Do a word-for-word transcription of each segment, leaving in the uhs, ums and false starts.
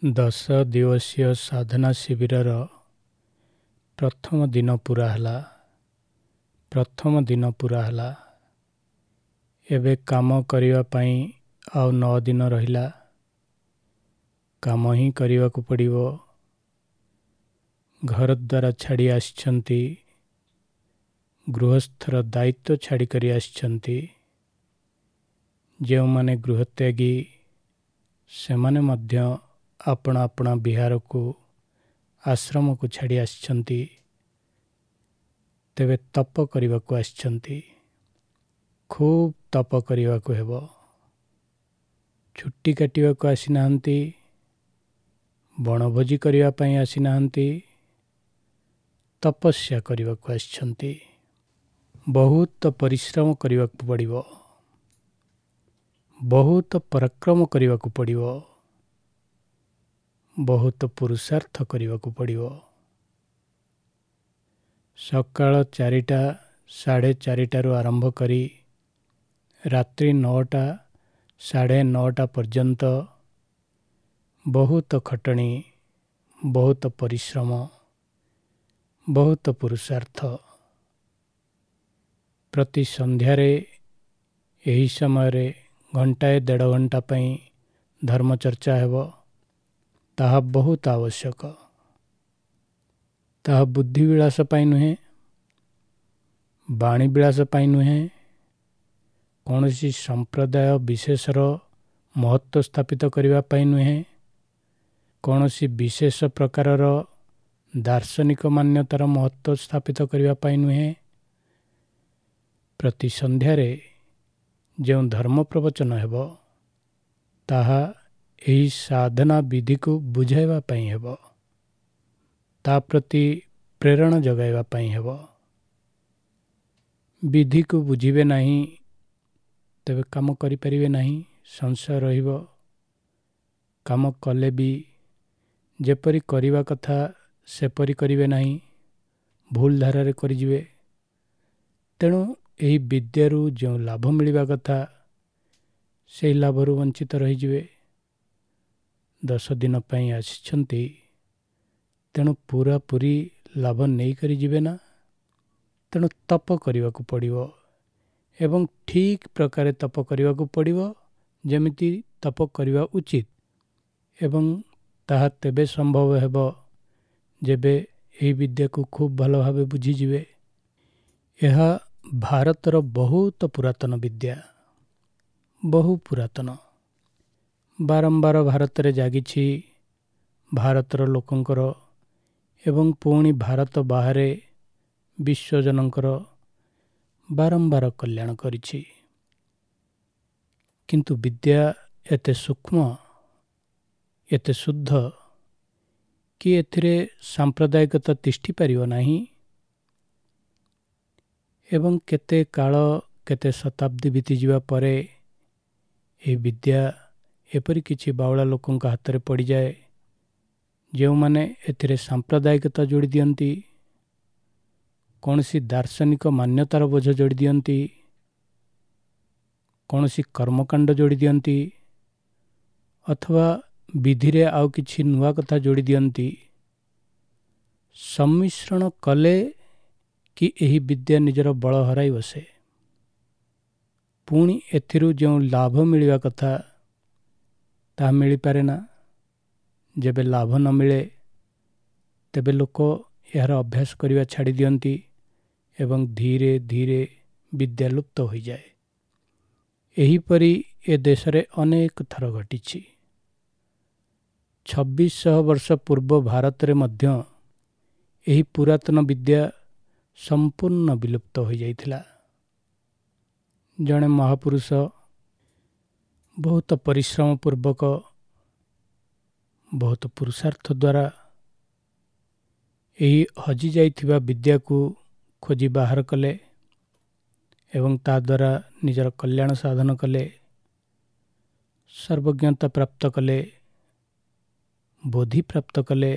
ଦଶ ଦିବସୀୟ ସାଧନା ଶିବିରର ପ୍ରଥମ ଦିନ ପୂରା ହେଲା। ପ୍ରଥମ ଦିନ ପୂରା ହେଲା। ଏବେ କାମ କରିବା ପାଇଁ ଆଉ ନଅ ଦିନ ରହିଲା। କାମ ହିଁ କରିବାକୁ ପଡ଼ିବ। ଘରଦ୍ୱାର ଛାଡ଼ି ଆସିଛନ୍ତି, ଗୃହସ୍ଥର ଦାୟିତ୍ୱ ଛାଡ଼ିକରି ଆସିଛନ୍ତି। ଯେଉଁମାନେ ଗୃହତ୍ୟାଗୀ ସେମାନେ ମଧ୍ୟ ଆପଣା ଆପଣା ବିହାରକୁ, ଆଶ୍ରମକୁ ଛାଡ଼ି ଆସିଛନ୍ତି। ତେବେ ତପ କରିବାକୁ ଆସିଛନ୍ତି। ଖୁବ୍ ତପ କରିବାକୁ ହେବ। ଛୁଟି କାଟିବାକୁ ଆସିନାହାନ୍ତି, ବଣଭୋଜି କରିବା ପାଇଁ ଆସିନାହାନ୍ତି, ତପସ୍ୟା କରିବାକୁ ଆସିଛନ୍ତି। ବହୁତ ପରିଶ୍ରମ କରିବାକୁ ପଡ଼ିବ, ବହୁତ ପରାକ୍ରମ କରିବାକୁ ପଡ଼ିବ, ବହୁତ ପୁରୁଷାର୍ଥ କରିବାକୁ ପଡ଼ିବ। ସକାଳ ଚାରିଟା ସାଢ଼େ ଚାରିଟାରୁ ଆରମ୍ଭ କରି ରାତ୍ରି ନଅଟା ସାଢ଼େ ନଅଟା ପର୍ଯ୍ୟନ୍ତ ବହୁତ ଖଟଣି, ବହୁତ ପରିଶ୍ରମ, ବହୁତ ପୁରୁଷାର୍ଥ। ପ୍ରତି ସନ୍ଧ୍ୟାରେ ଏହି ସମୟରେ ଘଣ୍ଟାଏ ଦେଢ଼ ଘଣ୍ଟା ପାଇଁ ଧର୍ମଚର୍ଚ୍ଚା ହେବ। ତାହା ବହୁତ ଆବଶ୍ୟକ। ତାହା ବୁଦ୍ଧିବିଳାସ ପାଇଁ ନୁହେଁ, ବାଣୀବିଳାସ ପାଇଁ ନୁହେଁ, କୌଣସି ସମ୍ପ୍ରଦାୟ ବିଶେଷର ମହତ୍ତ୍ୱ ସ୍ଥାପିତ କରିବା ପାଇଁ ନୁହେଁ, କୌଣସି ବିଶେଷ ପ୍ରକାରର ଦାର୍ଶନିକ ମାନ୍ୟତାର ମହତ୍ତ୍ୱ ସ୍ଥାପିତ କରିବା ପାଇଁ ନୁହେଁ। ପ୍ରତି ସନ୍ଧ୍ୟାରେ ଯେଉଁ ଧର୍ମ ପ୍ରବଚନ ହେବ ତାହା ଏହି ସାଧନା ବିଧିକୁ ବୁଝାଇବା ପାଇଁ ହେବ, ତା ପ୍ରତି ପ୍ରେରଣା ଯୋଗାଇବା ପାଇଁ ହେବ। ବିଧିକୁ ବୁଝିବେ ନାହିଁ ତେବେ କାମ କରିପାରିବେ ନାହିଁ, ସଂଶୟ ରହିବ। କାମ କଲେ ବି ଯେପରି କରିବା କଥା ସେପରି କରିବେ ନାହିଁ, ଭୁଲ ଧାରାରେ କରିଯିବେ। ତେଣୁ ଏହି ବିଦ୍ୟାରୁ ଯେଉଁ ଲାଭ ମିଳିବା କଥା ସେହି ଲାଭରୁ ବଞ୍ଚିତ ରହିଯିବେ। ଦଶ ଦିନ ପାଇଁ ଆସିଛନ୍ତି, ତେଣୁ ପୁରାପୁରି ଲାଭ ନେଇକରି ଯିବେ ନା। ତେଣୁ ତପ କରିବାକୁ ପଡ଼ିବ ଏବଂ ଠିକ୍ ପ୍ରକାରେ ତପ କରିବାକୁ ପଡ଼ିବ, ଯେମିତି ତପ କରିବା ଉଚିତ। ଏବଂ ତାହା ତେବେ ସମ୍ଭବ ହେବ ଯେବେ ଏହି ବିଦ୍ୟାକୁ ଖୁବ୍ ଭଲ ଭାବେ ବୁଝିଯିବେ। ଏହା ଭାରତର ବହୁତ ପୁରାତନ ବିଦ୍ୟା, ବହୁ ପୁରାତନ। ବାରମ୍ବାର ଭାରତରେ ଜାଗିଛି ଭାରତର ଲୋକଙ୍କର ଏବଂ ପୁଣି ଭାରତ ବାହାରେ ବିଶ୍ୱଜନଙ୍କର ବାରମ୍ବାର କଲ୍ୟାଣ କରିଛି। କିନ୍ତୁ ବିଦ୍ୟା ଏତେ ସୂକ୍ଷ୍ମ, ଏତେ ଶୁଦ୍ଧ କି ଏଥିରେ ସାମ୍ପ୍ରଦାୟିକତା ତିଷ୍ଠି ପାରିବ ନାହିଁ। ଏବଂ କେତେ କାଳ, କେତେ ଶତାବ୍ଦୀ ବିତିଯିବା ପରେ ଏହି ବିଦ୍ୟା ଏପରି କିଛି ବାଉଳା ଲୋକଙ୍କ ହାତରେ ପଡ଼ିଯାଏ, ଯେଉଁମାନେ ଏଥିରେ ସାମ୍ପ୍ରଦାୟିକତା ଯୋଡ଼ି ଦିଅନ୍ତି, କୌଣସି ଦାର୍ଶନିକ ମାନ୍ୟତାର ବୋଝ ଯୋଡ଼ି ଦିଅନ୍ତି, କୌଣସି କର୍ମକାଣ୍ଡ ଯୋଡ଼ି ଦିଅନ୍ତି, ଅଥବା ବିଧିରେ ଆଉ କିଛି ନୂଆ କଥା ଯୋଡ଼ି ଦିଅନ୍ତି। ସମ୍ମିଶ୍ରଣ କଲେ କି ଏହି ବିଦ୍ୟା ନିଜର ବଳ ହରାଇ ବସେ। ପୁଣି ଏଥିରୁ ଯେଉଁ ଲାଭ ମିଳିବା କଥା ତାହା ମିଳିପାରେ ନା। ଯେବେ ଲାଭ ନ ମିଳେ ତେବେ ଲୋକ ଏହାର ଅଭ୍ୟାସ କରିବା ଛାଡ଼ି ଦିଅନ୍ତି ଏବଂ ଧୀରେ ଧୀରେ ବିଦ୍ୟା ଲୁପ୍ତ ହୋଇଯାଏ। ଏହିପରି ଏ ଦେଶରେ ଅନେକ ଥର ଘଟିଛି। ଛବିଶଶହ ବର୍ଷ ପୂର୍ବ ଭାରତରେ ମଧ୍ୟ ଏହି ପୁରାତନ ବିଦ୍ୟା ସମ୍ପୂର୍ଣ୍ଣ ବିଲୁପ୍ତ ହୋଇଯାଇଥିଲା। ଜଣେ ମହାପୁରୁଷ ବହୁତ ପରିଶ୍ରମ ପୂର୍ବକ, ବହୁତ ପୁରୁଷାର୍ଥ ଦ୍ୱାରା ଏହି ହଜିଯାଇଥିବା ବିଦ୍ୟାକୁ ଖୋଜି ବାହାର କଲେ ଏବଂ ତା ଦ୍ୱାରା ନିଜର କଲ୍ୟାଣ ସାଧନ କଲେ, ସର୍ବଜ୍ଞତା ପ୍ରାପ୍ତ କଲେ, ବୋଧି ପ୍ରାପ୍ତ କଲେ,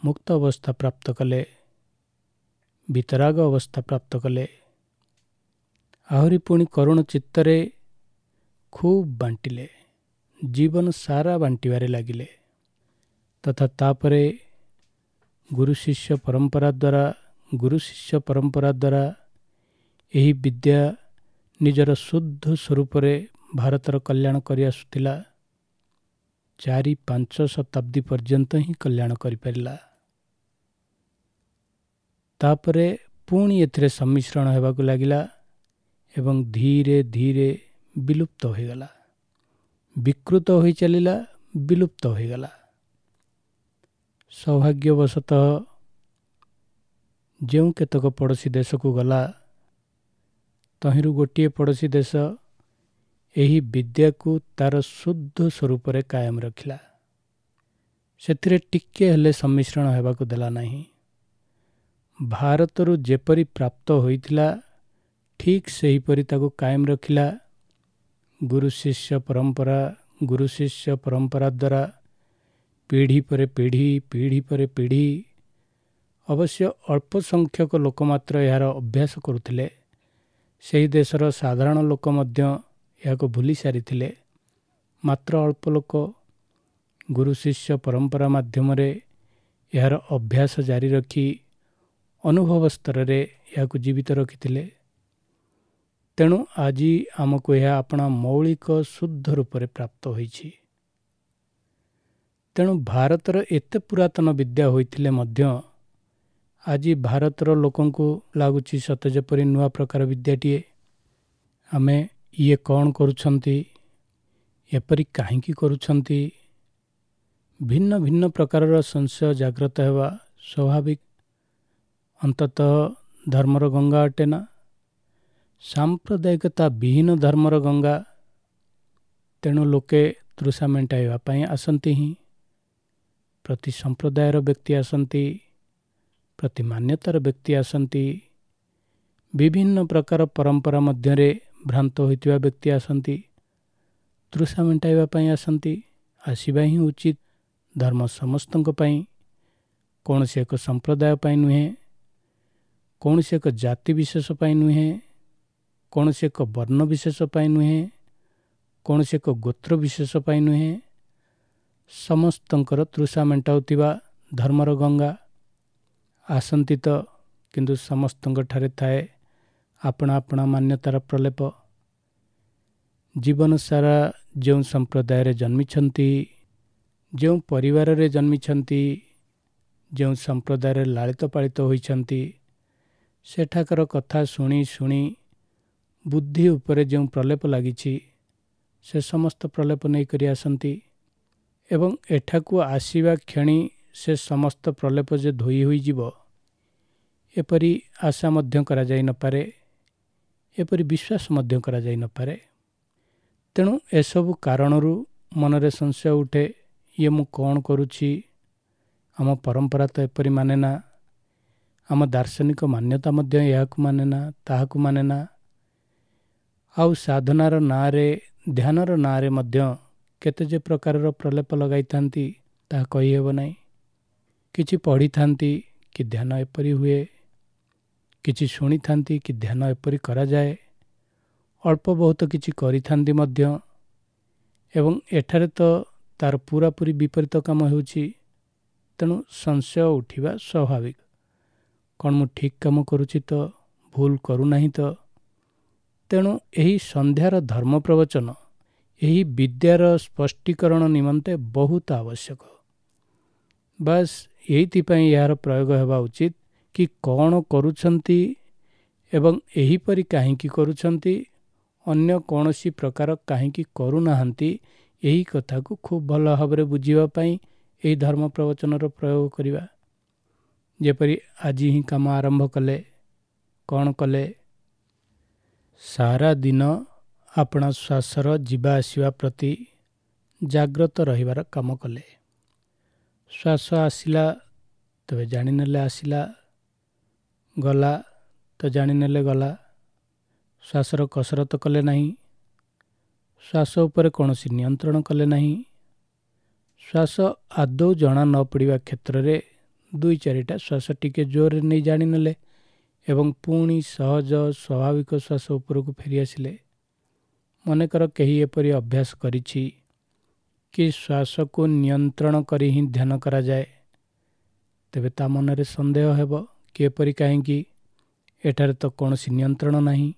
ମୁକ୍ତ ଅବସ୍ଥା ପ୍ରାପ୍ତ କଲେ, ବିତରାଗ ଅବସ୍ଥା ପ୍ରାପ୍ତ କଲେ। ଆହୁରି ପୁଣି କରୁଣ ଚିତ୍ତରେ ଖୁବ୍ ବାଣ୍ଟିଲେ, ଜୀବନ ସାରା ବାଣ୍ଟିବାରେ ଲାଗିଲେ ତଥା ତାପରେ ଗୁରୁ ଶିଷ୍ୟ ପରମ୍ପରା ଦ୍ୱାରା ଗୁରୁ ଶିଷ୍ୟ ପରମ୍ପରା ଦ୍ୱାରା ଏହି ବିଦ୍ୟା ନିଜର ଶୁଦ୍ଧ ସ୍ୱରୂପରେ ଭାରତର କଲ୍ୟାଣ କରିଆସୁଥିଲା। ଚାରି ପାଞ୍ଚ ଶତାବ୍ଦୀ ପର୍ଯ୍ୟନ୍ତ ହିଁ କଲ୍ୟାଣ କରିପାରିଲା। ତାପରେ ପୁଣି ଏଥିରେ ସମ୍ମିଶ୍ରଣ ହେବାକୁ ଲାଗିଲା ଏବଂ ଧୀରେ ଧୀରେ ବିଲୁପ୍ତ ହୋଇଗଲା, ବିକୃତ ହୋଇ ଚାଲିଲା, ବିଲୁପ୍ତ ହୋଇଗଲା। ସୌଭାଗ୍ୟବଶତଃ ଯେଉଁ କେତେକ ପଡ଼ୋଶୀ ଦେଶକୁ ଗଲା, ତହିଁରୁ ଗୋଟିଏ ପଡ଼ୋଶୀ ଦେଶ ଏହି ବିଦ୍ୟାକୁ ତାର ଶୁଦ୍ଧ ସ୍ୱରୂପରେ କାୟମ ରଖିଲା। ସେଥିରେ ଟିକିଏ ହେଲେ ସମ୍ମିଶ୍ରଣ ହେବାକୁ ଦେଲା ନାହିଁ। ଭାରତରୁ ଯେପରି ପ୍ରାପ୍ତ ହୋଇଥିଲା ଠିକ୍ ସେହିପରି ତାକୁ କାୟମ ରଖିଲା। ଗୁରୁ ଶିଷ୍ୟ ପରମ୍ପରା ଗୁରୁ ଶିଷ୍ୟ ପରମ୍ପରା ଦ୍ୱାରା ପିଢ଼ି ପରେ ପିଢ଼ି, ପିଢ଼ି ପରେ ପିଢ଼ି, ଅବଶ୍ୟ ଅଳ୍ପ ସଂଖ୍ୟକ ଲୋକ ମାତ୍ର ଏହାର ଅଭ୍ୟାସ କରୁଥିଲେ। ସେହି ଦେଶର ସାଧାରଣ ଲୋକ ମଧ୍ୟ ଏହାକୁ ଭୁଲି ସାରିଥିଲେ। ମାତ୍ର ଅଳ୍ପ ଲୋକ ଗୁରୁ ଶିଷ୍ୟ ପରମ୍ପରା ମାଧ୍ୟମରେ ଏହାର ଅଭ୍ୟାସ ଜାରି ରଖି ଅନୁଭବ ସ୍ତରରେ ଏହାକୁ ଜୀବିତ ରଖିଥିଲେ। ତେଣୁ ଆଜି ଆମକୁ ଏହା ଆପଣା ମୌଳିକ ଶୁଦ୍ଧ ରୂପରେ ପ୍ରାପ୍ତ ହୋଇଛି। ତେଣୁ ଭାରତର ଏତେ ପୁରାତନ ବିଦ୍ୟା ହୋଇଥିଲେ ମଧ୍ୟ ଆଜି ଭାରତର ଲୋକଙ୍କୁ ଲାଗୁଛି ସତେ ଯେପରି ନୂଆ ପ୍ରକାର ବିଦ୍ୟାଟିଏ। ଆମେ ଇଏ କ'ଣ କରୁଛନ୍ତି, ଏପରି କାହିଁକି କରୁଛନ୍ତି, ଭିନ୍ନ ଭିନ୍ନ ପ୍ରକାରର ସଂଶୟ ଜାଗ୍ରତ ହେବା ସ୍ୱାଭାବିକ। ଅନ୍ତତଃ ଧର୍ମର ଗଙ୍ଗା ଅଟେ ନା, ସାମ୍ପ୍ରଦାୟିକତା ବିହୀନ ଧର୍ମର ଗଙ୍ଗା। ତେଣୁ ଲୋକେ ତୃଷା ମେଣ୍ଟାଇବା ପାଇଁ ଆସନ୍ତି ହିଁ। ପ୍ରତି ସମ୍ପ୍ରଦାୟର ବ୍ୟକ୍ତି ଆସନ୍ତି, ପ୍ରତି ମାନ୍ୟତାର ବ୍ୟକ୍ତି ଆସନ୍ତି, ବିଭିନ୍ନ ପ୍ରକାର ପରମ୍ପରା ମଧ୍ୟରେ ଭ୍ରାନ୍ତ ହୋଇଥିବା ବ୍ୟକ୍ତି ଆସନ୍ତି, ତୃଷା ମେଣ୍ଟାଇବା ପାଇଁ ଆସନ୍ତି। ଆସିବା ହିଁ ଉଚିତ। ଧର୍ମ ସମସ୍ତଙ୍କ ପାଇଁ, କୌଣସି ଏକ ସମ୍ପ୍ରଦାୟ ପାଇଁ ନୁହେଁ, କୌଣସି ଏକ ଜାତି ବିଶେଷ ପାଇଁ ନୁହେଁ, କୌଣସି ଏକ ବର୍ଣ୍ଣ ବିଶେଷ ପାଇଁ ନୁହେଁ, କୌଣସି ଏକ ଗୋତ୍ର ବିଶେଷ ପାଇଁ ନୁହେଁ। ସମସ୍ତଙ୍କର ତୃଷା ମେଣ୍ଟାଉଥିବା ଧର୍ମର ଗଙ୍ଗା। ଆସନ୍ତି ତ, କିନ୍ତୁ ସମସ୍ତଙ୍କ ଠାରେ ଥାଏ ଆପଣା ଆପଣା ମାନ୍ୟତାର ପ୍ରଲେପ। ଜୀବନ ସାରା ଯେଉଁ ସମ୍ପ୍ରଦାୟରେ ଜନ୍ମିଛନ୍ତି, ଯେଉଁ ପରିବାରରେ ଜନ୍ମିଛନ୍ତି, ଯେଉଁ ସମ୍ପ୍ରଦାୟରେ ଲାଳିତ ପାଳିତ ହୋଇଛନ୍ତି, ସେଠାକାର କଥା ଶୁଣି ଶୁଣି ବୁଦ୍ଧି ଉପରେ ଯେଉଁ ପ୍ରଲେପ ଲାଗିଛି, ସେ ସମସ୍ତ ପ୍ରଲେପ ନେଇକରି ଆସନ୍ତି ଏବଂ ଏଠାକୁ ଆସିବା କ୍ଷଣି ସେ ସମସ୍ତ ପ୍ରଲେପ ଯେ ଧୋଇ ହୋଇଯିବ ଏପରି ଆଶା ମଧ୍ୟ କରାଯାଇ ନପାରେ, ଏପରି ବିଶ୍ୱାସ ମଧ୍ୟ କରାଯାଇ ନପାରେ। ତେଣୁ ଏସବୁ କାରଣରୁ ମନରେ ସଂଶୟ ଉଠେ, ଇଏ ମୁଁ କ'ଣ କରୁଛି, ଆମ ପରମ୍ପରା ତ ଏପରି ମାନେ ନା, ଆମ ଦାର୍ଶନିକ ମାନ୍ୟତା ମଧ୍ୟ ଏହାକୁ ମାନେ ନା, ତାହାକୁ ମାନେ ନା। ଆଉ ସାଧନାର ନାଁରେ, ଧ୍ୟାନର ନାଁରେ ମଧ୍ୟ କେତେ ଯେ ପ୍ରକାରର ପ୍ରଲେପ ଲଗାଇଥାନ୍ତି ତାହା କହିହେବ ନାହିଁ। କିଛି ପଢ଼ିଥାନ୍ତି କି ଧ୍ୟାନ ଏପରି ହୁଏ, କିଛି ଶୁଣିଥାନ୍ତି କି ଧ୍ୟାନ ଏପରି କରାଯାଏ, ଅଳ୍ପ ବହୁତ କିଛି କରିଥାନ୍ତି ମଧ୍ୟ, ଏବଂ ଏଠାରେ ତ ତାର ପୁରାପୁରି ବିପରୀତ କାମ ହେଉଛି। ତେଣୁ ସଂଶୟ ଉଠିବା ସ୍ୱାଭାବିକ। କ'ଣ ମୁଁ ଠିକ୍ କାମ କରୁଛି ତ, ଭୁଲ କରୁନାହିଁ ତ? ତେଣୁ ଏହି ସନ୍ଧ୍ୟାର ଧର୍ମ ପ୍ରବଚନ ଏହି ବିଦ୍ୟାର ସ୍ପଷ୍ଟୀକରଣ ନିମନ୍ତେ ବହୁତ ଆବଶ୍ୟକ। ବାସ୍ ଏଇଥିପାଇଁ ଏହାର ପ୍ରୟୋଗ ହେବା ଉଚିତ କି କ'ଣ କରୁଛନ୍ତି ଏବଂ ଏହିପରି କାହିଁକି କରୁଛନ୍ତି, ଅନ୍ୟ କୌଣସି ପ୍ରକାର କାହିଁକି କରୁନାହାନ୍ତି, ଏହି କଥାକୁ ଖୁବ୍ ଭଲ ଭାବରେ ବୁଝିବା ପାଇଁ ଏହି ଧର୍ମ ପ୍ରବଚନର ପ୍ରୟୋଗ କରିବା। ଯେପରି ଆଜି ହିଁ କାମ ଆରମ୍ଭ କଲେ, କ'ଣ କଲେ, ସାରା ଦିନ ଆପଣା ଶ୍ୱାସର ଯିବା ଆସିବା ପ୍ରତି ଜାଗ୍ରତ ରହିବାର କାମ କଲେ। ଶ୍ୱାସ ଆସିଲା ତେବେ ଜାଣିନେଲେ ଆସିଲା, ଗଲା ତ ଜାଣିନେଲେ ଗଲା। ଶ୍ୱାସର କସରତ କଲେ ନାହିଁ, ଶ୍ୱାସ ଉପରେ କୌଣସି ନିୟନ୍ତ୍ରଣ କଲେ ନାହିଁ। ଶ୍ୱାସ ଆଦୌ ଜଣା ନ ପଡ଼ିବା କ୍ଷେତ୍ରରେ ଦୁଇ ଚାରିଟା ଶ୍ୱାସ ଟିକେ ଜୋରରେ ନେଇ ଜାଣିନେଲେ ଏବଂ ପୁଣି ସହଜ ସ୍ୱାଭାବିକ ଶ୍ୱାସ ଉପରକୁ ଫେରିଆସିଲେ। ମନେକର କେହି ଏପରି ଅଭ୍ୟାସ କରିଛି, କି ଶ୍ୱାସକୁ ନିୟନ୍ତ୍ରଣ କରି ହିଁ ଧ୍ୟାନ କରାଯାଏ, ତେବେ ତା ମନରେ ସନ୍ଦେହ ହେବ କି ଏପରି କାହିଁକି, ଏଠାରେ ତ କୌଣସି ନିୟନ୍ତ୍ରଣ ନାହିଁ।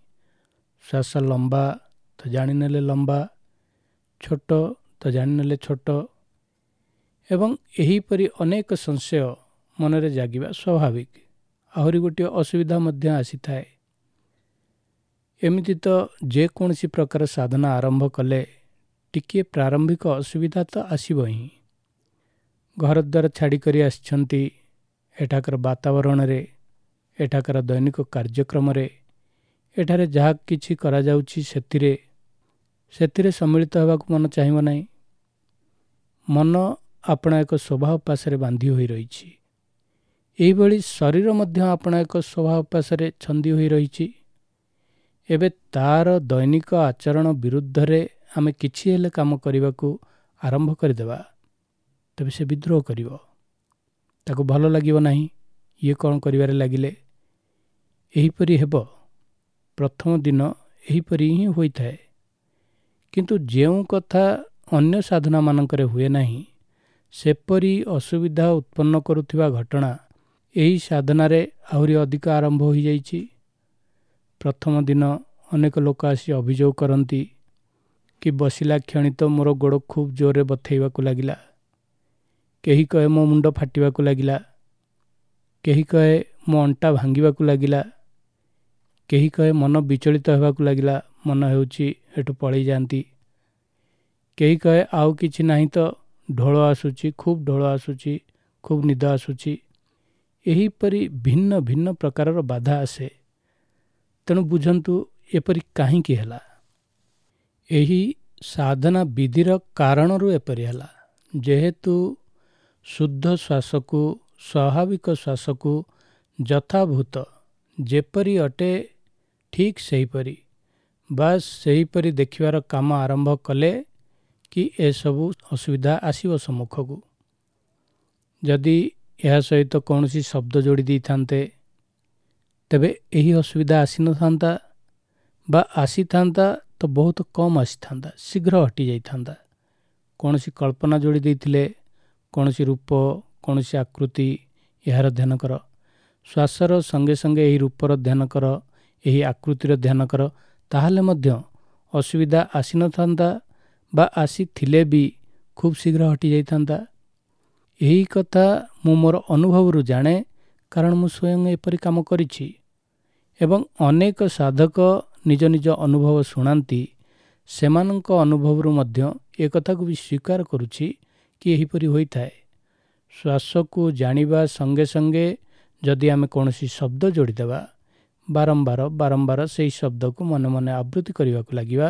ଶ୍ୱାସ ଲମ୍ବା ତ ଜାଣିନେଲେ ଲମ୍ବା, ଛୋଟ ତ ଜାଣିନେଲେ ଛୋଟ, ଏବଂ ଏହିପରି ଅନେକ ସଂଶୟ ମନରେ ଜାଗିବା ସ୍ୱାଭାବିକ। ଆହୁରି ଗୋଟିଏ ଅସୁବିଧା ମଧ୍ୟ ଆସିଥାଏ। ଏମିତି ତ ଯେକୌଣସି ପ୍ରକାର ସାଧନା ଆରମ୍ଭ କଲେ ଟିକିଏ ପ୍ରାରମ୍ଭିକ ଅସୁବିଧା ତ ଆସିବ ହିଁ। ଘରଦ୍ୱାର ଛାଡ଼ିକରି ଆସିଛନ୍ତି, ଏଠାକାର ବାତାବରଣରେ, ଏଠାକାର ଦୈନିକ କାର୍ଯ୍ୟକ୍ରମରେ, ଏଠାରେ ଯାହା କିଛି କରାଯାଉଛି ସେଥିରେ ସେଥିରେ ସମ୍ମିଳିତ ହେବାକୁ ମନ ଚାହିଁବ ନାହିଁ। ମନ ଆପଣା ଏକ ସ୍ୱଭାବ ପାଶରେ ବାନ୍ଧି ହୋଇ ରହିଛି। ଏହିଭଳି ଶରୀର ମଧ୍ୟ ଆପଣା ଏକ ସ୍ୱଭାବ ପାଶରେ ଛନ୍ଦି ହୋଇ ରହିଛି। ଏବେ ତାର ଦୈନିକ ଆଚରଣ ବିରୁଦ୍ଧରେ ଆମେ କିଛି ହେଲେ କାମ କରିବାକୁ ଆରମ୍ଭ କରିଦେବା, ତେବେ ସେ ବିଦ୍ରୋହ କରିବ, ତାକୁ ଭଲ ଲାଗିବ ନାହିଁ, ଇଏ କ'ଣ କରିବାରେ ଲାଗିଲେ। ଏହିପରି ହେବ। ପ୍ରଥମ ଦିନ ଏହିପରି ହିଁ ହୋଇଥାଏ। କିନ୍ତୁ ଯେଉଁ କଥା ଅନ୍ୟ ସାଧନାମାନଙ୍କରେ ହୁଏ ନାହିଁ, ସେପରି ଅସୁବିଧା ଉତ୍ପନ୍ନ କରୁଥିବା ଘଟଣା ଏହି ସାଧନାରେ ଆହୁରି ଅଧିକ ଆରମ୍ଭ ହୋଇଯାଇଛି। ପ୍ରଥମ ଦିନ ଅନେକ ଲୋକ ଆସି ଅଭିଯୋଗ କରନ୍ତି କି ବସିଲା କ୍ଷଣି ତ ମୋର ଗୋଡ଼ ଖୁବ୍ ଜୋରରେ ବଥେଇବାକୁ ଲାଗିଲା, କେହି କହେ ମୋ ମୁଣ୍ଡ ଫାଟିବାକୁ ଲାଗିଲା, କେହି କହେ ମୋ ଅଣ୍ଟା ଭାଙ୍ଗିବାକୁ ଲାଗିଲା, କେହି କହେ ମନ ବିଚଳିତ ହେବାକୁ ଲାଗିଲା, ମନ ହେଉଛି ଏଠୁ ପଳେଇ ଯାଆନ୍ତି, କେହି କହେ ଆଉ କିଛି ନାହିଁ ତ ଢୋଳ ଆସୁଛି, ଖୁବ୍ ଢୋଳ ଆସୁଛି, ଖୁବ୍ ନିଦ ଆସୁଛି। ଏହିପରି ଭିନ୍ନ ଭିନ୍ନ ପ୍ରକାରର ବାଧା ଆସେ। ତେଣୁ ବୁଝନ୍ତୁ ଏପରି କାହିଁକି ହେଲା। ଏହି ସାଧନା ବିଧିର କାରଣରୁ ଏପରି ହେଲା। ଯେହେତୁ ଶୁଦ୍ଧ ଶ୍ୱାସକୁ, ସ୍ୱାଭାବିକ ଶ୍ୱାସକୁ ଯଥାଭୂତ ଯେପରି ଅଟେ ଠିକ୍ ସେହିପରି ବାସ୍ ସେହିପରି ଦେଖିବାର କାମ ଆରମ୍ଭ କଲେ କି ଏସବୁ ଅସୁବିଧା ଆସିବ ସମ୍ମୁଖକୁ। ଯଦି ଏହା ସହିତ କୌଣସି ଶବ୍ଦ ଯୋଡ଼ି ଦେଇଥାନ୍ତେ ତେବେ ଏହି ଅସୁବିଧା ଆସିନଥାନ୍ତା, ବା ଆସିଥାନ୍ତା ତ ବହୁତ କମ୍ ଆସିଥାନ୍ତା, ଶୀଘ୍ର ହଟିଯାଇଥାନ୍ତା। କୌଣସି କଳ୍ପନା ଯୋଡ଼ି ଦେଇଥିଲେ, କୌଣସି ରୂପ, କୌଣସି ଆକୃତି, ଏହାର ଧ୍ୟାନ କର, ଶ୍ୱାସର ସଙ୍ଗେ ସଙ୍ଗେ ଏହି ରୂପର ଧ୍ୟାନ କର, ଏହି ଆକୃତିର ଧ୍ୟାନ କର, ତାହେଲେ ମଧ୍ୟ ଅସୁବିଧା ଆସିନଥାନ୍ତା, ବା ଆସିଥିଲେ ବି ଖୁବ୍ ଶୀଘ୍ର ହଟିଯାଇଥାନ୍ତା। ଏହି କଥା ମୁଁ ମୋର ଅନୁଭବରୁ ଜାଣେ, କାରଣ ମୁଁ ସ୍ୱୟଂ ଏପରି କାମ କରିଛି ଏବଂ ଅନେକ ସାଧକ ନିଜ ନିଜ ଅନୁଭବ ଶୁଣାନ୍ତି। ସେମାନଙ୍କ ଅନୁଭବରୁ ମଧ୍ୟ ଏକଥାକୁ ବି ସ୍ୱୀକାର କରୁଛି କି ଏହିପରି ହୋଇଥାଏ। ଶ୍ୱାସକୁ ଜାଣିବା ସଙ୍ଗେ ସଙ୍ଗେ ଯଦି ଆମେ କୌଣସି ଶବ୍ଦ ଯୋଡ଼ିଦେବା, ବାରମ୍ବାର ବାରମ୍ବାର ସେହି ଶବ୍ଦକୁ ମନେ ମନେ ଆବୃତ୍ତି କରିବାକୁ ଲାଗିବା,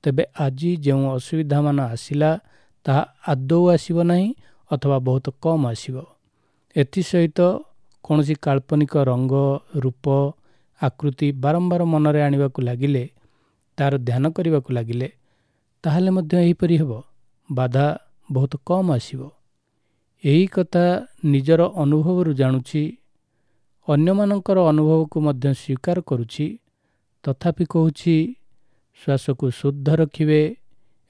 ତେବେ ଆଜି ଯେଉଁ ଅସୁବିଧାମାନ ଆସିଲା ତାହା ଆଦୌ ଆସିବ ନାହିଁ ଅଥବା ବହୁତ କମ୍ ଆସିବ। ଏଥିସହିତ କୌଣସି କାଳ୍ପନିକ ରଙ୍ଗ, ରୂପ, ଆକୃତି ବାରମ୍ବାର ମନରେ ଆଣିବାକୁ ଲାଗିଲେ, ତାର ଧ୍ୟାନ କରିବାକୁ ଲାଗିଲେ, ତାହେଲେ ମଧ୍ୟ ଏହିପରି ହେବ, ବାଧା ବହୁତ କମ୍ ଆସିବ। ଏହି କଥା ନିଜର ଅନୁଭବରୁ ଜାଣୁଛି, ଅନ୍ୟମାନଙ୍କର ଅନୁଭବକୁ ମଧ୍ୟ ସ୍ୱୀକାର କରୁଛି। ତଥାପି କହୁଛି, ଶ୍ୱାସକୁ ଶୁଦ୍ଧ ରଖିବେ,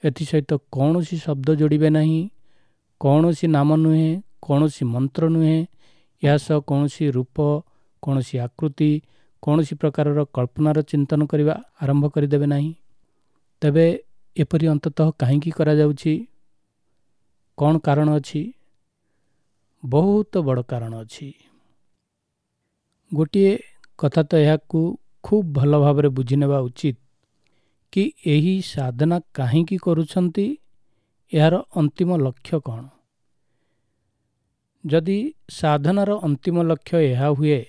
ଏଥିସହିତ କୌଣସି ଶବ୍ଦ ଯୋଡ଼ିବେ ନାହିଁ, କୌଣସି ନାମ ନୁହେଁ, କୌଣସି ମନ୍ତ୍ର ନୁହେଁ, ଏହା ସହ କୌଣସି ରୂପ, କୌଣସି ଆକୃତି, କୌଣସି ପ୍ରକାରର କଳ୍ପନାର ଚିନ୍ତନ କରିବା ଆରମ୍ଭ କରିଦେବେ ନାହିଁ। ତେବେ ଏପରି ଅନ୍ତତଃ କାହିଁକି କରାଯାଉଛି? କ'ଣ କାରଣ ଅଛି? ବହୁତ ବଡ଼ କାରଣ ଅଛି। ଗୋଟିଏ କଥା ତ ଏହାକୁ ଖୁବ୍ ଭଲ ଭାବରେ ବୁଝିନେବା ଉଚିତ କି ଏହି ସାଧନା କାହିଁକି କରୁଛନ୍ତି, ଏହାର ଅନ୍ତିମ ଲକ୍ଷ୍ୟ କ'ଣ। ଯଦି ସାଧନାର ଅନ୍ତିମ ଲକ୍ଷ୍ୟ ଏହା ହୁଏ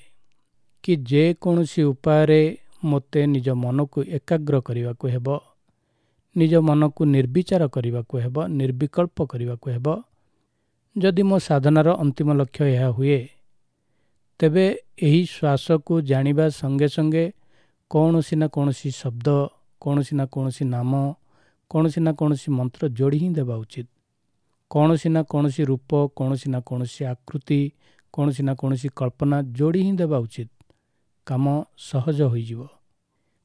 କି ଯେକୌଣସି ଉପାୟରେ ମୋତେ ନିଜ ମନକୁ ଏକାଗ୍ର କରିବାକୁ ହେବ, ନିଜ ମନକୁ ନିର୍ବିଚାର କରିବାକୁ ହେବ, ନିର୍ବିକଳ୍ପ କରିବାକୁ ହେବ, ଯଦି ମୋ ସାଧନାର ଅନ୍ତିମ ଲକ୍ଷ୍ୟ ଏହା ହୁଏ, ତେବେ ଏହି ଶ୍ୱାସକୁ ଜାଣିବା ସଙ୍ଗେ ସଙ୍ଗେ କୌଣସି ନା କୌଣସି ଶବ୍ଦ, କୌଣସି ନା କୌଣସି ନାମ, କୌଣସି ନା କୌଣସି ମନ୍ତ୍ର ଯୋଡ଼ି ହିଁ ଦେବା ଉଚିତ। କୌଣସି ନା କୌଣସି ରୂପ, କୌଣସି ନା କୌଣସି ଆକୃତି, କୌଣସି ନା କୌଣସି କଳ୍ପନା ଯୋଡ଼ି ହିଁ ଦେବା ଉଚିତ। କାମ ସହଜ ହୋଇଯିବ,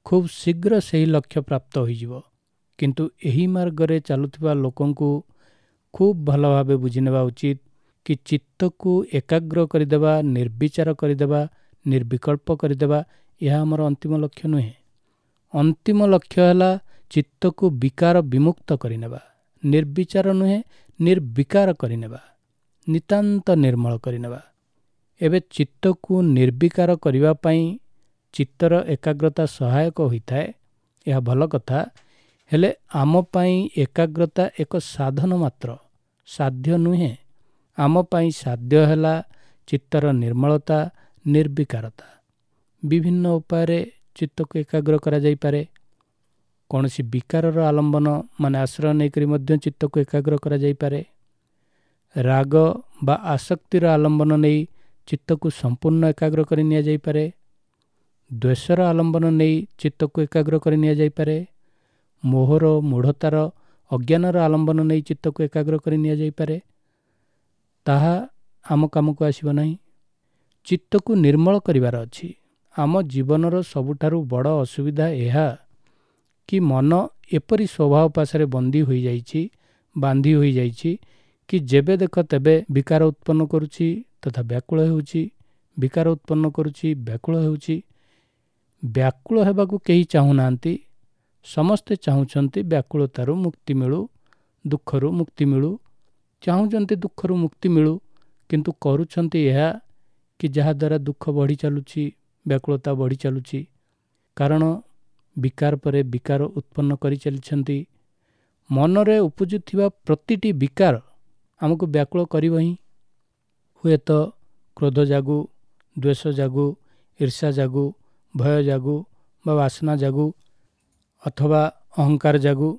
ଖୁବ୍ ଶୀଘ୍ର ସେହି ଲକ୍ଷ୍ୟ ପ୍ରାପ୍ତ ହୋଇଯିବ। କିନ୍ତୁ ଏହି ମାର୍ଗରେ ଚାଲୁଥିବା ଲୋକଙ୍କୁ ଖୁବ୍ ଭଲ ଭାବେ ବୁଝିନେବା ଉଚିତ କି ଚିତ୍ତକୁ ଏକାଗ୍ର କରିଦେବା, ନିର୍ବିଚାର କରିଦେବା, ନିର୍ବିକଳ୍ପ କରିଦେବା, ଏହା ଆମର ଅନ୍ତିମ ଲକ୍ଷ୍ୟ ନୁହେଁ। ଅନ୍ତିମ ଲକ୍ଷ୍ୟ ହେଲା ଚିତ୍ତକୁ ବିକାର ବିମୁକ୍ତ କରିନେବା, ନିର୍ବିଚାର ନୁହେଁ, ନିର୍ବିକାର କରିନେବା, ନିତାନ୍ତ ନିର୍ମଳ କରିନେବା। ଏବେ ଚିତ୍ତକୁ ନିର୍ବିକାର କରିବା ପାଇଁ ଚିତ୍ତର ଏକାଗ୍ରତା ସହାୟକ ହୋଇଥାଏ, ଏହା ଭଲ କଥା। ହେଲେ ଆମ ପାଇଁ ଏକାଗ୍ରତା ଏକ ସାଧନ ମାତ୍ର, ସାଧ୍ୟ ନୁହେଁ। ଆମ ପାଇଁ ସାଧ୍ୟ ହେଲା ଚିତ୍ତର ନିର୍ମଳତା, ନିର୍ବିକାରତା। ବିଭିନ୍ନ ଉପାୟରେ ଚିତ୍ତକୁ ଏକାଗ୍ର କରାଯାଇପାରେ। କୌଣସି ବିକାରର ଆଲମ୍ବନ ମାନେ ଆଶ୍ରୟ ନେଇକରି ମଧ୍ୟ ଚିତ୍ତକୁ ଏକାଗ୍ର କରାଯାଇପାରେ। ରାଗ ବା ଆସକ୍ତିର ଆଲମ୍ବନ ନେଇ ଚିତ୍ତକୁ ସମ୍ପୂର୍ଣ୍ଣ ଏକାଗ୍ର କରି ନିଆଯାଇପାରେ। ଦ୍ୱେଷର ଆଲମ୍ବନ ନେଇ ଚିତ୍ତକୁ ଏକାଗ୍ର କରି ନିଆଯାଇପାରେ। ମୋହର, ମୂଢ଼ତାର, ଅଜ୍ଞାନର ଆଲମ୍ବନ ନେଇ ଚିତ୍ତକୁ ଏକାଗ୍ର କରି ନିଆଯାଇପାରେ। ତାହା ଆମ କାମକୁ ଆସିବ ନାହିଁ। ଚିତ୍ତକୁ ନିର୍ମଳ କରିବାର ଅଛି। ଆମ ଜୀବନର ସବୁଠାରୁ ବଡ଼ ଅସୁବିଧା ଏହା କି ମନ ଏପରି ସ୍ୱଭାବ ପାଶରେ ବନ୍ଦୀ ହୋଇଯାଇଛି, ବାନ୍ଧି ହୋଇଯାଇଛି କି ଯେବେ ଦେଖ ତେବେ ବିକାର ଉତ୍ପନ୍ନ କରୁଛି ତଥା ବ୍ୟାକୁଳ ହେଉଛି, ବିକାର ଉତ୍ପନ୍ନ କରୁଛି, ବ୍ୟାକୁଳ ହେଉଛି। ବ୍ୟାକୁଳ ହେବାକୁ କେହି ଚାହୁଁନାହାନ୍ତି। ସମସ୍ତେ ଚାହୁଁଛନ୍ତି ବ୍ୟାକୁଳତାରୁ ମୁକ୍ତି ମିଳୁ, ଦୁଃଖରୁ ମୁକ୍ତି ମିଳୁ, ଚାହୁଁଛନ୍ତି ଦୁଃଖରୁ ମୁକ୍ତି ମିଳୁ, କିନ୍ତୁ କରୁଛନ୍ତି ଏହା କି ଯାହାଦ୍ୱାରା ଦୁଃଖ ବଢ଼ି ଚାଲୁଛି, ବ୍ୟାକୁଳତା ବଢ଼ି ଚାଲୁଛି। କାରଣ ବିକାର ପରେ ବିକାର ଉତ୍ପନ୍ନ କରି ଚାଲିଛନ୍ତି। ମନରେ ଉପୁଜୁଥିବା ପ୍ରତିଟି ବିକାର ଆମକୁ ବ୍ୟାକୁଳ କରିବ ହିଁ। ହୁଏତ କ୍ରୋଧ ଜାଗୁ, ଦ୍ୱେଷ ଜାଗୁ, ଈର୍ଷା ଜାଗୁ, ଭୟ ଜାଗୁ ବା ବାସନା ଜାଗୁ ଅଥବା ଅହଙ୍କାର ଜାଗୁ,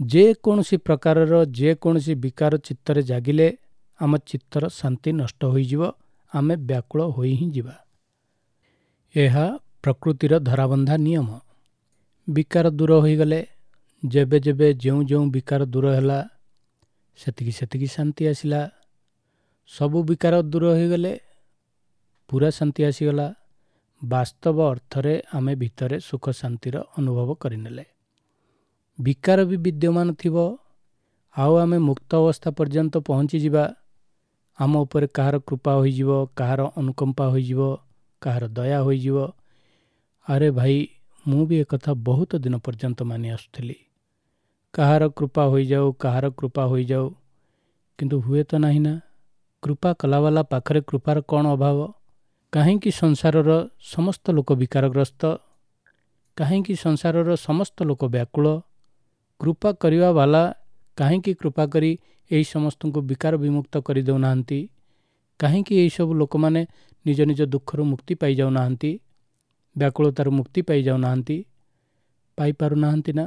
ଯେକୌଣସି ପ୍ରକାରର ଯେକୌଣସି ବିକାର ଚିତ୍ତରେ ଜାଗିଲେ ଆମ ଚିତ୍ତର ଶାନ୍ତି ନଷ୍ଟ ହୋଇଯିବ, ଆମେ ବ୍ୟାକୁଳ ହୋଇ ହିଁ ଯିବା। ଏହା ପ୍ରକୃତିର ଧରାବନ୍ଧା ନିୟମ। ବିକାର ଦୂର ହୋଇଗଲେ, ଯେବେ ଯେବେ ଯେଉଁ ଯେଉଁ ବିକାର ଦୂର ହେଲା ସେତିକି ସେତିକି ଶାନ୍ତି ଆସିଲା। ସବୁ ବିକାର ଦୂର ହୋଇଗଲେ ପୁରା ଶାନ୍ତି ଆସିଗଲା। ବାସ୍ତବ ଅର୍ଥରେ ଆମେ ଭିତରେ ସୁଖ ଶାନ୍ତିର ଅନୁଭବ କରିନେଲେ। ବିକାର ବି ବିଦ୍ୟମାନ ଥିବ, ଆଉ ଆମେ ମୁକ୍ତ ଅବସ୍ଥା ପର୍ଯ୍ୟନ୍ତ ପହଞ୍ଚିଯିବା। ଆମ ଉପରେ କାହାର କୃପା ହୋଇଯିବ, କାହାର ଅନୁକମ୍ପା ହୋଇଯିବ, କାହାର ଦୟା ହୋଇଯିବ। ଆରେ ଭାଇ, ମୁଁ ବି ଏକଥା ବହୁତ ଦିନ ପର୍ଯ୍ୟନ୍ତ ମାନି ଆସୁଥିଲି, କାହାର କୃପା ହୋଇଯାଉ, କାହାର କୃପା ହୋଇଯାଉ, କିନ୍ତୁ ହୁଏ ତ ନାହିଁ ନା। କୃପା କଲାବାଲା ପାଖରେ କୃପାର କ'ଣ ଅଭାବ? କାହିଁକି ସଂସାରର ସମସ୍ତ ଲୋକ ବିକାରଗ୍ରସ୍ତ? କାହିଁକି ସଂସାରର ସମସ୍ତ ଲୋକ ବ୍ୟାକୁଳ? କୃପା କରିବା ବାଲା କାହିଁକି କୃପା କରି ଏହି ସମସ୍ତଙ୍କୁ ବିକାର ବିମୁକ୍ତ କରିଦେଉନାହାନ୍ତି? କାହିଁକି ଏହିସବୁ ଲୋକମାନେ ନିଜ ନିଜ ଦୁଃଖରୁ ମୁକ୍ତି ପାଇଯାଉନାହାନ୍ତି, ବ୍ୟାକୁଳତାରୁ ମୁକ୍ତି ପାଇଯାଉନାହାନ୍ତି? ପାଇପାରୁନାହାନ୍ତି ନା?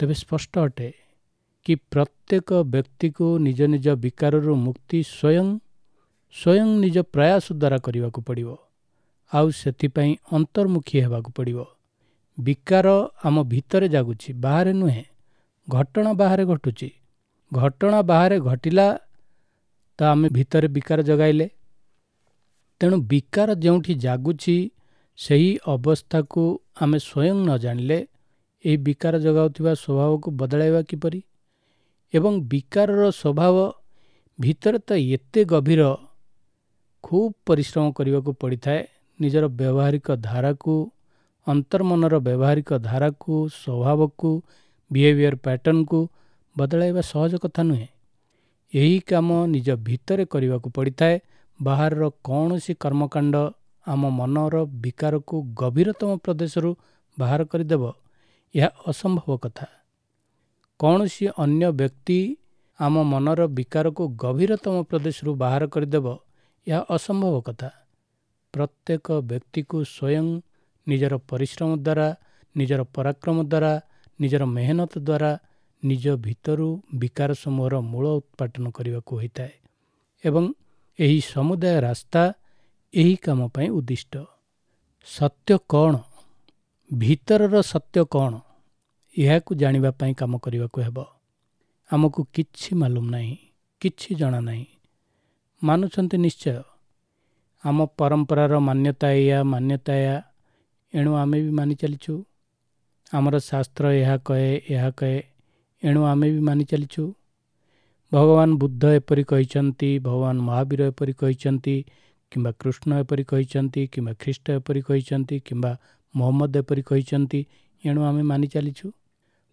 ତେବେ ସ୍ପଷ୍ଟ ଅଟେ କି ପ୍ରତ୍ୟେକ ବ୍ୟକ୍ତିକୁ ନିଜ ନିଜ ବିକାରରୁ ମୁକ୍ତି ସ୍ୱୟଂ ସ୍ୱୟଂ ନିଜ ପ୍ରୟାସ ଦ୍ୱାରା କରିବାକୁ ପଡ଼ିବ, ଆଉ ସେଥିପାଇଁ ଅନ୍ତର୍ମୁଖୀ ହେବାକୁ ପଡ଼ିବ। ବିକାର ଆମ ଭିତରେ ଜାଗୁଛି, ବାହାରେ ନୁହେଁ। ଘଟଣା ବାହାରେ ଘଟୁଛି। ଘଟଣା ବାହାରେ ଘଟିଲା ତ ଆମେ ଭିତରେ ବିକାର ଜଗାଇଲେ। ତେଣୁ ବିକାର ଯେଉଁଠି ଜାଗୁଛି ସେହି ଅବସ୍ଥାକୁ ଆମେ ସ୍ୱୟଂ ନ ଜାଣିଲେ ଏହି ବିକାର ଜଗାଉଥିବା ସ୍ୱଭାବକୁ ବଦଳାଇବା କିପରି? ଏବଂ ବିକାରର ସ୍ୱଭାବ ଭିତରେ ତ ଏତେ ଗଭୀର, ଖୁବ୍ ପରିଶ୍ରମ କରିବାକୁ ପଡ଼ିଥାଏ। ନିଜର ବ୍ୟବହାରିକ ଧାରାକୁ, ଅନ୍ତର୍ମନର ବ୍ୟବହାରିକ ଧାରାକୁ, ସ୍ୱଭାବକୁ, ବିହେଭିଅର ପ୍ୟାଟର୍ନକୁ ବଦଳାଇବା ସହଜ କଥା ନୁହେଁ। ଏହି କାମ ନିଜ ଭିତରେ କରିବାକୁ ପଡ଼ିଥାଏ। ବାହାରର କୌଣସି କର୍ମକାଣ୍ଡ ଆମ ମନର ବିକାରକୁ ଗଭୀରତମ ପ୍ରଦେଶରୁ ବାହାର କରିଦେବ, ଏହା ଅସମ୍ଭବ କଥା। କୌଣସି ଅନ୍ୟ ବ୍ୟକ୍ତି ଆମ ମନର ବିକାରକୁ ଗଭୀରତମ ପ୍ରଦେଶରୁ ବାହାର କରିଦେବ, ଏହା ଅସମ୍ଭବ କଥା। ପ୍ରତ୍ୟେକ ବ୍ୟକ୍ତିକୁ ସ୍ୱୟଂ ନିଜର ପରିଶ୍ରମ ଦ୍ୱାରା, ନିଜର ପରାକ୍ରମ ଦ୍ୱାରା, ନିଜର ମେହନତ ଦ୍ୱାରା ନିଜ ଭିତରୁ ବିକାର ସମୂହର ମୂଳ ଉତ୍ପାଟନ କରିବାକୁ ହୋଇଥାଏ ଏବଂ ଏହି ସମୁଦାୟ ରାସ୍ତା ଏହି କାମ ପାଇଁ ଉଦ୍ଦିଷ୍ଟ। ସତ୍ୟ କ'ଣ, ଭିତରର ସତ୍ୟ କ'ଣ, ଏହାକୁ ଜାଣିବା ପାଇଁ କାମ କରିବାକୁ ହେବ। ଆମକୁ କିଛି ମାଲୁମ ନାହିଁ, କିଛି ଜଣା ନାହିଁ। ମାନୁଛନ୍ତି ନିଶ୍ଚୟ, ଆମ ପରମ୍ପରାର ମାନ୍ୟତା ଏଇଆ, ମାନ୍ୟତା ଏଇଆ, ଏଣୁ ଆମେ ବି ମାନି ଚାଲିଛୁ। ଆମର ଶାସ୍ତ୍ର ଏହା କହେ, ଏହା କହେ, ଏଣୁ ଆମେ ବି ମାନି ଚାଲିଛୁ। ଭଗବାନ ବୁଦ୍ଧ ଏପରି କହିଛନ୍ତି, ଭଗବାନ ମହାବୀର ଏପରି କହିଛନ୍ତି, କିମ୍ବା କୃଷ୍ଣ ଏପରି କହିଛନ୍ତି, କିମ୍ବା ଖ୍ରୀଷ୍ଟ ଏପରି କହିଛନ୍ତି, କିମ୍ବା ମହମ୍ମଦ ଏପରି କହିଛନ୍ତି, ଏଣୁ ଆମେ ମାନି ଚାଲିଛୁ।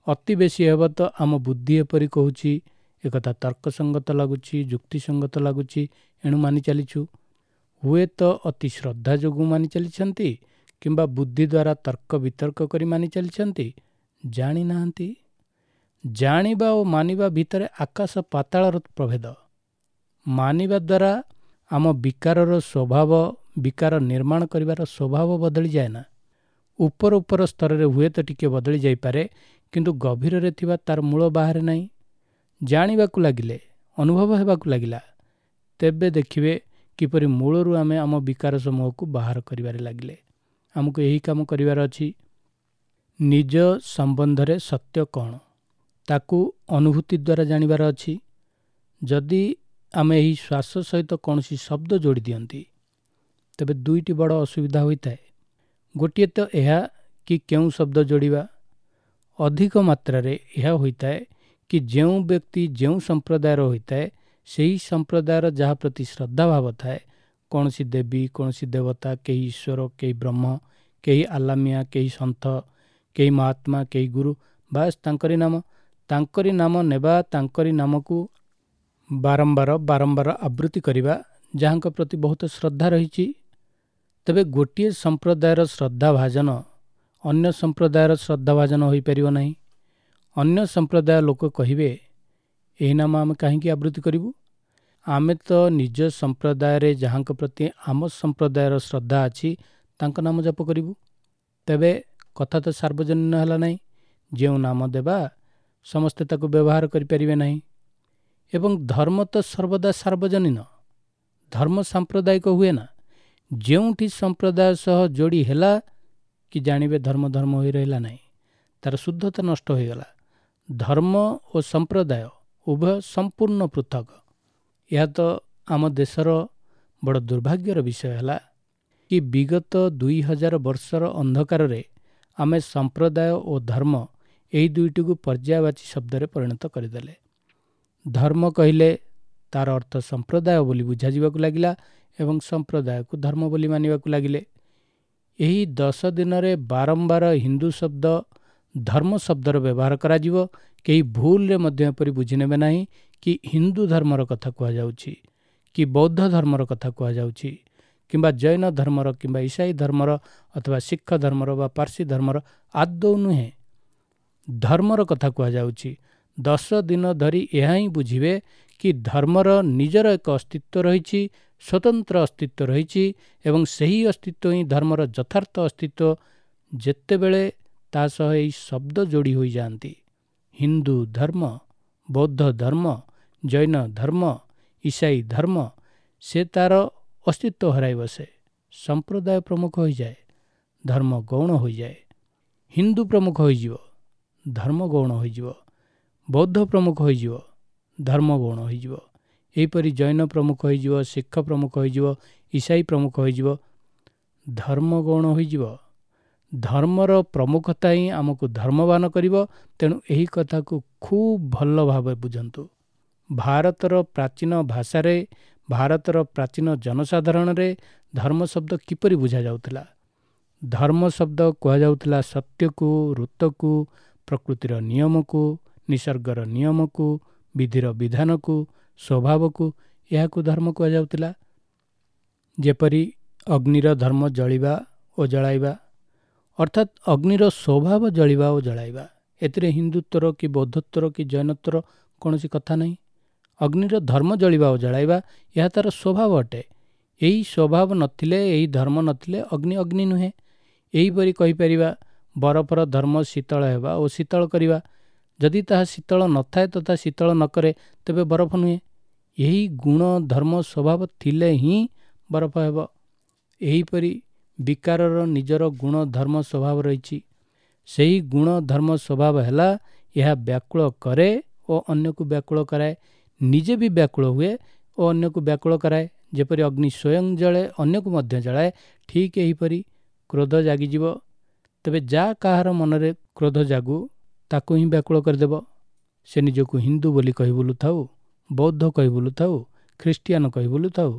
ଅତି ବେଶୀ ହେବ ତ ଆମ ବୁଦ୍ଧି ଏପରି କହୁଛି, ଏକଥା ତର୍କସଙ୍ଗତ ଲାଗୁଛି, ଯୁକ୍ତିସଙ୍ଗତ ଲାଗୁଛି, ଏଣୁ ମାନି ଚାଲିଛୁ। ହୁଏତ ଅତି ଶ୍ରଦ୍ଧା ଯୋଗୁଁ ମାନି ଚାଲିଛନ୍ତି କିମ୍ବା ବୁଦ୍ଧି ଦ୍ୱାରା ତର୍କ ବିତର୍କ କରି ମାନି ଚାଲିଛନ୍ତି, ଜାଣିନାହାନ୍ତି। ଜାଣିବା ଓ ମାନିବା ଭିତରେ ଆକାଶ ପାତାଳର ପ୍ରଭେଦ। ମାନିବା ଦ୍ୱାରା ଆମ ବିକାରର ସ୍ୱଭାବ, ବିକାର ନିର୍ମାଣ କରିବାର ସ୍ୱଭାବ ବଦଳିଯାଏ ନା। ଉପର ଉପର ସ୍ତରରେ ହୁଏତ ଟିକେ ବଦଳି ଯାଇପାରେ, କିନ୍ତୁ ଗଭୀରରେ ଥିବା ତାର ମୂଳ ବାହାରେ ନାହିଁ। ଜାଣିବାକୁ ଲାଗିଲେ, ଅନୁଭବ ହେବାକୁ ଲାଗିଲା, ତେବେ ଦେଖିବେ କିପରି ମୂଳରୁ ଆମେ ଆମ ବିକାର ସମୂହକୁ ବାହାର କରିବାରେ ଲାଗିଲେ। ଆମକୁ ଏହି କାମ କରିବାର ଅଛି। ନିଜ ସମ୍ବନ୍ଧରେ ସତ୍ୟ କ'ଣ ତାକୁ ଅନୁଭୂତି ଦ୍ୱାରା ଜାଣିବାର ଅଛି। ଯଦି ଆମେ ଏହି ଶ୍ୱାସ ସହିତ କୌଣସି ଶବ୍ଦ ଯୋଡ଼ି ଦିଅନ୍ତି, ତେବେ ଦୁଇଟି ବଡ଼ ଅସୁବିଧା ହୋଇଥାଏ। ଗୋଟିଏ ତ ଏହା କି କେଉଁ ଶବ୍ଦ ଯୋଡ଼ିବା। ଅଧିକ ମାତ୍ରାରେ ଏହା ହୋଇଥାଏ କି ଯେଉଁ ବ୍ୟକ୍ତି ଯେଉଁ ସମ୍ପ୍ରଦାୟର ହୋଇଥାଏ, ସେହି ସମ୍ପ୍ରଦାୟର ଯାହା ପ୍ରତି ଶ୍ରଦ୍ଧାଭାବ ଥାଏ, କୌଣସି ଦେବୀ, କୌଣସି ଦେବତା, କେହି ଈଶ୍ୱର, କେହି ବ୍ରହ୍ମ, କେହି ଆଲାମିଆ, କେହି ସନ୍ଥ, କେହି ମହାତ୍ମା, କେହି ଗୁରୁ, ବାସ୍ ତାଙ୍କରି ନାମ, ତାଙ୍କରି ନାମ ନେବା, ତାଙ୍କରି ନାମକୁ ବାରମ୍ବାର ବାରମ୍ବାର ଆବୃତ୍ତି କରିବା, ଯାହାଙ୍କ ପ୍ରତି ବହୁତ ଶ୍ରଦ୍ଧା ରହିଛି। ତେବେ ଗୋଟିଏ ସମ୍ପ୍ରଦାୟର ଶ୍ରଦ୍ଧାଭାଜନ ଅନ୍ୟ ସମ୍ପ୍ରଦାୟର ଶ୍ରଦ୍ଧାଭାଜନ ହୋଇପାରିବ ନାହିଁ। ଅନ୍ୟ ସମ୍ପ୍ରଦାୟ ଲୋକ କହିବେ, ଏହି ନାମ ଆମେ କାହିଁକି ଆବୃତ୍ତି କରିବୁ? ଆମେ ତ ନିଜ ସମ୍ପ୍ରଦାୟରେ ଯାହାଙ୍କ ପ୍ରତି ଆମ ସମ୍ପ୍ରଦାୟର ଶ୍ରଦ୍ଧା ଅଛି ତାଙ୍କ ନାମ ଜପ କରିବୁ। ତେବେ କଥା ତ ସାର୍ବଜନୀନ ହେଲା ନାହିଁ। ଯେଉଁ ନାମ ଦେବା ସମସ୍ତେ ତାକୁ ବ୍ୟବହାର କରିପାରିବେ ନାହିଁ। ଏବଂ ଧର୍ମ ତ ସର୍ବଦା ସାର୍ବଜନୀନ, ଧର୍ମ ସାମ୍ପ୍ରଦାୟିକ ହୁଏ ନା। ଯେଉଁଠି ସମ୍ପ୍ରଦାୟ ସହ ଯୋଡ଼ି ହେଲା କି ଜାଣିବେ ଧର୍ମ ଧର୍ମ ହୋଇ ରହିଲା ନାହିଁ, ତାର ଶୁଦ୍ଧତା ନଷ୍ଟ ହୋଇଗଲା। ଧର୍ମ ଓ ସମ୍ପ୍ରଦାୟ ଉଭୟ ସମ୍ପୂର୍ଣ୍ଣ ପୃଥକ। ଏହା ତ ଆମ ଦେଶର ବଡ଼ ଦୁର୍ଭାଗ୍ୟର ବିଷୟ ହେଲା କି ବିଗତ ଦୁଇ ହଜାର ବର୍ଷର ଅନ୍ଧକାରରେ ଆମେ ସମ୍ପ୍ରଦାୟ ଓ ଧର୍ମ ଏହି ଦୁଇଟିକୁ ପର୍ଯ୍ୟାୟବାଚୀ ଶବ୍ଦରେ ପରିଣତ କରିଦେଲେ। ଧର୍ମ କହିଲେ ତାର ଅର୍ଥ ସମ୍ପ୍ରଦାୟ ବୋଲି ବୁଝାଯିବାକୁ ଲାଗିଲା ଏବଂ ସମ୍ପ୍ରଦାୟକୁ ଧର୍ମ ବୋଲି ମାନିବାକୁ ଲାଗିଲେ। ଏହି ଦଶ ଦିନରେ ବାରମ୍ବାର ହିନ୍ଦୁ ଶବ୍ଦ ଧର୍ମ ଶବ୍ଦର ବ୍ୟବହାର କରାଯିବ। କେହି ଭୁଲରେ ମଧ୍ୟ ଏପରି ବୁଝିନେବେ ନାହିଁ କି ହିନ୍ଦୁ ଧର୍ମର କଥା କୁହାଯାଉଛି କି ବୌଦ୍ଧ ଧର୍ମର କଥା କୁହାଯାଉଛି କିମ୍ବା ଜୈନ ଧର୍ମର କିମ୍ବା ଇସାଇ ଧର୍ମର ଅଥବା ଶିଖ ଧର୍ମର ବା ପାର୍ସୀ ଧର୍ମର, ଆଦୌ ନୁହେଁ। ଧର୍ମର କଥା କୁହାଯାଉଛି। ଦଶ ଦିନ ଧରି ଏହା ହିଁ ବୁଝିବେ କି ଧର୍ମର ନିଜର ଏକ ଅସ୍ତିତ୍ୱ ରହିଛି, ସ୍ୱତନ୍ତ୍ର ଅସ୍ତିତ୍ୱ ରହିଛି ଏବଂ ସେହି ଅସ୍ତିତ୍ୱ ହିଁ ଧର୍ମର ଯଥାର୍ଥ ଅସ୍ତିତ୍ୱ। ଯେତେବେଳେ ତା ସହ ଏହି ଶବ୍ଦ ଯୋଡ଼ି ହୋଇଯାଆନ୍ତି, ହିନ୍ଦୁ ଧର୍ମ, ବୌଦ୍ଧ ଧର୍ମ, ଜୈନ ଧର୍ମ, ଇସାଇ ଧର୍ମ, ସେ ତାର ଅସ୍ତିତ୍ୱ ହରାଇ ବସେ। ସମ୍ପ୍ରଦାୟ ପ୍ରମୁଖ ହୋଇଯାଏ, ଧର୍ମ ଗୌଣ ହୋଇଯାଏ। ହିନ୍ଦୁ ପ୍ରମୁଖ ହୋଇଯିବ, ଧର୍ମ ଗୌଣ ହୋଇଯିବ। ବୌଦ୍ଧ ପ୍ରମୁଖ ହୋଇଯିବ, ଧର୍ମ ଗୌଣ ହୋଇଯିବ। ଏହିପରି ଜୈନ ପ୍ରମୁଖ ହୋଇଯିବ, ଶିଖ ପ୍ରମୁଖ ହୋଇଯିବ, ଇସାଇ ପ୍ରମୁଖ ହୋଇଯିବ, ଧର୍ମ ଗୌଣ ହୋଇଯିବ। ଧର୍ମର ପ୍ରମୁଖତା ହିଁ ଆମକୁ ଧର୍ମବାନ କରିବ। ତେଣୁ ଏହି କଥାକୁ ଖୁବ୍ ଭଲ ଭାବେ ବୁଝନ୍ତୁ। ଭାରତର ପ୍ରାଚୀନ ଭାଷାରେ, ଭାରତର ପ୍ରାଚୀନ ଜନସାଧାରଣରେ ଧର୍ମ ଶବ୍ଦ କିପରି ବୁଝାଯାଉଥିଲା? ଧର୍ମ ଶବ୍ଦ କୁହାଯାଉଥିଲା ସତ୍ୟକୁ, ଋତକୁ, ପ୍ରକୃତିର ନିୟମକୁ, ନିସର୍ଗର ନିୟମକୁ, ବିଧିର ବିଧାନକୁ, ସ୍ୱଭାବକୁ, ଏହାକୁ ଧର୍ମ କୁହାଯାଉଥିଲା। ଯେପରି ଅଗ୍ନିର ଧର୍ମ ଜଳିବା ଓ ଜଳାଇବା, ଅର୍ଥାତ୍ ଅଗ୍ନିର ସ୍ୱଭାବ ଜଳିବା ଓ ଜଳାଇବା। ଏଥିରେ ହିନ୍ଦୁତ୍ୱର କି ବୌଦ୍ଧତ୍ୱର କି ଜୈନତ୍ୱର କୌଣସି କଥା ନାହିଁ। ଅଗ୍ନିର ଧର୍ମ ଜଳିବା ଓ ଜଳାଇବା, ଏହା ତାର ସ୍ୱଭାବ ଅଟେ। ଏହି ସ୍ୱଭାବ ନଥିଲେ, ଏହି ଧର୍ମ ନଥିଲେ ଅଗ୍ନି ଅଗ୍ନି ନୁହେଁ। ଏହିପରି କହିପାରିବା ବରଫର ଧର୍ମ ଶୀତଳ ହେବା ଓ ଶୀତଳ କରିବା। ଯଦି ତାହା ଶୀତଳ ନଥାଏ ତଥା ଶୀତଳ ନ କରେ ତେବେ ବରଫ ନୁହେଁ। ଏହି ଗୁଣ ଧର୍ମ ସ୍ୱଭାବ ଥିଲେ ହିଁ ବରଫ ହେବ। ଏହିପରି ବିକାରର ନିଜର ଗୁଣ ଧର୍ମ ସ୍ୱଭାବ ରହିଛି। ସେହି ଗୁଣ ଧର୍ମ ସ୍ୱଭାବ ହେଲା ଏହା ବ୍ୟାକୁଳ କରେ ଓ ଅନ୍ୟକୁ ବ୍ୟାକୁଳ କରାଏ। ନିଜେ ବି ବ୍ୟାକୁଳ ହୁଏ ଓ ଅନ୍ୟକୁ ବ୍ୟାକୁଳ କରାଏ। ଯେପରି ଅଗ୍ନି ସ୍ୱୟଂ ଜଳେ, ଅନ୍ୟକୁ ମଧ୍ୟ ଜଳାଏ, ଠିକ୍ ଏହିପରି କ୍ରୋଧ ଜାଗିଯିବ। ତେବେ ଯାହା କାହାର ମନରେ କ୍ରୋଧ ଜାଗୁ ତାକୁ ହିଁ ବ୍ୟାକୁଳ କରିଦେବ। ସେ ନିଜକୁ ହିନ୍ଦୁ ବୋଲି କହି ବୁଲୁଥାଉ, ବୌଦ୍ଧ କହି ବୁଲୁଥାଉ, ଖ୍ରୀଷ୍ଟିଆନ କହି ବୁଲୁଥାଉ,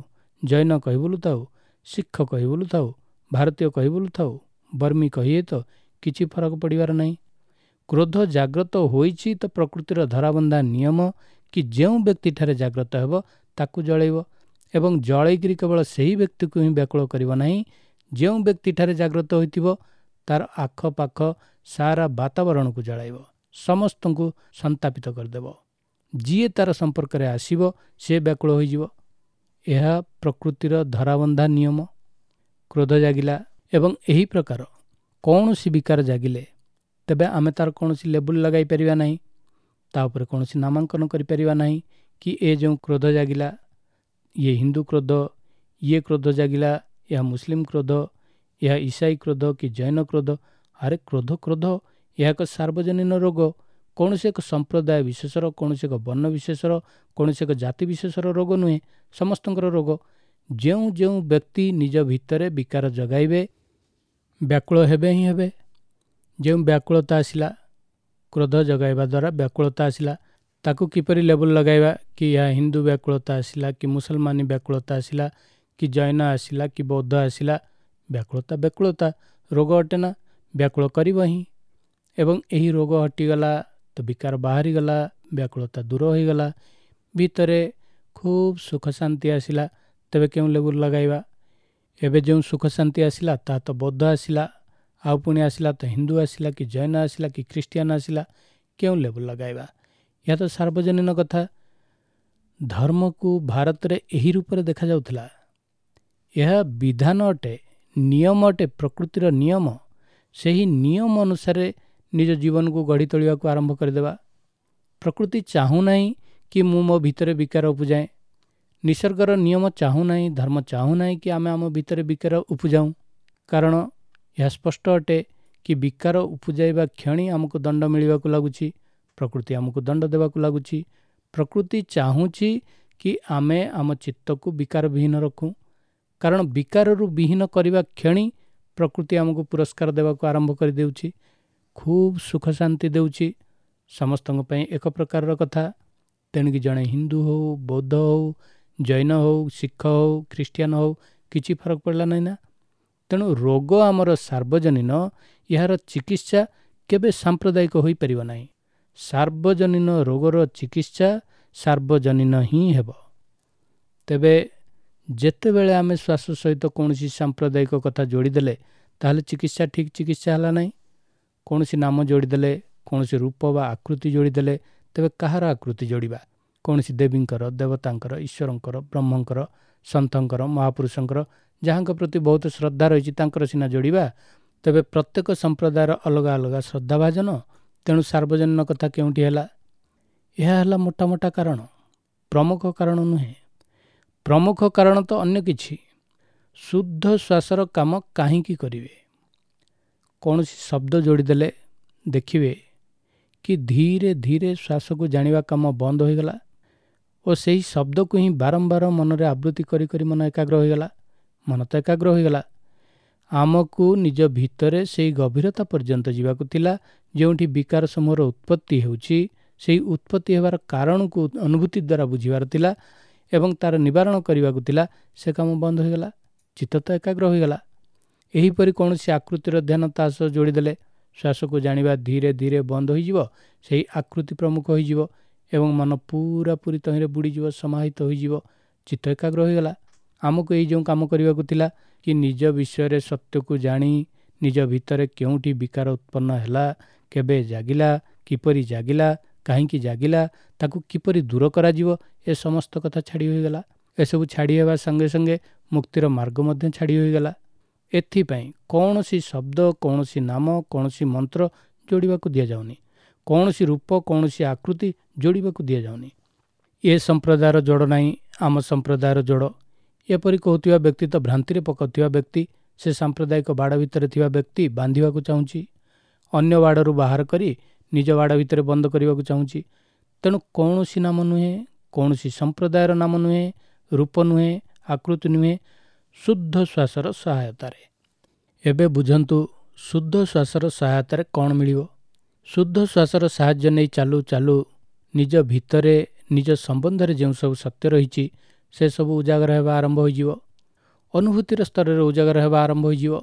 ଜୈନ କହି ବୁଲୁଥାଉ, ଶିଖ କହି ବୁଲୁଥାଉ, ଭାରତୀୟ କହି ବୁଲୁଥାଉ, ବର୍ମୀ କହିଏ ତ କିଛି ଫରକ ପଡ଼ିବାର ନାହିଁ। କ୍ରୋଧ ଜାଗ୍ରତ ହୋଇଛି ତ ପ୍ରକୃତିର ଧରାବନ୍ଧା ନିୟମ କି ଯେଉଁ ବ୍ୟକ୍ତିଠାରେ ଜାଗ୍ରତ ହେବ ତାକୁ ଜଳେଇବ, ଏବଂ ଜଳେଇକିରି କେବଳ ସେହି ବ୍ୟକ୍ତିକୁ ହିଁ ବ୍ୟାକୁଳ କରିବ ନାହିଁ, ଯେଉଁ ବ୍ୟକ୍ତିଠାରେ ଜାଗ୍ରତ ହୋଇଥିବ ତାର ଆଖପାଖ ସାରା ବାତାବରଣକୁ ଜଳାଇବ, ସମସ୍ତଙ୍କୁ ସନ୍ତାପିତ କରିଦେବ। ଯିଏ ତାର ସମ୍ପର୍କରେ ଆସିବ ସେ ବ୍ୟାକୁଳ ହୋଇଯିବ। ଏହା ପ୍ରକୃତିର ଧରାବନ୍ଧା ନିୟମ। କ୍ରୋଧ ଜାଗିଲା ଏବଂ ଏହି ପ୍ରକାର କୌଣସି ବିକାର ଜାଗିଲେ ତେବେ ଆମେ ତାର କୌଣସି ଲେବୁଲ୍ ଲଗାଇ ପାରିବା ନାହିଁ, ତା ଉପରେ କୌଣସି ନାମାଙ୍କନ କରିପାରିବା ନାହିଁ କି ଏ ଯେଉଁ କ୍ରୋଧ ଜାଗିଲା ଇଏ ହିନ୍ଦୁ କ୍ରୋଧ, ଇଏ କ୍ରୋଧ ଜାଗିଲା ଏହା ମୁସଲିମ କ୍ରୋଧ, ଏହା ଇସାଇ କ୍ରୋଧ କି ଜୈନ କ୍ରୋଧ। ଆରେ କ୍ରୋଧ କ୍ରୋଧ, ଏହା ଏକ ସାର୍ବଜନୀନ ରୋଗ। କୌଣସି ଏକ ସମ୍ପ୍ରଦାୟ ବିଶେଷର, କୌଣସି ଏକ ବର୍ଣ୍ଣ ବିଶେଷର, କୌଣସି ଏକ ଜାତି ବିଶେଷର ରୋଗ ନୁହେଁ, ସମସ୍ତଙ୍କର ରୋଗ। ଯେଉଁ ଯେଉଁ ବ୍ୟକ୍ତି ନିଜ ଭିତରେ ବିକାର ଜଗାଇବେ ବ୍ୟାକୁଳ ହେବେ ହିଁ ହେବେ। ଯେଉଁ ବ୍ୟାକୁଳତା ଆସିଲା, କ୍ରୋଧ ଜଗାଇବା ଦ୍ୱାରା ବ୍ୟାକୁଳତା ଆସିଲା, ତାକୁ କିପରି ଲେବୁଲ୍ ଲଗାଇବା କି ଏହା ହିନ୍ଦୁ ବ୍ୟାକୁଳତା ଆସିଲା କି ମୁସଲମାନୀ ବ୍ୟାକୁଳତା ଆସିଲା କି ଜୈନ ଆସିଲା କି ବୌଦ୍ଧ ଆସିଲା। ବ୍ୟାକୁଳତା ବ୍ୟାକୁଳତା ରୋଗ ଅଟେ ନା, ବ୍ୟାକୁଳ କରିବ ହିଁ। ଏବଂ ଏହି ରୋଗ ହଟିଗଲା ତ ବିକାର ବାହାରିଗଲା, ବ୍ୟାକୁଳତା ଦୂର ହୋଇଗଲା, ଭିତରେ ଖୁବ୍ ସୁଖ ଶାନ୍ତି ଆସିଲା। ତେବେ କେଉଁ ଲେବୁଲ୍ ଲଗାଇବା? ଏବେ ଯେଉଁ ସୁଖ ଶାନ୍ତି ଆସିଲା ତାହା ତ ବୌଦ୍ଧ ଆସିଲା, ଆଉ ପୁଣି ଆସିଲା ତ ହିନ୍ଦୁ ଆସିଲା କି ଜୈନ ଆସିଲା କି ଖ୍ରୀଷ୍ଟିଆନ ଆସିଲା, କେଉଁ ଲେବୁଲ୍ ଲଗାଇବା? ଏହା ତ ସାର୍ବଜନୀନ କଥା। ଧର୍ମକୁ ଭାରତରେ ଏହି ରୂପରେ ଦେଖାଯାଉଥିଲା। ଏହା ବିଧାନ ଅଟେ, ନିୟମ ଅଟେ, ପ୍ରକୃତିର ନିୟମ। ସେହି ନିୟମ ଅନୁସାରେ ନିଜ ଜୀବନକୁ ଗଢ଼ି ତୋଳିବାକୁ ଆରମ୍ଭ କରିଦେବା। ପ୍ରକୃତି ଚାହୁଁନାହିଁ କି ମୁଁ ମୋ ଭିତରେ ବିକାର ଉପୁଜାଏ। ନିସର୍ଗର ନିୟମ ଚାହୁଁନାହିଁ, ଧର୍ମ ଚାହୁଁନାହିଁ କି ଆମେ ଆମ ଭିତରେ ବିକାର ଉପୁଜାଉଁ। କାରଣ ଏହା ସ୍ପଷ୍ଟ ଅଟେ କି ବିକାର ଉପୁଜାଇବା କ୍ଷଣି ଆମକୁ ଦଣ୍ଡ ମିଳିବାକୁ ଲାଗୁଛି, ପ୍ରକୃତି ଆମକୁ ଦଣ୍ଡ ଦେବାକୁ ଲାଗୁଛି। ପ୍ରକୃତି ଚାହୁଁଛି କି ଆମେ ଆମ ଚିତ୍ତକୁ ବିକାର ବିହୀନ ରଖୁ, କାରଣ ବିକାରରୁ ବିହୀନ କରିବା କ୍ଷଣି ପ୍ରକୃତି ଆମକୁ ପୁରସ୍କାର ଦେବାକୁ ଆରମ୍ଭ କରିଦେଉଛି, ଖୁବ୍ ସୁଖ ଶାନ୍ତି ଦେଉଛି। ସମସ୍ତଙ୍କ ପାଇଁ ଏକ ପ୍ରକାରର କଥା। ତେଣିକି ଜଣେ ହିନ୍ଦୁ ହେଉ, ବୌଦ୍ଧ ହେଉ, ଜୈନ ହେଉ, ଶିଖ ହେଉ, ଖ୍ରୀଷ୍ଟିଆନ ହେଉ, କିଛି ଫରକ ପଡ଼ିଲା ନାହିଁ ନା। ତେଣୁ ରୋଗ ଆମର ସାର୍ବଜନୀନ, ଏହାର ଚିକିତ୍ସା କେବେ ସାମ୍ପ୍ରଦାୟିକ ହୋଇପାରିବ ନାହିଁ। ସାର୍ବଜନୀନ ରୋଗର ଚିକିତ୍ସା ସାର୍ବଜନୀନ ହିଁ ହେବ। ତେବେ ଯେତେବେଳେ ଆମେ ଶ୍ୱାସ ସହିତ କୌଣସି ସାମ୍ପ୍ରଦାୟିକ କଥା ଯୋଡ଼ିଦେଲେ ତାହେଲେ ଚିକିତ୍ସା ଠିକ୍ ଚିକିତ୍ସା ହେଲା ନାହିଁ। କୌଣସି ନାମ ଯୋଡ଼ିଦେଲେ, କୌଣସି ରୂପ ବା ଆକୃତି ଯୋଡ଼ିଦେଲେ, ତେବେ କାହାର ଆକୃତି ଯୋଡ଼ିବା? କୌଣସି ଦେବୀଙ୍କର, ଦେବତାଙ୍କର, ଈଶ୍ୱରଙ୍କର, ବ୍ରହ୍ମଙ୍କର, ସନ୍ଥଙ୍କର, ମହାପୁରୁଷଙ୍କର, ଯାହାଙ୍କ ପ୍ରତି ବହୁତ ଶ୍ରଦ୍ଧା ରହିଛି ତାଙ୍କର ସିନା ଯୋଡ଼ିବା। ତେବେ ପ୍ରତ୍ୟେକ ସମ୍ପ୍ରଦାୟର ଅଲଗା ଅଲଗା ଶ୍ରଦ୍ଧାଭାଜନ, ତେଣୁ ସାର୍ବଜନୀନ କଥା କେଉଁଠି ହେଲା? ଏହା ହେଲା ମୋଟା ମୋଟା କାରଣ, ପ୍ରମୁଖ କାରଣ ନୁହେଁ। ପ୍ରମୁଖ କାରଣ ତ ଅନ୍ୟ କିଛି। ଶୁଦ୍ଧ ଶ୍ୱାସର କାମ କାହିଁକି କରିବେ? କୌଣସି ଶବ୍ଦ ଯୋଡ଼ିଦେଲେ ଦେଖିବେ କି ଧୀରେ ଧୀରେ ଶ୍ୱାସକୁ ଜାଣିବା କାମ ବନ୍ଦ ହୋଇଗଲା ଓ ସେହି ଶବ୍ଦକୁ ହିଁ ବାରମ୍ବାର ମନରେ ଆବୃତ୍ତି କରି କରି ମନ ଏକାଗ୍ର ହୋଇଗଲା। ମନ ତ ଏକାଗ୍ର ହୋଇଗଲା। ଆମକୁ ନିଜ ଭିତରେ ସେଇ ଗଭୀରତା ପର୍ଯ୍ୟନ୍ତ ଯିବାକୁ ଥିଲା ଯେଉଁଠି ବିକାର ସମୂହର ଉତ୍ପତ୍ତି ହେଉଛି, ସେଇ ଉତ୍ପତ୍ତି ହେବାର କାରଣକୁ ଅନୁଭୂତି ଦ୍ୱାରା ବୁଝିବାର ଥିଲା ଏବଂ ତାର ନିବାରଣ କରିବାକୁ ଥିଲା। ସେ କାମ ବନ୍ଦ ହୋଇଗଲା, ଚିତ୍ତ ତ ଏକାଗ୍ର ହୋଇଗଲା। ଏହିପରି କୌଣସି ଆକୃତିର ଧ୍ୟାନ ତା ସହ ଯୋଡ଼ିଦେଲେ ଶ୍ୱାସକୁ ଜାଣିବା ଧୀରେ ଧୀରେ ବନ୍ଦ ହୋଇଯିବ, ସେହି ଆକୃତି ପ୍ରମୁଖ ହୋଇଯିବ ଏବଂ ମନ ପୁରାପୁରି ତହିଁରେ ବୁଡ଼ିଯିବ, ସମାହିତ ହୋଇଯିବ, ଚିତ୍ତ ଏକାଗ୍ର ହୋଇଗଲା। ଆମକୁ ଏଇ ଯେଉଁ କାମ କରିବାକୁ ଥିଲା କି ନିଜ ବିଷୟରେ ସତ୍ୟକୁ ଜାଣି ନିଜ ଭିତରେ କେଉଁଠି ବିକାର ଉତ୍ପନ୍ନ ହେଲା, କେବେ ଜାଗିଲା, କିପରି ଜାଗିଲା, କାହିଁକି ଜାଗିଲା, ତାକୁ କିପରି ଦୂର କରାଯିବ, ଏ ସମସ୍ତ କଥା ଛାଡ଼ି ହୋଇଗଲା। ଏସବୁ ଛାଡ଼ି ହେବା ସଙ୍ଗେ ସଙ୍ଗେ ମୁକ୍ତିର ମାର୍ଗ ମଧ୍ୟ ଛାଡ଼ି ହୋଇଗଲା। ଏଥିପାଇଁ କୌଣସି ଶବ୍ଦ, କୌଣସି ନାମ, କୌଣସି ମନ୍ତ୍ର ଯୋଡ଼ିବାକୁ ଦିଆଯାଉନି, କୌଣସି ରୂପ, କୌଣସି ଆକୃତି ଯୋଡ଼ିବାକୁ ଦିଆଯାଉନି। ଏ ସମ୍ପ୍ରଦାୟର ଯୋଡ଼ ନାହିଁ, ଆମ ସମ୍ପ୍ରଦାୟର ଯୋଡ଼, ଏପରି କହୁଥିବା ବ୍ୟକ୍ତି ତ ଭ୍ରାନ୍ତିରେ ପକାଉଥିବା ବ୍ୟକ୍ତି। ସେ ସାମ୍ପ୍ରଦାୟିକ ବାଡ଼ ଭିତରେ ଥିବା ବ୍ୟକ୍ତି ବାନ୍ଧିବାକୁ ଚାହୁଁଛି, ଅନ୍ୟ ବାଡ଼ରୁ ବାହାର କରି ନିଜ ବାଡ଼ ଭିତରେ ବନ୍ଦ କରିବାକୁ ଚାହୁଁଛି। ତେଣୁ କୌଣସି ନାମ ନୁହେଁ, କୌଣସି ସମ୍ପ୍ରଦାୟର ନାମ ନୁହେଁ, ରୂପ ନୁହେଁ, ଆକୃତି ନୁହେଁ, ଶୁଦ୍ଧ ଶ୍ୱାସର ସହାୟତାରେ। ଏବେ ବୁଝନ୍ତୁ ଶୁଦ୍ଧ ଶ୍ୱାସର ସହାୟତାରେ କ'ଣ ମିଳିବ। ଶୁଦ୍ଧ ଶ୍ୱାସର ସାହାଯ୍ୟ ନେଇ ଚାଲୁ ଚାଲୁ ନିଜ ଭିତରେ ନିଜ ସମ୍ବନ୍ଧରେ ଯେଉଁ ସବୁ ସତ୍ୟ ରହିଛି ସେସବୁ ଉଜାଗର ହେବା ଆରମ୍ଭ ହୋଇଯିବ, ଅନୁଭୂତିର ସ୍ତରରେ ଉଜାଗର ହେବା ଆରମ୍ଭ ହୋଇଯିବ।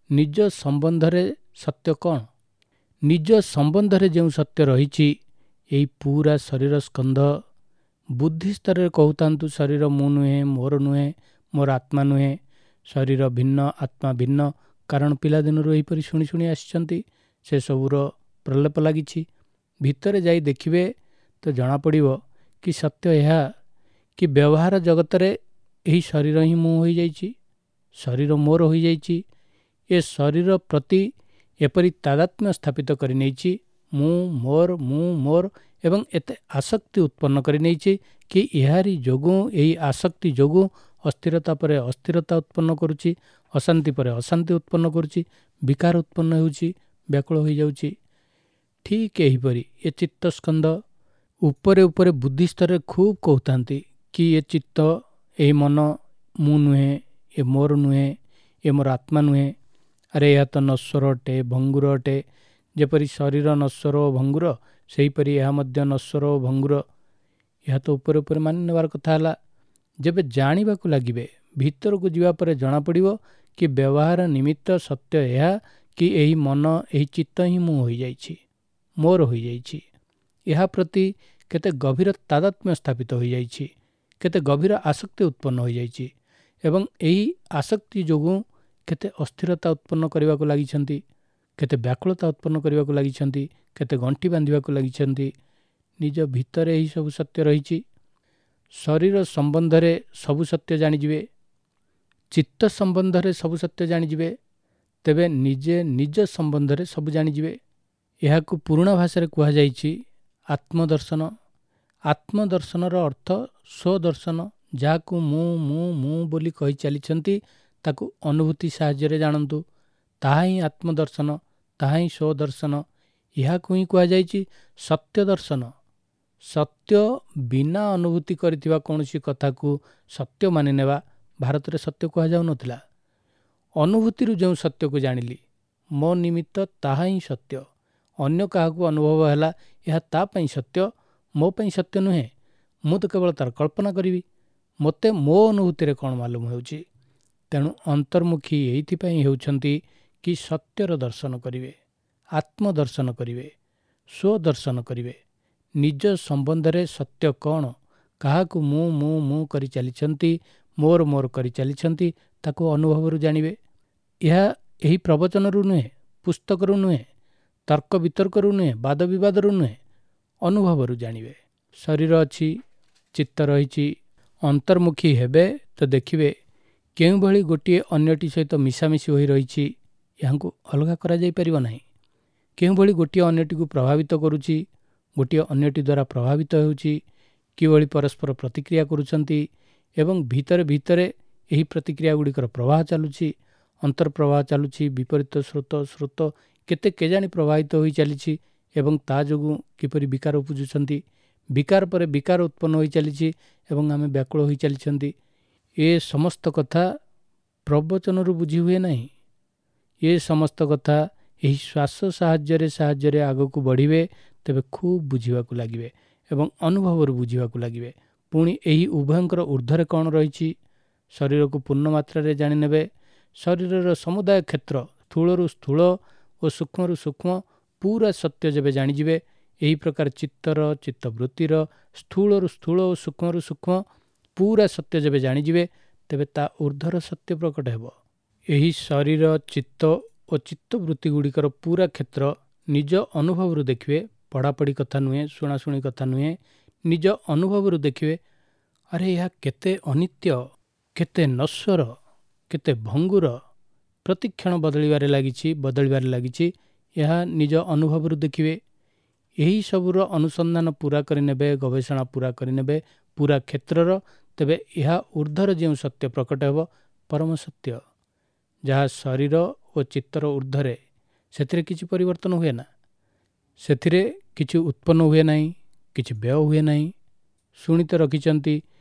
ନିଜ ସମ୍ବନ୍ଧରେ ସତ୍ୟ କ'ଣ? ନିଜ ସମ୍ବନ୍ଧରେ ଯେଉଁ ସତ୍ୟ ରହିଛି, ଏହି ପୁରା ଶରୀର ସ୍କନ୍ଧ ବୁଦ୍ଧି ସ୍ତରରେ କହୁଥାନ୍ତୁ ଶରୀର ମୁଁ ନୁହେଁ, ମୋର ନୁହେଁ, ମୋର ଆତ୍ମା ନୁହେଁ, ଶରୀର ଭିନ୍ନ, ଆତ୍ମା ଭିନ୍ନ, କାରଣ ପିଲାଦିନରୁ ଏହିପରି ଶୁଣି ଶୁଣି ଆସିଛନ୍ତି, ସେସବୁର ପ୍ରଲେପ ଲାଗିଛି। ଭିତରେ ଯାଇ ଦେଖିବେ ତ ଜଣାପଡ଼ିବ କି ସତ୍ୟ ଏହା କି ବ୍ୟବହାର ଜଗତରେ ଏହି ଶରୀର ହିଁ ମୁଁ ହୋଇଯାଇଛି, ଶରୀର ମୋର ହୋଇଯାଇଛି। ଏ ଶରୀର ପ୍ରତି ଏପରି ତାଦାତ୍ମ୍ୟ ସ୍ଥାପିତ କରିନେଇଛି, ମୁଁ ମୋର, ମୁଁ ମୋର, ଏବଂ ଏତେ ଆସକ୍ତି ଉତ୍ପନ୍ନ କରିନେଇଛି କି ଏହାରି ଯୋଗୁଁ, ଏହି ଆସକ୍ତି ଯୋଗୁଁ ଅସ୍ଥିରତା ପରେ ଅସ୍ଥିରତା ଉତ୍ପନ୍ନ କରୁଛି, ଅଶାନ୍ତି ପରେ ଅଶାନ୍ତି ଉତ୍ପନ୍ନ କରୁଛି, ବିକାର ଉତ୍ପନ୍ନ ହେଉଛି, ବ୍ୟାକୁଳ ହୋଇଯାଉଛି। ଠିକ୍ ଏହିପରି ଏ ଚିତ୍ତସ୍କନ୍ଧ ଉପରେ ଉପରେ ବୁଦ୍ଧି ସ୍ତରରେ ଖୁବ୍ କହୁଥାନ୍ତି କି ଏ ଚିତ୍ତ, ଏହି ମନ ମୁଁ ନୁହେଁ, ଏ ମୋର ନୁହେଁ, ଏ ମୋର ଆତ୍ମା ନୁହେଁ। ଆରେ ଏହା ତ ନଶ୍ୱର ଅଟେ, ଭଙ୍ଗୁର ଅଟେ। ଯେପରି ଶରୀର ନଶ୍ୱର ଓ ଭଙ୍ଗୁର, ସେହିପରି ଏହା ମଧ୍ୟ ନଶ୍ୱର ଓ ଭଙ୍ଗୁର। ଏହା ତ ଉପରେ ଉପରେ ମାନି ନେବାର କଥା ହେଲା। ଯେବେ ଜାଣିବାକୁ ଲାଗିବେ, ଭିତରକୁ ଯିବା ପରେ ଜଣାପଡ଼ିବ କି ବ୍ୟବହାର ନିମିତ୍ତ ସତ୍ୟ ଏହା କି ଏହି ମନ, ଏହି ଚିତ୍ତ ହିଁ ମୁଁ ହୋଇଯାଇଛି, ମୋର ହୋଇଯାଇଛି। ଏହା ପ୍ରତି କେତେ ଗଭୀର ତାଦାତ୍ମ୍ୟ ସ୍ଥାପିତ ହୋଇଯାଇଛି, କେତେ ଗଭୀର ଆସକ୍ତି ଉତ୍ପନ୍ନ ହୋଇଯାଇଛି, ଏବଂ ଏହି ଆସକ୍ତି ଯୋଗୁଁ କେତେ ଅସ୍ଥିରତା ଉତ୍ପନ୍ନ କରିବାକୁ ଲାଗିଛନ୍ତି, କେତେ ବ୍ୟାକୁଳତା ଉତ୍ପନ୍ନ କରିବାକୁ ଲାଗିଛନ୍ତି, କେତେ ଗଣ୍ଠି ବାନ୍ଧିବାକୁ ଲାଗିଛନ୍ତି। ନିଜ ଭିତରେ ଏହିସବୁ ସତ୍ୟ ରହିଛି। ଶରୀର ସମ୍ବନ୍ଧରେ ସବୁ ସତ୍ୟ ଜାଣିଯିବେ, ଚିତ୍ତ ସମ୍ବନ୍ଧରେ ସବୁ ସତ୍ୟ ଜାଣିଯିବେ, ତେବେ ନିଜେ ନିଜ ସମ୍ବନ୍ଧରେ ସବୁ ଜାଣିଯିବେ। ଏହାକୁ ପୁରୁଣା ଭାଷାରେ କୁହାଯାଇଛି ଆତ୍ମଦର୍ଶନ। ଆତ୍ମଦର୍ଶନର ଅର୍ଥ ସ୍ୱଦର୍ଶନ। ଯାହାକୁ ମୁଁ ମୁଁ ମୁଁ ବୋଲି କହି ଚାଲିଛନ୍ତି ତାକୁ ଅନୁଭୂତି ସାହାଯ୍ୟରେ ଜାଣନ୍ତୁ, ତାହା ହିଁ ଆତ୍ମଦର୍ଶନ, ତାହା ହିଁ ସ୍ୱଦର୍ଶନ। ଏହାକୁ ହିଁ କୁହାଯାଇଛି ସତ୍ୟ ଦର୍ଶନ। ସତ୍ୟ ବିନା ଅନୁଭୂତି କରିଥିବା କୌଣସି କଥାକୁ ସତ୍ୟ ମାନିନେବା ଭାରତରେ ସତ୍ୟ କୁହାଯାଉନଥିଲା। ଅନୁଭୂତିରୁ ଯେଉଁ ସତ୍ୟକୁ ଜାଣିଲି ମୋ ନିମିତ୍ତ ତାହା ହିଁ ସତ୍ୟ। ଅନ୍ୟ କାହାକୁ ଅନୁଭବ ହେଲା ଏହା ତା ପାଇଁ ସତ୍ୟ, ମୋ ପାଇଁ ସତ୍ୟ ନୁହେଁ। ମୁଁ ତ କେବଳ ତାର କଳ୍ପନା କରିବି, ମୋତେ ମୋ ଅନୁଭୂତିରେ କ'ଣ ମାଲୁମ ହେଉଛି। ତେଣୁ ଅନ୍ତର୍ମୁଖୀ ଏଇଥିପାଇଁ ହେଉଛନ୍ତି କି ସତ୍ୟର ଦର୍ଶନ କରିବେ, ଆତ୍ମଦର୍ଶନ କରିବେ, ସ୍ୱଦର୍ଶନ କରିବେ। ନିଜ ସମ୍ବନ୍ଧରେ ସତ୍ୟ କ'ଣ, କାହାକୁ ମୁଁ ମୁଁ ମୁଁ କରି ଚାଲିଛନ୍ତି, ମୋର ମୋର କରି ଚାଲିଛନ୍ତି, ତାକୁ ଅନୁଭବରୁ ଜାଣିବେ। ଏହା ଏହି ପ୍ରବଚନରୁ ନୁହେଁ, ପୁସ୍ତକରୁ ନୁହେଁ, ତର୍କ ବିତର୍କରୁ ନୁହେଁ, ବାଦ ବିବାଦରୁ ନୁହେଁ, ଅନୁଭବରୁ ଜାଣିବେ। ଶରୀର ଅଛି, ଚିତ୍ତ ରହିଛି, ଅନ୍ତର୍ମୁଖୀ ହେବେ ତ ଦେଖିବେ କେଉଁଭଳି ଗୋଟିଏ ଅନ୍ୟଟି ସହିତ ମିଶାମିଶି ହୋଇ ରହିଛି, ଏହାଙ୍କୁ ଅଲଗା କରାଯାଇପାରିବ ନାହିଁ। କେଉଁଭଳି ଗୋଟିଏ ଅନ୍ୟଟିକୁ ପ୍ରଭାବିତ କରୁଛି, ଗୋଟିଏ ଅନ୍ୟଟି ଦ୍ୱାରା ପ୍ରଭାବିତ ହେଉଛି, କିଭଳି ପରସ୍ପର ପ୍ରତିକ୍ରିୟା କରୁଛନ୍ତି ଏବଂ ଭିତରେ ଭିତରେ ଏହି ପ୍ରତିକ୍ରିୟା ଗୁଡ଼ିକର ପ୍ରବାହ ଚାଲୁଛି, ଅନ୍ତର୍ପ୍ରବାହ ଚାଲୁଛି, ବିପରୀତ ସ୍ରୋତ ସ୍ରୋତ କେତେ କେଜାଣି ପ୍ରବାହିତ ହୋଇ ଚାଲିଛି ଏବଂ ତା ଯୋଗୁଁ କିପରି ବିକାର ଉପୁଜୁଛନ୍ତି, ବିକାର ପରେ ବିକାର ଉତ୍ପନ୍ନ ହୋଇ ଚାଲିଛି ଏବଂ ଆମେ ବ୍ୟାକୁଳ ହୋଇ ଚାଲିଛନ୍ତି। ଏ ସମସ୍ତ କଥା ପ୍ରବଚନରୁ ବୁଝି ହୁଏ ନାହିଁ। ଏ ସମସ୍ତ କଥା ଏହି ଶ୍ୱାସ ସାହାଯ୍ୟରେ ସାହାଯ୍ୟରେ ଆଗକୁ ବଢ଼ିବେ ତେବେ ଖୁବ୍ ବୁଝିବାକୁ ଲାଗିବେ ଏବଂ ଅନୁଭବରୁ ବୁଝିବାକୁ ଲାଗିବେ। ପୁଣି ଏହି ଉଭୟଙ୍କର ଉର୍ଦ୍ଧ୍ୱରେ କ'ଣ ରହିଛି, ଶରୀରକୁ ପୂର୍ଣ୍ଣ ମାତ୍ରାରେ ଜାଣିନେବେ। ଶରୀରର ସମୁଦାୟ କ୍ଷେତ୍ର ସ୍ଥୂଳରୁ ସ୍ଥୂଳ ଓ ସୂକ୍ଷ୍ମରୁ ସୂକ୍ଷ୍ମ ପୁରା ସତ୍ୟ ଯେବେ ଜାଣିଯିବେ, ଏହି ପ୍ରକାର ଚିତ୍ତର ଚିତ୍ତବୃତ୍ତିର ସ୍ଥୂଳରୁ ସ୍ଥୂଳ ଓ ସୂକ୍ଷ୍ମରୁ ସୂକ୍ଷ୍ମ ପୁରା ସତ୍ୟ ଯେବେ ଜାଣିଯିବେ, ତେବେ ତା ଉର୍ଦ୍ଧ୍ୱର ସତ୍ୟ ପ୍ରକଟ ହେବ। ଏହି ଶରୀର, ଚିତ୍ତ ଓ ଚିତ୍ତବୃତ୍ତି ଗୁଡ଼ିକର ପୁରା କ୍ଷେତ୍ର ନିଜ ଅନୁଭବରୁ ଦେଖିବେ। ପଢ଼ାପଢ଼ି କଥା ନୁହେଁ, ଶୁଣାଶୁଣି କଥା ନୁହେଁ, ନିଜ ଅନୁଭବରୁ ଦେଖିବେ। ଆରେ ଏହା କେତେ ଅନିତ୍ୟ, କେତେ ନଶ୍ୱର, କେତେ ଭଙ୍ଗୁର, ପ୍ରତିକ୍ଷଣ ବଦଳିବାରେ ଲାଗିଛି, ବଦଳିବାରେ ଲାଗିଛି। ଏହା ନିଜ ଅନୁଭବରୁ ଦେଖିବେ। ଏହି ସବୁର ଅନୁସନ୍ଧାନ ପୁରା କରିନେବେ, ଗବେଷଣା ପୁରା କରିନେବେ ପୁରା କ୍ଷେତ୍ରର, ତେବେ ଏହା ଉର୍ଦ୍ଧ୍ୱର ଯେଉଁ ସତ୍ୟ ପ୍ରକଟ ହେବ, ପରମ ସତ୍ୟ, ଯାହା ଶରୀର ଓ ଚିତ୍ତର ଉର୍ଦ୍ଧ୍ୱରେ, ସେଥିରେ କିଛି ପରିବର୍ତ୍ତନ ହୁଏ ନା, ସେଥିରେ କିଛି ଉତ୍ପନ୍ନ ହୁଏ ନାହିଁ, କିଛି ବ୍ୟୟ ହୁଏ ନାହିଁ। ଶୁଣି ତ ରଖିଛନ୍ତି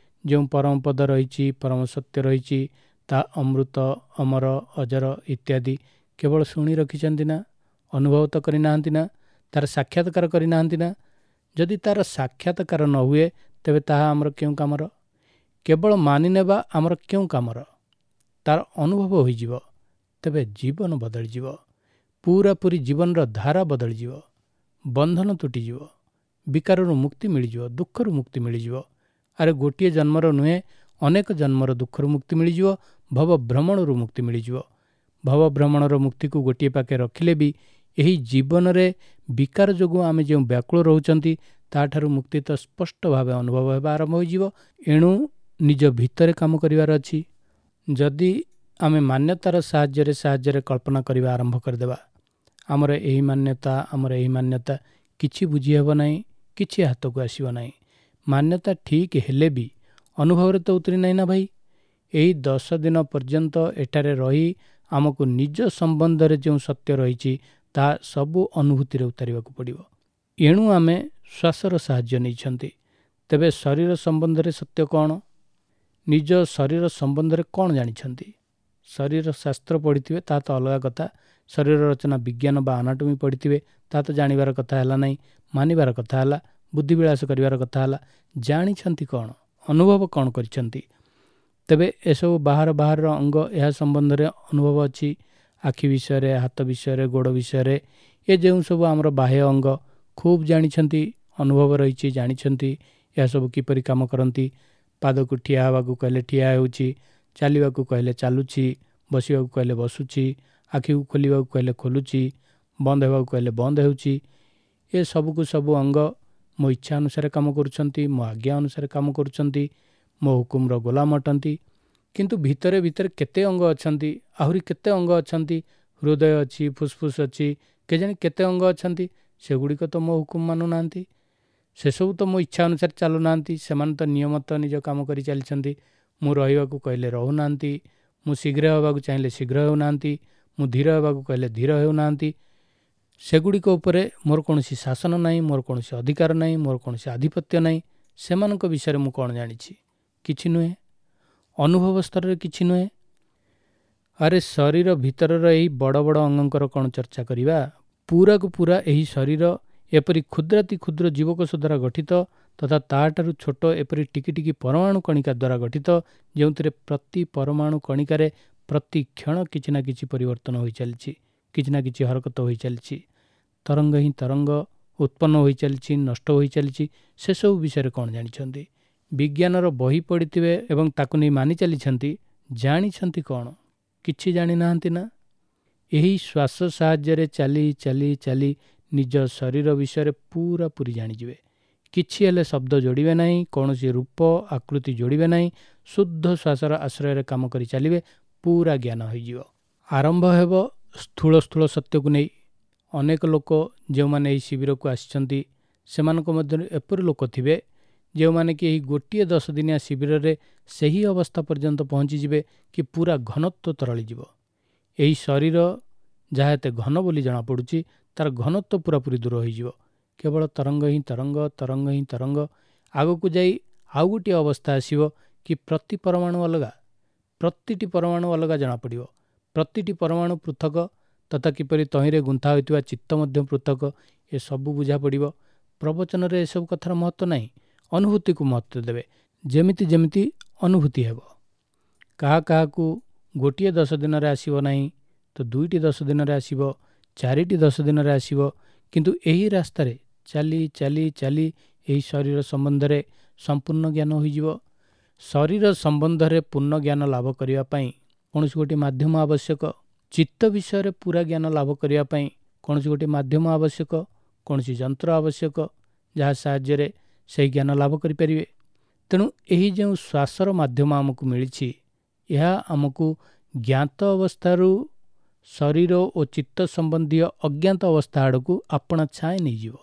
ଯେଉଁ ପରମପଦ ରହିଛି, ପରମ ସତ୍ୟ ରହିଛି, ତା ଅମୃତ, ଅମର, ଅଜର ଇତ୍ୟାଦି କେବଳ ଶୁଣି ରଖିଛନ୍ତି ନା, ଅନୁଭବ ତ କରିନାହାନ୍ତି ନା, ତାର ସାକ୍ଷାତକାର କରିନାହାନ୍ତି ନା। ଯଦି ତାର ସାକ୍ଷାତକାର ନ ହୁଏ ତେବେ ତାହା ଆମର କେଉଁ କାମର? କେବଳ ମାନିନେବା ଆମର କେଉଁ କାମର? ତାର ଅନୁଭବ ହୋଇଯିବ, ତେବେ ଜୀବନ ବଦଳିଯିବ, ପୁରାପୁରି ଜୀବନର ଧାରା ବଦଳିଯିବ, ବନ୍ଧନ ତୁଟିଯିବ, ବିକାରରୁ ମୁକ୍ତି ମିଳିଯିବ, ଦୁଃଖରୁ ମୁକ୍ତି ମିଳିଯିବ। ଆରେ ଗୋଟିଏ ଜନ୍ମର ନୁହେଁ, ଅନେକ ଜନ୍ମର ଦୁଃଖରୁ ମୁକ୍ତି ମିଳିଯିବ, ଭବ ଭ୍ରମଣରୁ ମୁକ୍ତି ମିଳିଯିବ। ଭବ ଭ୍ରମଣର ମୁକ୍ତିକୁ ଗୋଟିଏ ପାଖେ ରଖିଲେ ବି ଏହି ଜୀବନରେ ବିକାର ଯୋଗୁଁ ଆମେ ଯେଉଁ ବ୍ୟାକୁଳ ରହୁଛନ୍ତି ତାଠାରୁ ମୁକ୍ତି ତ ସ୍ପଷ୍ଟ ଭାବେ ଅନୁଭବ ହେବା ଆରମ୍ଭ ହୋଇଯିବ। ଏଣୁ ନିଜ ଭିତରେ କାମ କରିବାର ଅଛି। ଯଦି ଆମେ ମାନ୍ୟତାର ସାହାଯ୍ୟରେ ସାହାଯ୍ୟରେ କଳ୍ପନା କରିବା ଆରମ୍ଭ କରିଦେବା, ଆମର ଏହି ମାନ୍ୟତା, ଆମର ଏହି ମାନ୍ୟତା, କିଛି ବୁଝି ହେବ ନାହିଁ, କିଛି ହାତକୁ ଆସିବ ନାହିଁ। ମାନ୍ୟତା ଠିକ୍ ହେଲେ ବି ଅନୁଭବରେ ତ ଉତରି ନାହିଁ ନା ଭାଇ। ଏହି ଦଶ ଦିନ ପର୍ଯ୍ୟନ୍ତ ଏଠାରେ ରହି ଆମକୁ ନିଜ ସମ୍ବନ୍ଧରେ ଯେଉଁ ସତ୍ୟ ରହିଛି ତାହା ସବୁ ଅନୁଭୂତିରେ ଉତାରିବାକୁ ପଡ଼ିବ। ଏଣୁ ଆମେ ଶ୍ୱାସର ସାହାଯ୍ୟ ନେଇଛନ୍ତି। ତେବେ ଶରୀର ସମ୍ବନ୍ଧରେ ସତ୍ୟ କ'ଣ? ନିଜ ଶରୀର ସମ୍ବନ୍ଧରେ କ'ଣ ଜାଣିଛନ୍ତି? ଶରୀର ଶାସ୍ତ୍ର ପଢ଼ିଥିବେ ତାହା ତ ଅଲଗା କଥା, ଶରୀର ରଚନା ବିଜ୍ଞାନ ବା ଆନାଟୋମି ପଢ଼ିଥିବେ ତାହା ତ ଜାଣିବାର କଥା ହେଲା ନାହିଁ, ମାନିବାର କଥା ହେଲା, ବୁଦ୍ଧିବିଳାସ କରିବାର କଥା ହେଲା। ଜାଣିଛନ୍ତି କ'ଣ? ଅନୁଭବ କ'ଣ କରିଛନ୍ତି? ତେବେ ଏସବୁ ବାହାର ବାହାରର ଅଙ୍ଗ, ଏହା ସମ୍ବନ୍ଧରେ ଅନୁଭବ ଅଛି। ଆଖି ବିଷୟରେ, ହାତ ବିଷୟରେ, ଗୋଡ଼ ବିଷୟରେ, ଏ ଯେଉଁ ସବୁ ଆମର ବାହ୍ୟ ଅଙ୍ଗ ଖୁବ୍ ଜାଣିଛନ୍ତି, ଅନୁଭବ ରହିଛି, ଜାଣିଛନ୍ତି ଏହା ସବୁ କିପରି କାମ କରନ୍ତି। ପାଦକୁ ଠିଆ ହେବାକୁ କହିଲେ ଠିଆ ହେଉଛି, ଚାଲିବାକୁ କହିଲେ ଚାଲୁଛି, ବସିବାକୁ କହିଲେ ବସୁଛି, ଆଖିକୁ ଖୋଲିବାକୁ କହିଲେ ଖୋଲୁଛି, ବନ୍ଦ ହେବାକୁ କହିଲେ ବନ୍ଦ ହେଉଛି। ଏ ସବୁକୁ ସବୁ ଅଙ୍ଗ ମୋ ଇଚ୍ଛା ଅନୁସାରେ କାମ କରୁଛନ୍ତି, ମୋ ଆଜ୍ଞା ଅନୁସାରେ କାମ କରୁଛନ୍ତି, ମୋ ହୁକୁମର ଗୋଲାମ ଅଟନ୍ତି। କିନ୍ତୁ ଭିତରେ ଭିତରେ କେତେ ଅଙ୍ଗ ଅଛନ୍ତି, ଆହୁରି କେତେ ଅଙ୍ଗ ଅଛନ୍ତି, ହୃଦୟ ଅଛି, ଫୁସଫୁସ ଅଛି, କେଜାଣି କେତେ ଅଙ୍ଗ ଅଛନ୍ତି, ସେଗୁଡ଼ିକ ତ ମୋ ହୁକୁମ ମାନୁନାହାନ୍ତି, ସେସବୁ ତ ମୋ ଇଚ୍ଛା ଅନୁସାରେ ଚାଲୁନାହାନ୍ତି, ସେମାନେ ତ ନିୟମତ ନିଜ କାମ କରି ଚାଲିଛନ୍ତି। ମୁଁ ରହିବାକୁ କହିଲେ ରହୁନାହାନ୍ତି, ମୁଁ ଶୀଘ୍ର ହେବାକୁ ଚାହିଁଲେ ଶୀଘ୍ର ହେଉନାହାନ୍ତି, ମୁଁ ଧୀର ହେବାକୁ କହିଲେ ଧୀର ହେଉନାହାନ୍ତି। ସେଗୁଡ଼ିକ ଉପରେ ମୋର କୌଣସି ଶାସନ ନାହିଁ, ମୋର କୌଣସି ଅଧିକାର ନାହିଁ, ମୋର କୌଣସି ଆଧିପତ୍ୟ ନାହିଁ। ସେମାନଙ୍କ ବିଷୟରେ ମୁଁ କ'ଣ ଜାଣିଛି? କିଛି ନୁହେଁ, ଅନୁଭବ ସ୍ତରରେ କିଛି ନୁହେଁ। ଆରେ ଶରୀର ଭିତରର ଏହି ବଡ଼ ବଡ଼ ଅଙ୍ଗଙ୍କର କ'ଣ ଚର୍ଚ୍ଚା କରିବା? ପୁରାକୁ ପୁରା ଏହି ଶରୀର ଏପରି କ୍ଷୁଦ୍ରାତି କ୍ଷୁଦ୍ର ଜୀବକୋଷ ଦ୍ୱାରା ଗଠିତ ତଥା ତାଠାରୁ ଛୋଟ ଏପରି ଟିକି ଟିକି ପରମାଣୁ କଣିକା ଦ୍ୱାରା ଗଠିତ, ଯେଉଁଥିରେ ପ୍ରତି ପରମାଣୁ କଣିକାରେ ପ୍ରତି କ୍ଷଣ କିଛି ନା କିଛି ପରିବର୍ତ୍ତନ ହୋଇଚାଲିଛି, କିଛି ନା କିଛି ହରକତ ହୋଇଚାଲିଛି, ତରଙ୍ଗ ହିଁ ତରଙ୍ଗ ଉତ୍ପନ୍ନ ହୋଇଚାଲିଛି, ନଷ୍ଟ ହୋଇଚାଲିଛି। ସେସବୁ ବିଷୟରେ କ'ଣ ଜାଣିଛନ୍ତି? ବିଜ୍ଞାନର ବହି ପଢ଼ିଥିବେ ଏବଂ ତାକୁ ନେଇ ମାନି ଚାଲିଛନ୍ତି, ଜାଣିଛନ୍ତି କ'ଣ? କିଛି ଜାଣିନାହାନ୍ତି ନା? ଏହି ଶ୍ୱାସ ସାହାଯ୍ୟରେ ଚାଲି ଚାଲି ଚାଲି ନିଜ ଶରୀର ବିଷୟରେ ପୁରାପୁରି ଜାଣିଯିବେ। କିଛି ହେଲେ ଶବ୍ଦ ଯୋଡ଼ିବେ ନାହିଁ, କୌଣସି ରୂପ ଆକୃତି ଯୋଡ଼ିବେ ନାହିଁ, ଶୁଦ୍ଧ ଶ୍ୱାସର ଆଶ୍ରୟରେ କାମ କରି ଚାଲିବେ, ପୁରା ଜ୍ଞାନ ହୋଇଯିବ। ଆରମ୍ଭ ହେବ ସ୍ଥୂଳ ସ୍ଥୂଳ ସତ୍ୟକୁ ନେଇ। ଅନେକ ଲୋକ ଯେଉଁମାନେ ଏହି ଶିବିରକୁ ଆସିଛନ୍ତି, ସେମାନଙ୍କ ମଧ୍ୟରୁ ଏପରି ଲୋକ ଥିବେ ଯେଉଁମାନେ କି ଏହି ଗୋଟିଏ ଦଶ ଦିନିଆ ଶିବିରରେ ସେହି ଅବସ୍ଥା ପର୍ଯ୍ୟନ୍ତ ପହଞ୍ଚିଯିବେ କି ପୁରା ଘନତ୍ୱ ତରଳିଯିବ। ଏହି ଶରୀର ଯାହା ଏତେ ଘନ ବୋଲି ଜଣାପଡ଼ୁଛି, ତାର ଘନତ୍ୱ ପୁରାପୁରି ଦୂର ହୋଇଯିବ। କେବଳ ତରଙ୍ଗ ହିଁ ତରଙ୍ଗ, ତରଙ୍ଗ ହିଁ ତରଙ୍ଗ। ଆଗକୁ ଯାଇ ଆଉ ଗୋଟିଏ ଅବସ୍ଥା ଆସିବ କି ପ୍ରତି ପରମାଣୁ ଅଲଗା, ପ୍ରତିଟି ପରମାଣୁ ଅଲଗା ଜଣାପଡ଼ିବ, ପ୍ରତିଟି ପରମାଣୁ ପୃଥକ ତଥା କିପରି ତହିଁରେ ଗୁନ୍ଥା ହୋଇଥିବା ଚିତ୍ତ ମଧ୍ୟ ପୃଥକ, ଏସବୁ ବୁଝା ପଡ଼ିବ। ପ୍ରବଚନରେ ଏସବୁ କଥାର ମହତ୍ତ୍ୱ ନାହିଁ, ଅନୁଭୂତିକୁ ମହତ୍ତ୍ୱ ଦେବେ। ଯେମିତି ଯେମିତି ଅନୁଭୂତି ହେବ। କାହା କାହାକୁ ଗୋଟିଏ ଦଶ ଦିନରେ ଆସିବ ନାହିଁ ତ ଦୁଇଟି ଦଶ ଦିନରେ ଆସିବ, ଚାରିଟି ଦଶ ଦିନରେ ଆସିବ, କିନ୍ତୁ ଏହି ରାସ୍ତାରେ ଚାଲି ଚାଲି ଚାଲି ଏହି ଶରୀର ସମ୍ବନ୍ଧରେ ସମ୍ପୂର୍ଣ୍ଣ ଜ୍ଞାନ ହୋଇଯିବ। ଶରୀର ସମ୍ବନ୍ଧରେ ପୂର୍ଣ୍ଣ ଜ୍ଞାନ ଲାଭ କରିବା ପାଇଁ କୌଣସି ଗୋଟିଏ ମାଧ୍ୟମ ଆବଶ୍ୟକ। ଚିତ୍ତ ବିଷୟରେ ପୁରା ଜ୍ଞାନ ଲାଭ କରିବା ପାଇଁ କୌଣସି ଗୋଟିଏ ମାଧ୍ୟମ ଆବଶ୍ୟକ, କୌଣସି ଯନ୍ତ୍ର ଆବଶ୍ୟକ, ଯାହା ସାହାଯ୍ୟରେ ସେହି ଜ୍ଞାନ ଲାଭ କରିପାରିବେ। ତେଣୁ ଏହି ଯେଉଁ ଶ୍ୱାସର ମାଧ୍ୟମ ଆମକୁ ମିଳିଛି, ଏହା ଆମକୁ ଜ୍ଞାତ ଅବସ୍ଥାରୁ ଶରୀର ଓ ଚିତ୍ତ ସମ୍ବନ୍ଧୀୟ ଅଜ୍ଞାତ ଅବସ୍ଥା ଆଡ଼କୁ ଆପଣା ଛାଏଁ ନେଇଯିବ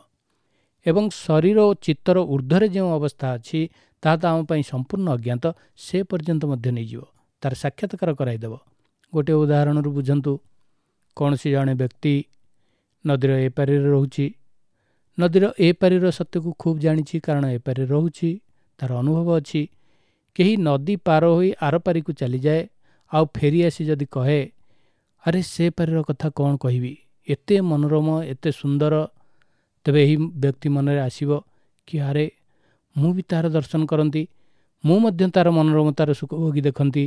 ଏବଂ ଶରୀର ଓ ଚିତ୍ତର ଉର୍ଦ୍ଧ୍ୱରେ ଯେଉଁ ଅବସ୍ଥା ଅଛି ତାହା ତ ଆମ ପାଇଁ ସମ୍ପୂର୍ଣ୍ଣ ଅଜ୍ଞାତ, ସେ ପର୍ଯ୍ୟନ୍ତ ମଧ୍ୟ ନେଇଯିବ, ତାର ସାକ୍ଷାତକାର କରାଇଦେବ। ଗୋଟିଏ ଉଦାହରଣରୁ ବୁଝନ୍ତୁ। କୌଣସି ଜଣେ ବ୍ୟକ୍ତି ନଦୀର ଏପାରିରେ ରହୁଛି, ନଦୀର ଏପାରିର ସତ୍ୟକୁ ଖୁବ୍ ଜାଣିଛି, କାରଣ ଏପାରିରେ ରହୁଛି, ତାର ଅନୁଭବ ଅଛି। କେହି ନଦୀ ପାର ହୋଇ ଆରପାରିକୁ ଚାଲିଯାଏ ଆଉ ଫେରି ଆସି ଯଦି କହେ, ଆରେ ସେ ପାରିର କଥା କ'ଣ କହିବି, ଏତେ ମନୋରମ, ଏତେ ସୁନ୍ଦର, ତେବେ ଏହି ବ୍ୟକ୍ତି ମନରେ ଆସିବ କି ଆରେ ମୁଁ ବି ତାହାର ଦର୍ଶନ କରନ୍ତି, ମୁଁ ମଧ୍ୟ ତାର ମନୋରମତାର ସୁଖ ଭୋଗି ଦେଖନ୍ତି।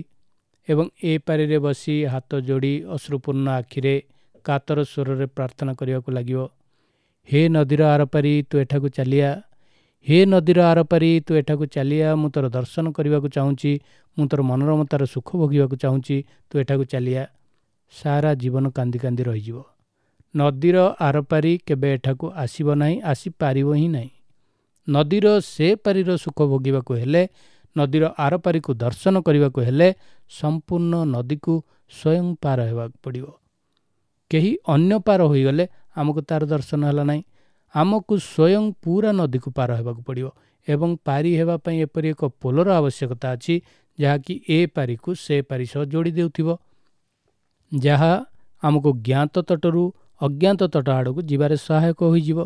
ଏବଂ ଏ ପାରିରେ ବସି ହାତ ଯୋଡ଼ି ଅଶ୍ରୁପୂର୍ଣ୍ଣ ଆଖିରେ କାତର ସ୍ୱରରେ ପ୍ରାର୍ଥନା କରିବାକୁ ଲାଗିବ, ହେ ନଦୀର ଆରପାରି ତୁ ଏଠାକୁ ଚାଲିଆ, ହେ ନଦୀର ଆରପାରି ତୁ ଏଠାକୁ ଚାଲିଆ, ମୁଁ ତୋର ଦର୍ଶନ କରିବାକୁ ଚାହୁଁଛି, ମୁଁ ତୋର ମନୋରମତାର ସୁଖ ଭୋଗିବାକୁ ଚାହୁଁଛି, ତୁ ଏଠାକୁ ଚାଲିଆ। ସାରା ଜୀବନ କାନ୍ଦି କାନ୍ଦି ରହିଯିବ। ନଦୀର ଆରପାରି କେବେ ଏଠାକୁ ଆସିବ ନାହିଁ, ଆସିପାରିବ ହିଁ ନାହିଁ। ନଦୀର ସେ ପାରିର ସୁଖ ଭୋଗିବାକୁ ହେଲେ, ନଦୀର ଆରପାରିକୁ ଦର୍ଶନ କରିବାକୁ ହେଲେ ସମ୍ପୂର୍ଣ୍ଣ ନଦୀକୁ ସ୍ୱୟଂ ପାର ହେବାକୁ ପଡ଼ିବ। କେହି ଅନ୍ୟ ପାର ହୋଇଗଲେ ଆମକୁ ତାର ଦର୍ଶନ ହେଲା ନାହିଁ। ଆମକୁ ସ୍ୱୟଂ ପୁରା ନଦୀକୁ ପାର ହେବାକୁ ପଡ଼ିବ ଏବଂ ପାରି ହେବା ପାଇଁ ଏପରି ଏକ ପୋଲର ଆବଶ୍ୟକତା ଅଛି ଯାହାକି ଏ ପାରିକୁ ସେ ପାରି ସହ ଯୋଡ଼ି ଦେଉଥିବ, ଯାହା ଆମକୁ ଜ୍ଞାତ ତଟରୁ ଅଜ୍ଞାତ ତଟ ଆଡ଼କୁ ଯିବାରେ ସହାୟକ ହୋଇଯିବ।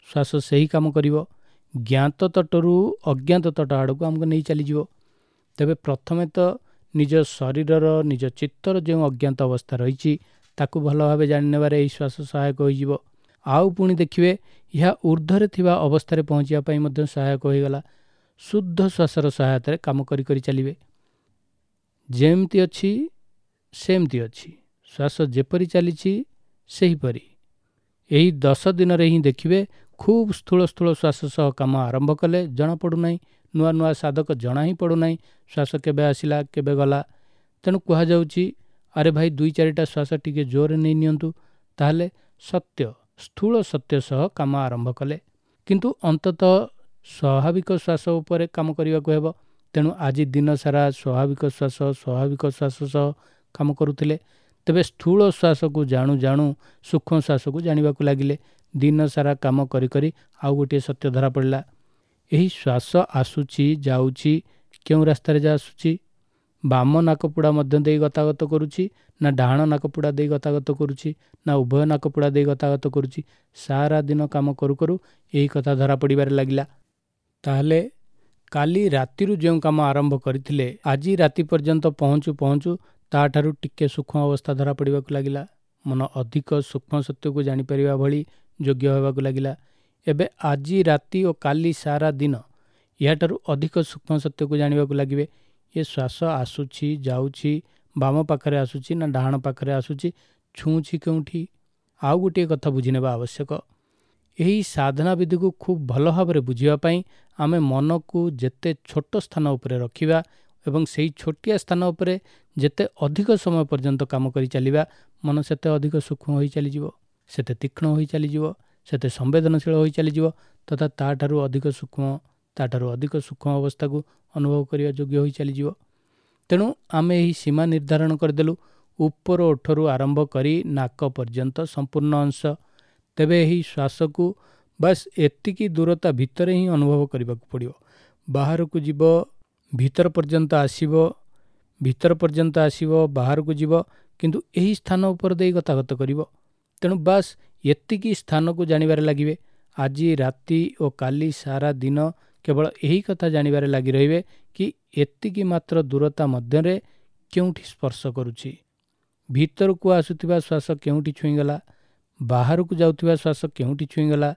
ଶ୍ୱାସ ସେହି କାମ କରିବ, ଜ୍ଞାତ ତଟରୁ ଅଜ୍ଞାତ ତଟ ଆଡ଼କୁ ଆମକୁ ନେଇ ଚାଲିଯିବ। ତେବେ ପ୍ରଥମେ ତ ନିଜ ଶରୀରର, ନିଜ ଚିତ୍ତର ଯେଉଁ ଅଜ୍ଞାତ ଅବସ୍ଥା ରହିଛି ତାକୁ ଭଲ ଭାବେ ଜାଣିନେବାରେ ଏହି ଶ୍ୱାସ ସହାୟକ ହୋଇଯିବ। ଆଉ ପୁଣି ଦେଖିବେ ଏହା ଉର୍ଦ୍ଧ୍ୱରେ ଥିବା ଅବସ୍ଥାରେ ପହଞ୍ଚିବା ପାଇଁ ମଧ୍ୟ ସହାୟକ ହୋଇଗଲା। ଶୁଦ୍ଧ ଶ୍ୱାସର ସହାୟତାରେ କାମ କରି କରି ଚାଲିବେ। ଯେମିତି ଅଛି ସେମିତି ଅଛି, ଶ୍ୱାସ ଯେପରି ଚାଲିଛି ସେହିପରି। ଏହି ଦଶ ଦିନରେ ହିଁ ଦେଖିବେ ଖୁବ୍ ସ୍ଥୂଳ ସ୍ଥୂଳ ଶ୍ୱାସ ସହ କାମ ଆରମ୍ଭ କଲେ ଜଣାପଡ଼ୁନାହିଁ, ନୂଆ ନୂଆ ସାଧକ ଜଣା ହିଁ ପଡ଼ୁନାହିଁ ଶ୍ୱାସ କେବେ ଆସିଲା କେବେ ଗଲା। ତେଣୁ କୁହାଯାଉଛି ଆରେ ଭାଇ ଦୁଇ ଚାରିଟା ଶ୍ୱାସ ଟିକେ ଜୋରରେ ନେଇ ନିଅନ୍ତୁ, ତାହେଲେ ସତ୍ୟ ସ୍ଥୂଳ ସତ୍ୟ ସହ କାମ ଆରମ୍ଭ କଲେ। କିନ୍ତୁ ଅନ୍ତତଃ ସ୍ୱାଭାବିକ ଶ୍ୱାସ ଉପରେ କାମ କରିବାକୁ ହେବ। ତେଣୁ ଆଜି ଦିନ ସାରା ସ୍ୱାଭାବିକ ଶ୍ୱାସ ସ୍ୱାଭାବିକ ଶ୍ୱାସ ସହ କାମ କରୁଥିଲେ। ତେବେ ସ୍ଥୂଳ ଶ୍ୱାସକୁ ଜାଣୁ ଜାଣୁ ସୂକ୍ଷ୍ମ ଶ୍ୱାସକୁ ଜାଣିବାକୁ ଲାଗିଲେ। ଦିନ ସାରା କାମ କରି କରି ଆଉ ଗୋଟିଏ ସତ୍ୟ ଧରା ପଡ଼ିଲା। ଏହି ଶ୍ୱାସ ଆସୁଛି ଯାଉଛି, କେଉଁ ରାସ୍ତାରେ ଯା ଆସୁଛି? ବାମ ନାକପୁଡ଼ା ମଧ୍ୟ ଦେଇ ଗତାଗତ କରୁଛି ନା ଡାହାଣ ନାକପୁଡ଼ା ଦେଇ ଗତାଗତ କରୁଛି ନା ଉଭୟ ନାକପୁଡ଼ା ଦେଇ ଗତାଗତ କରୁଛି? ସାରା ଦିନ କାମ କରୁ କରୁ ଏହି କଥା ଧରା ପଡ଼ିବାରେ ଲାଗିଲା। ତାହେଲେ କାଲି ରାତିରୁ ଯେଉଁ କାମ ଆରମ୍ଭ କରିଥିଲେ ଆଜି ରାତି ପର୍ଯ୍ୟନ୍ତ ପହଞ୍ଚୁ ପହଞ୍ଚୁ ତାଠାରୁ ଟିକେ ସୂକ୍ଷ୍ମ ଅବସ୍ଥା ଧରା ପଡ଼ିବାକୁ ଲାଗିଲା। ମନ ଅଧିକ ସୂକ୍ଷ୍ମ ସତ୍ୟକୁ ଜାଣିପାରିବା ଭଳି ଯୋଗ୍ୟ ହେବାକୁ ଲାଗିଲା। ଏବେ ଆଜି ରାତି ଓ କାଲି ସାରା ଦିନ ଏହାଠାରୁ ଅଧିକ ସୂକ୍ଷ୍ମ ସତ୍ୟକୁ ଜାଣିବାକୁ ଲାଗିବେ। ଏ ଶ୍ୱାସ ଆସୁଛି ଯାଉଛି, ବାମ ପାଖରେ ଆସୁଛି ନା ଡାହାଣ ପାଖରେ ଆସୁଛି, ଛୁଉଁଛି କେଉଁଠି? ଆଉ ଗୋଟିଏ କଥା ବୁଝିନେବା ଆବଶ୍ୟକ। ଏହି ସାଧନା ବିଧିକୁ ଖୁବ୍ ଭଲ ଭାବରେ ବୁଝିବା ପାଇଁ ଆମେ ମନକୁ ଯେତେ ଛୋଟ ସ୍ଥାନ ଉପରେ ରଖିବା ଏବଂ ସେଇ ଛୋଟିଆ ସ୍ଥାନ ଉପରେ ଯେତେ ଅଧିକ ସମୟ ପର୍ଯ୍ୟନ୍ତ କାମ କରି ଚାଲିବା, ମନ ସେତେ ଅଧିକ ସୂକ୍ଷ୍ମ ହୋଇ ଚାଲିଯିବ, ସେତେ ତୀକ୍ଷ୍ଣ ହୋଇ ଚାଲିଯିବ, ସେତେ ସମ୍ବେଦନଶୀଳ ହୋଇ ଚାଲିଯିବ ତଥା ତାଠାରୁ ଅଧିକ ସୂକ୍ଷ୍ମ ତାଠାରୁ ଅଧିକ ସୂକ୍ଷ୍ମ ଅବସ୍ଥାକୁ ଅନୁଭବ କରିବା ଯୋଗ୍ୟ ହୋଇ ଚାଲିଯିବ। ତେଣୁ ଆମେ ଏହି ସୀମା ନିର୍ଦ୍ଧାରଣ କରିଦେଲୁ, ଉପର ଓଠରୁ ଆରମ୍ଭ କରି ନାକ ପର୍ଯ୍ୟନ୍ତ ସମ୍ପୂର୍ଣ୍ଣ ଅଂଶ। ତେବେ ଏହି ଶ୍ୱାସକୁ ବାସ୍ ଏତିକି ଦୂରତା ଭିତରେ ହିଁ ଅନୁଭବ କରିବାକୁ ପଡ଼ିବ। ବାହାରକୁ ଯିବ, ଭିତର ପର୍ଯ୍ୟନ୍ତ ଆସିବ, ଭିତର ପର୍ଯ୍ୟନ୍ତ ଆସିବ, ବାହାରକୁ ଯିବ, କିନ୍ତୁ ଏହି ସ୍ଥାନ ଉପରେ ଦେଇ ଗତାଗତ କରିବ। ତେଣୁ ବାସ୍ ଏତିକି ସ୍ଥାନକୁ ଜାଣିବାରେ ଲାଗିବେ। ଆଜି ରାତି ଓ କାଲି ସାରା ଦିନ କେବଳ ଏହି କଥା ଜାଣିବାରେ ଲାଗି ରହିବେ କି ଏତିକି ମାତ୍ର ଦୂରତା ମଧ୍ୟରେ କେଉଁଠି ସ୍ପର୍ଶ କରୁଛି, ଭିତରକୁ ଆସୁଥିବା ଶ୍ୱାସ କେଉଁଠି ଛୁଇଁଗଲା, ବାହାରକୁ ଯାଉଥିବା ଶ୍ୱାସ କେଉଁଠି ଛୁଇଁଗଲା,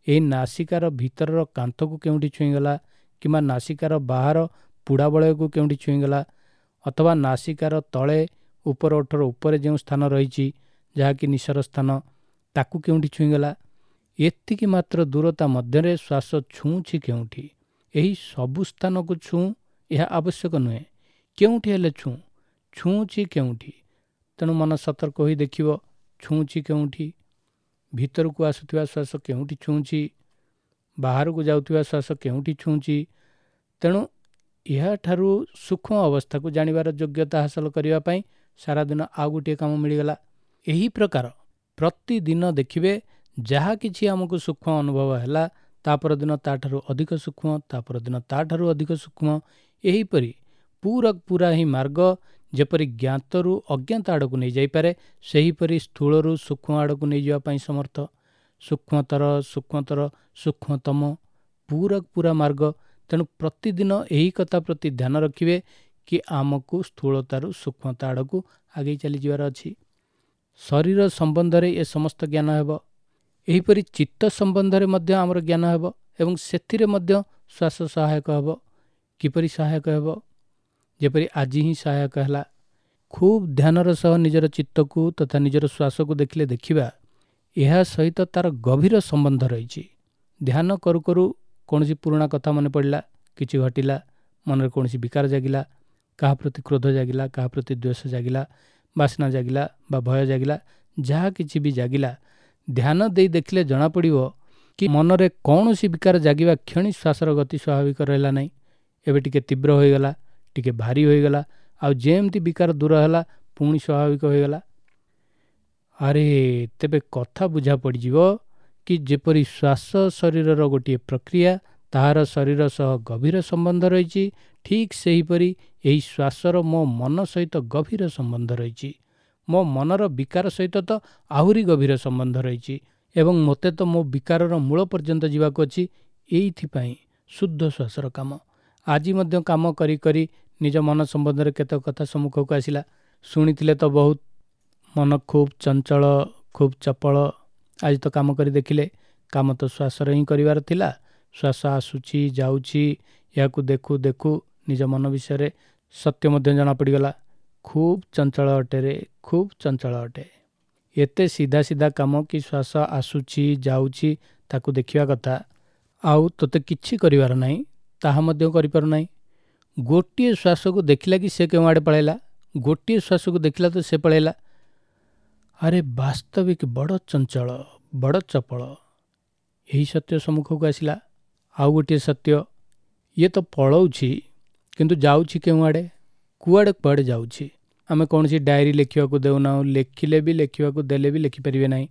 ଏହି ନାସିକାର ଭିତରର କାନ୍ଥକୁ କେଉଁଠି ଛୁଇଁଗଲା କିମ୍ବା ନାସିକାର ବାହାର ପୁଡ଼ା ବଳୟକୁ କେଉଁଠି ଛୁଇଁଗଲା, ଅଥବା ନାସିକାର ତଳେ ଉପର ଓଠର ଉପରେ ଯେଉଁ ସ୍ଥାନ ରହିଛି ଯାହାକି ନିଶର ସ୍ଥାନ, ତାକୁ କେଉଁଠି ଛୁଇଁଗଲା। ଏତିକି ମାତ୍ର ଦୂରତା ମଧ୍ୟରେ ଶ୍ୱାସ ଛୁଉଁଛି କେଉଁଠି। ଏହି ସବୁ ସ୍ଥାନକୁ ଛୁଉଁ ଏହା ଆବଶ୍ୟକ ନୁହେଁ, କେଉଁଠି ହେଲେ ଛୁଉଁ, ଛୁଉଁଛି କେଉଁଠି। ତେଣୁ ମନ ସତର୍କ ହୋଇ ଦେଖିବ ଛୁଉଁଛି କେଉଁଠି, ଭିତରକୁ ଆସୁଥିବା ଶ୍ୱାସ କେଉଁଠି ଛୁଉଁଛି, ବାହାରକୁ ଯାଉଥିବା ଶ୍ୱାସ କେଉଁଠି ଛୁଉଁଛି। ତେଣୁ ଏହାଠାରୁ ସୂକ୍ଷ୍ମ ଅବସ୍ଥାକୁ ଜାଣିବାର ଯୋଗ୍ୟତା ହାସଲ କରିବା ପାଇଁ ସାରାଦିନ ଆଉ ଗୋଟିଏ କାମ ମିଳିଗଲା। ଏହି ପ୍ରକାର ପ୍ରତିଦିନ ଦେଖିବେ ଯାହା କିଛି ଆମକୁ ସୂକ୍ଷ୍ମ ଅନୁଭବ ହେଲା, ତା ପରଦିନ ତାଠାରୁ ଅଧିକ ସୂକ୍ଷ୍ମ, ତା ପରଦିନ ତାଠାରୁ ଅଧିକ ସୂକ୍ଷ୍ମ, ଏହିପରି ପୁରା ପୁରା ହିଁ ମାର୍ଗ ଯେପରି ଜ୍ଞାତରୁ ଅଜ୍ଞାତ ଆଡ଼କୁ ନେଇଯାଇପାରେ, ସେହିପରି ସ୍ଥୂଳରୁ ସୂକ୍ଷ୍ମ ଆଡ଼କୁ ନେଇଯିବା ପାଇଁ ସମର୍ଥ। ସୂକ୍ଷ୍ମତର ସୂକ୍ଷ୍ମତର ସୂକ୍ଷ୍ମତମ ପୁରା ପୁରା ମାର୍ଗ। ତେଣୁ ପ୍ରତିଦିନ ଏହି କଥା ପ୍ରତି ଧ୍ୟାନ ରଖିବେ କି ଆମକୁ ସ୍ଥୂଳତାରୁ ସୂକ୍ଷ୍ମତା ଆଡ଼କୁ ଆଗେଇ ଚାଲିଯିବାର ଅଛି। ଶରୀର ସମ୍ବନ୍ଧରେ ଏ ସମସ୍ତ ଜ୍ଞାନ ହେବ, ଏହିପରି ଚିତ୍ତ ସମ୍ବନ୍ଧରେ ମଧ୍ୟ ଆମର ଜ୍ଞାନ ହେବ ଏବଂ ସେଥିରେ ମଧ୍ୟ ଶ୍ୱାସ ସହାୟକ ହେବ। କିପରି ସହାୟକ ହେବ? ଯେପରି ଆଜି ହିଁ ସହାୟକ ହେଲା। ଖୁବ୍ ଧ୍ୟାନର ସହ ନିଜର ଚିତ୍ତକୁ ତଥା ନିଜର ଶ୍ୱାସକୁ ଦେଖିଲେ ଦେଖିବା ଏହା ସହିତ ତାର ଗଭୀର ସମ୍ବନ୍ଧ ରହିଛି। ଧ୍ୟାନ କରୁ କରୁ କୌଣସି ପୁରୁଣା କଥା ମନେ ପଡ଼ିଲା, କିଛି ଘଟିଲା, ମନରେ କୌଣସି ବିକାର ଜାଗିଲା, କାହା ପ୍ରତି କ୍ରୋଧ ଜାଗିଲା, କାହା ପ୍ରତି ଦ୍ୱେଷ ଜାଗିଲା, ବାସନା ଜାଗିଲା ବା ଭୟ ଜାଗିଲା, ଯାହା କିଛି ବି ଜାଗିଲା, ଧ୍ୟାନ ଦେଇ ଦେଖିଲେ ଜଣାପଡ଼ିବ କି ମନରେ କୌଣସି ବିକାର ଜାଗିବା କ୍ଷଣି ଶ୍ୱାସର ଗତି ସ୍ୱାଭାବିକ ରହିଲା ନାହିଁ, ଏବେ ଟିକେ ତୀବ୍ର ହୋଇଗଲା, ଟିକେ ଭାରି ହୋଇଗଲା, ଆଉ ଯେମିତି ବିକାର ଦୂର ହେଲା ପୁଣି ସ୍ୱାଭାବିକ ହୋଇଗଲା। ଆରେ ତେବେ କଥା ବୁଝା ପଡ଼ିଯିବ କି ଯେପରି ଶ୍ୱାସ ଶରୀରର ଗୋଟିଏ ପ୍ରକ୍ରିୟା, ତାହାର ଶରୀର ସହ ଗଭୀର ସମ୍ବନ୍ଧ ରହିଛି, ଠିକ୍ ସେହିପରି ଏହି ଶ୍ୱାସର ମୋ ମନ ସହିତ ଗଭୀର ସମ୍ବନ୍ଧ ରହିଛି। ମୋ ମନର ବିକାର ସହିତ ତ ଆହୁରି ଗଭୀର ସମ୍ବନ୍ଧ ରହିଛି ଏବଂ ମୋତେ ତ ମୋ ବିକାରର ମୂଳ ପର୍ଯ୍ୟନ୍ତ ଯିବାକୁ ଅଛି। ଏଇଥିପାଇଁ ଶୁଦ୍ଧ ଶ୍ୱାସର କାମ। ଆଜି ମଧ୍ୟ କାମ କରି କରି ନିଜ ମନ ସମ୍ବନ୍ଧରେ କେତେକ କଥା ସମ୍ମୁଖକୁ ଆସିଲା। ଶୁଣିଥିଲେ ତ ବହୁତ, ମନ ଖୁବ୍ ଚଞ୍ଚଳ, ଖୁବ୍ ଚପଳ। ଆଜି ତ କାମ କରି ଦେଖିଲେ, କାମ ତ ଶ୍ୱାସର ହିଁ କରିବାର ଥିଲା। ଶ୍ୱାସ ଆସୁଛି ଯାଉଛି, ଏହାକୁ ଦେଖୁ ଦେଖୁ ନିଜ ମନ ବିଷୟରେ ସତ୍ୟ ମଧ୍ୟ ଜଣାପଡ଼ିଗଲା। ଖୁବ୍ ଚଞ୍ଚଳ ଅଟେ ରେ, ଖୁବ୍ ଚଞ୍ଚଳ ଅଟେ। ଏତେ ସିଧା ସିଧା କାମ କି ଶ୍ୱାସ ଆସୁଛି ଯାଉଛି ତାକୁ ଦେଖିବା କଥା, ଆଉ ତୋତେ କିଛି କରିବାର ନାହିଁ, ତାହା ମଧ୍ୟ କରିପାରୁନାହିଁ। ଗୋଟିଏ ଶ୍ୱାସକୁ ଦେଖିଲା କି ସେ କେଉଁ ଆଡ଼େ ପଳାଇଲା, ଗୋଟିଏ ଶ୍ୱାସକୁ ଦେଖିଲା ତ ସେ ପଳାଇଲା। ଆରେ ବାସ୍ତବିକ ବଡ଼ ଚଞ୍ଚଳ, ବଡ଼ ଚପଳ। ଏହି ସତ୍ୟ ସମ୍ମୁଖକୁ ଆସିଲା। ଆଉ ଗୋଟିଏ ସତ୍ୟ, ଇଏ ତ ପଳାଉଛି କିନ୍ତୁ ଯାଉଛି କେଉଁଆଡ଼େ, କୁଆଡ଼େ କୁଆଡ଼େ ଯାଉଛି। ଆମେ କୌଣସି ଡାଏରୀ ଲେଖିବାକୁ ଦେଉନାହୁଁ, ଲେଖିଲେ ବି ଲେଖିବାକୁ ଦେଲେ ବି ଲେଖିପାରିବେ ନାହିଁ।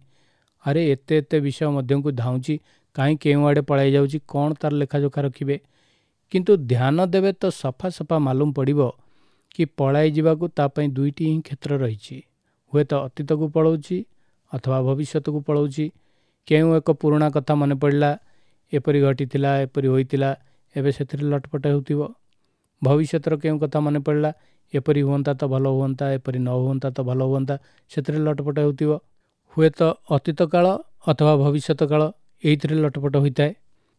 ଆରେ ଏତେ ଏତେ ବିଷୟ ମଧ୍ୟକୁ ଧାଉଁଛି, କାହିଁ କେଉଁଆଡ଼େ ପଳାଇ ଯାଉଛି, କ'ଣ ତାର ଲେଖାଯୋଖା ରଖିବେ? କିନ୍ତୁ ଧ୍ୟାନ ଦେବେ ତ ସଫା ସଫା ମାଲୁମ ପଡ଼ିବ କି ପଳାଇ ଯିବାକୁ ତା ପାଇଁ ଦୁଇଟି ହିଁ କ୍ଷେତ୍ର ରହିଛି। ହୁଏତ ଅତୀତକୁ ପଳାଉଛି ଅଥବା ଭବିଷ୍ୟତକୁ ପଳାଉଛି। କେଉଁ ଏକ ପୁରୁଣା କଥା ମନେ ପଡ଼ିଲା, ଏପରି ଘଟିଥିଲା, ଏପରି ହୋଇଥିଲା, ଏବେ ସେଥିରେ ଲଟପଟ ହେଉଥିବ। ଭବିଷ୍ୟତର କେଉଁ କଥା ମନେ ପଡ଼ିଲା, ଏପରି ହୁଅନ୍ତା ତ ଭଲ ହୁଅନ୍ତା, ଏପରି ନ ହୁଅନ୍ତା ତ ଭଲ ହୁଅନ୍ତା, ସେଥିରେ ଲଟପଟ ହେଉଥିବ। ହୁଏତ ଅତୀତ କାଳ ଅଥବା ଭବିଷ୍ୟତ କାଳ, ଏଇଥିରେ ଲଟପଟ ହୋଇଥାଏ।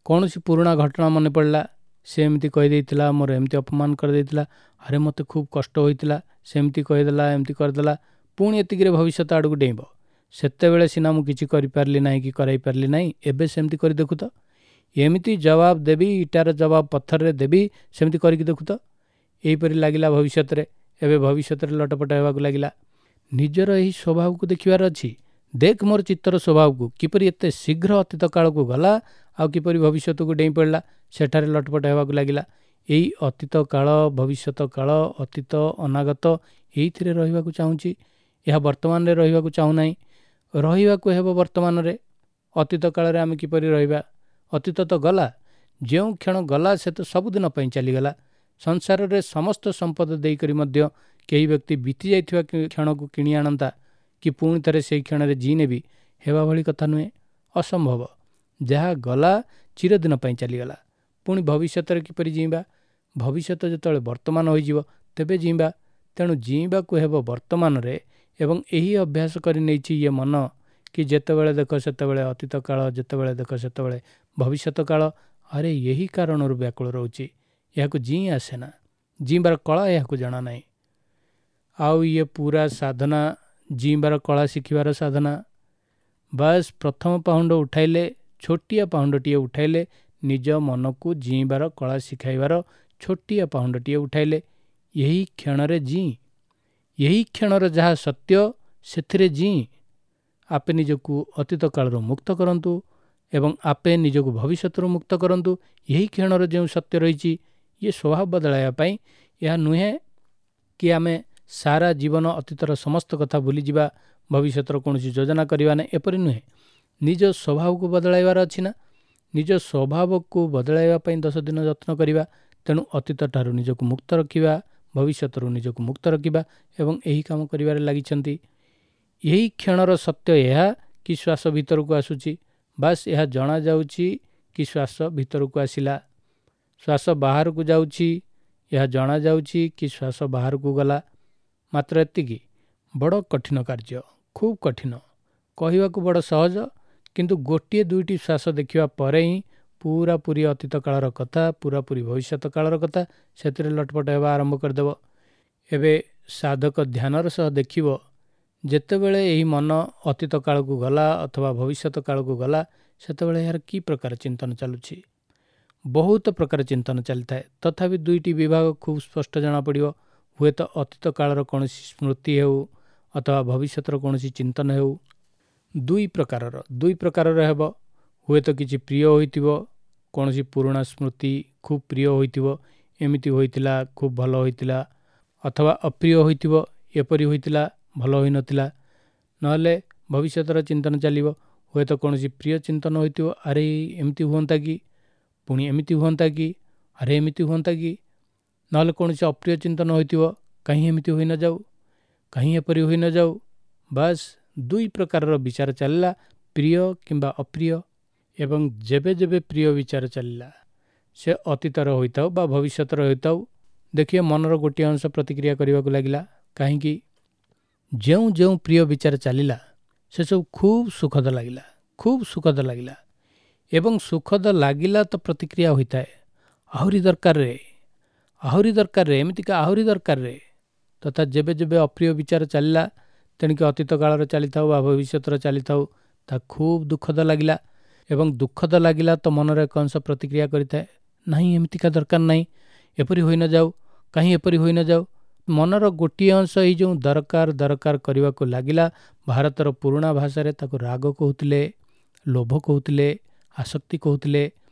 କୌଣସି ପୁରୁଣା ଘଟଣା ମନେ ପଡ଼ିଲା, ସେ ଏମିତି କହିଦେଇଥିଲା, ମୋର ଏମିତି ଅପମାନ କରିଦେଇଥିଲା, ଆରେ ମୋତେ ଖୁବ୍ କଷ୍ଟ ହୋଇଥିଲା, ସେମିତି କହିଦେଲା, ଏମିତି କରିଦେଲା, ପୁଣି ଏତିକିରେ ଭବିଷ୍ୟତ ଆଡ଼କୁ ଡେଇଁବ। ସେତେବେଳେ ସିନା ମୁଁ କିଛି କରିପାରିଲି ନାହିଁ କି କରାଇ ପାରିଲି ନାହିଁ, ଏବେ ସେମିତି କରି ଦେଖୁ ତ, ଏମିତି ଜବାବ ଦେବି, ଇଟାର ଜବାବ ପଥରରେ ଦେବି, ସେମିତି କରିକି ଦେଖୁ ତ। ଏହିପରି ଲାଗିଲା ଭବିଷ୍ୟତରେ। ଏବେ ଭବିଷ୍ୟତରେ ଲଟପଟ ହେବାକୁ ଲାଗିଲା। ନିଜର ଏହି ସ୍ୱଭାବକୁ ଦେଖିବାର ଅଛି। ଦେଖ ମୋର ଚିତ୍ତର ସ୍ୱଭାବକୁ କିପରି ଏତେ ଶୀଘ୍ର ଅତୀତ କାଳକୁ ଗଲା ଆଉ କିପରି ଭବିଷ୍ୟତକୁ ଡେଇଁ ପଡ଼ିଲା, ସେଠାରେ ଲଟପଟ ହେବାକୁ ଲାଗିଲା। ଏଇ ଅତୀତ କାଳ, ଭବିଷ୍ୟତ କାଳ, ଅତୀତ ଅନାଗତ, ଏଇଥିରେ ରହିବାକୁ ଚାହୁଁଛି। ଏହା ବର୍ତ୍ତମାନରେ ରହିବାକୁ ଚାହୁଁନାହିଁ। ରହିବାକୁ ହେବ ବର୍ତ୍ତମାନରେ। ଅତୀତ କାଳରେ ଆମେ କିପରି ରହିବା? ଅତୀତ ତ ଗଲା, ଯେଉଁ କ୍ଷଣ ଗଲା ସେ ତ ସବୁଦିନ ପାଇଁ ଚାଲିଗଲା। ସଂସାରରେ ସମସ୍ତ ସମ୍ପଦ ଦେଇକରି ମଧ୍ୟ କେହି ବ୍ୟକ୍ତି ବିତି ଯାଇଥିବା କ୍ଷଣକୁ କିଣି ଆଣନ୍ତା କି ପୁଣି ଥରେ ସେଇ କ୍ଷଣରେ ଜିଇଁ ନେବି, ହେବା ଭଳି କଥା ନୁହେଁ, ଅସମ୍ଭବ। ଯାହା ଗଲା ଚିରଦିନ ପାଇଁ ଚାଲିଗଲା। ପୁଣି ଭବିଷ୍ୟତରେ କିପରି ଜିଇଁବା? ଭବିଷ୍ୟତ ଯେତେବେଳେ ବର୍ତ୍ତମାନ ହୋଇଯିବ ତେବେ ଜିଇଁବା। ତେଣୁ ଜିଇଁବାକୁ ହେବ ବର୍ତ୍ତମାନରେ। ଏବଂ ଏହି ଅଭ୍ୟାସ କରି ନେଇଛି ଇଏ ମନ କି ଯେତେବେଳେ ଦେଖ ସେତେବେଳେ ଅତୀତ କାଳ, ଯେତେବେଳେ ଦେଖ ସେତେବେଳେ ଭବିଷ୍ୟତ କାଳ। ଆରେ ଏହି କାରଣରୁ ବ୍ୟାକୁଳ ରହୁଛି। ଏହାକୁ ଜିଇଁ ଆସେନା, ଜିଇଁବାର କଳା ଏହାକୁ ଜଣା ନାହିଁ। ଆଉ ଇଏ ପୁରା ସାଧନା, ଜିଇଁବାର କଳା ଶିଖିବାର ସାଧନା। ବାସ୍ ପ୍ରଥମ ପାହୁଣ୍ଡ ଉଠାଇଲେ, ଛୋଟିଆ ପାହୁଣ୍ଡଟିଏ ଉଠାଇଲେ, ନିଜ ମନକୁ ଜିଇଁବାର କଳା ଶିଖାଇବାର ଛୋଟିଆ ପାହୁଣ୍ଡଟିଏ ଉଠାଇଲେ, ଏହି କ୍ଷଣରେ ଜିଇଁ, ଏହି କ୍ଷଣର ଯାହା ସତ୍ୟ ସେଥିରେ ଜିଇଁ। ଆପେ ନିଜକୁ ଅତୀତ କାଳରୁ ମୁକ୍ତ କରନ୍ତୁ ଏବଂ ଆପେ ନିଜକୁ ଭବିଷ୍ୟତରୁ ମୁକ୍ତ କରନ୍ତୁ। ଏହି କ୍ଷଣର ଯେଉଁ ସତ୍ୟ ରହିଛି, ଇଏ ସ୍ୱଭାବ ବଦଳାଇବା ପାଇଁ ଏହା ନୁହେଁ କି ଆମେ ସାରା ଜୀବନ ଅତୀତର ସମସ୍ତ କଥା ଭୁଲିଯିବା, ଭବିଷ୍ୟତର କୌଣସି ଯୋଜନା କରିବା ନାହିଁ, ଏପରି ନୁହେଁ। ନିଜ ସ୍ୱଭାବକୁ ବଦଳାଇବାର ଅଛି ନା, ନିଜ ସ୍ୱଭାବକୁ ବଦଳାଇବା ପାଇଁ ଦଶ ଦିନ ଯତ୍ନ କରିବା। ତେଣୁ ଅତୀତ ଠାରୁ ନିଜକୁ ମୁକ୍ତ ରଖିବା, ଭବିଷ୍ୟତରୁ ନିଜକୁ ମୁକ୍ତ ରଖିବା ଏବଂ ଏହି କାମ କରିବାରେ ଲାଗିଛନ୍ତି। ଏହି କ୍ଷଣର ସତ୍ୟ ଏହା କି ଶ୍ୱାସ ଭିତରକୁ ଆସୁଛି, ବାସ୍ ଏହା ଜଣାଯାଉଛି କି ଶ୍ୱାସ ଭିତରକୁ ଆସିଲା। ଶ୍ୱାସ ବାହାରକୁ ଯାଉଛି, ଏହା ଜଣାଯାଉଛି କି ଶ୍ୱାସ ବାହାରକୁ ଗଲା। ମାତ୍ର ଏତିକି। ବଡ଼ କଠିନ କାର୍ଯ୍ୟ, ଖୁବ୍ କଠିନ, କହିବାକୁ ବଡ଼ ସହଜ, କିନ୍ତୁ ଗୋଟିଏ ଦୁଇଟି ଶ୍ୱାସ ଦେଖିବା ପରେ ହିଁ ପୁରାପୁରି ଅତୀତ କାଳର କଥା, ପୁରାପୁରି ଭବିଷ୍ୟତ କାଳର କଥା ସେଥିରେ ଲଟପଟ ହେବା ଆରମ୍ଭ କରିଦେବ। ଏବେ ସାଧକ ଧ୍ୟାନର ସହ ଦେଖିବ, ଯେତେବେଳେ ଏହି ମନ ଅତୀତ କାଳକୁ ଗଲା ଅଥବା ଭବିଷ୍ୟତ କାଳକୁ ଗଲା, ସେତେବେଳେ ଏହାର କି ପ୍ରକାର ଚିନ୍ତନ ଚାଲୁଛି। ବହୁତ ପ୍ରକାର ଚିନ୍ତନ ଚାଲିଥାଏ, ତଥାପି ଦୁଇଟି ବିଭାଗ ଖୁବ୍ ସ୍ପଷ୍ଟ ଜଣାପଡ଼ିବ। ହୁଏତ ଅତୀତ କାଳର କୌଣସି ସ୍ମୃତି ହେଉ ଅଥବା ଭବିଷ୍ୟତର କୌଣସି ଚିନ୍ତନ ହେଉ, ଦୁଇ ପ୍ରକାରର ଦୁଇ ପ୍ରକାରର ହେବ। ହୁଏତ କିଛି ପ୍ରିୟ ହୋଇଥିବ, କୌଣସି ପୁରୁଣା ସ୍ମୃତି ଖୁବ୍ ପ୍ରିୟ ହୋଇଥିବ, ଏମିତି ହୋଇଥିଲା, ଖୁବ୍ ଭଲ ହୋଇଥିଲା, ଅଥବା ଅପ୍ରିୟ ହୋଇଥିବ, ଏପରି ହୋଇଥିଲା, ଭଲ ହୋଇନଥିଲା। ନହେଲେ ଭବିଷ୍ୟତର ଚିନ୍ତନ ଚାଲିବ, ହୁଏତ କୌଣସି ପ୍ରିୟ ଚିନ୍ତନ ହୋଇଥିବ, ଆରେ ଏମିତି ହୁଅନ୍ତା କି, ପୁଣି ଏମିତି ହୁଅନ୍ତା କି, ଆରେ ଏମିତି ହୁଅନ୍ତା କି। ନହେଲେ କୌଣସି ଅପ୍ରିୟ ଚିନ୍ତନ ହୋଇଥିବ, କାହିଁ ଏମିତି ହୋଇ ନଯାଉ, କାହିଁ ଏପରି ହୋଇ ନଯାଉ। ବାସ୍ ଦୁଇ ପ୍ରକାରର ବିଚାର ଚାଲିଲା, ପ୍ରିୟ କିମ୍ବା ଅପ୍ରିୟ। ଏବଂ ଯେବେ ଯେବେ ପ୍ରିୟ ବିଚାର ଚାଲିଲା, ସେ ଅତୀତର ହୋଇଥାଉ ବା ଭବିଷ୍ୟତର ହୋଇଥାଉ, ଦେଖିବେ ମନର ଗୋଟିଏ ଅଂଶ ପ୍ରତିକ୍ରିୟା କରିବାକୁ ଲାଗିଲା। କାହିଁକି? ଯେଉଁ ଯେଉଁ ପ୍ରିୟ ବିଚାର ଚାଲିଲା ସେସବୁ ଖୁବ୍ ସୁଖଦ ଲାଗିଲା, ଖୁବ୍ ସୁଖଦ ଲାଗିଲା। ଏବଂ ସୁଖଦ ଲାଗିଲା ତ ପ୍ରତିକ୍ରିୟା ହୋଇଥାଏ, ଆହୁରି ଦରକାରରେ, ଆହୁରି ଦରକାରରେ, ଏମିତିକା ଆହୁରି ଦରକାରରେ। ତଥା ଯେବେ ଯେବେ ଅପ୍ରିୟ ବିଚାର ଚାଲିଲା, ତେଣିକି ଅତୀତ କାଳର ଚାଲିଥାଉ ବା ଭବିଷ୍ୟତର ଚାଲିଥାଉ, ତାହା ଖୁବ୍ ଦୁଃଖଦ ଲାଗିଲା। ଏବଂ ଦୁଃଖଦ ଲାଗିଲା ତ ମନର ଏକ ଅଂଶ ପ୍ରତିକ୍ରିୟା କରିଥାଏ, ନାହିଁ ଏମିତିକା ଦରକାର ନାହିଁ, ଏପରି ହୋଇ ନଯାଉ, କାହିଁ ଏପରି ହୋଇ ନଯାଉ। ମନର ଗୋଟିଏ ଅଂଶ ଏଇ ଯେଉଁ ଦରକାର ଦରକାର କରିବାକୁ ଲାଗିଲା, ଭାରତର ପୁରୁଣା ଭାଷାରେ ତାକୁ ରାଗ କହୁଥିଲେ, ଲୋଭ କହୁଥିଲେ, ଆସକ୍ତି କହୁଥିଲେ।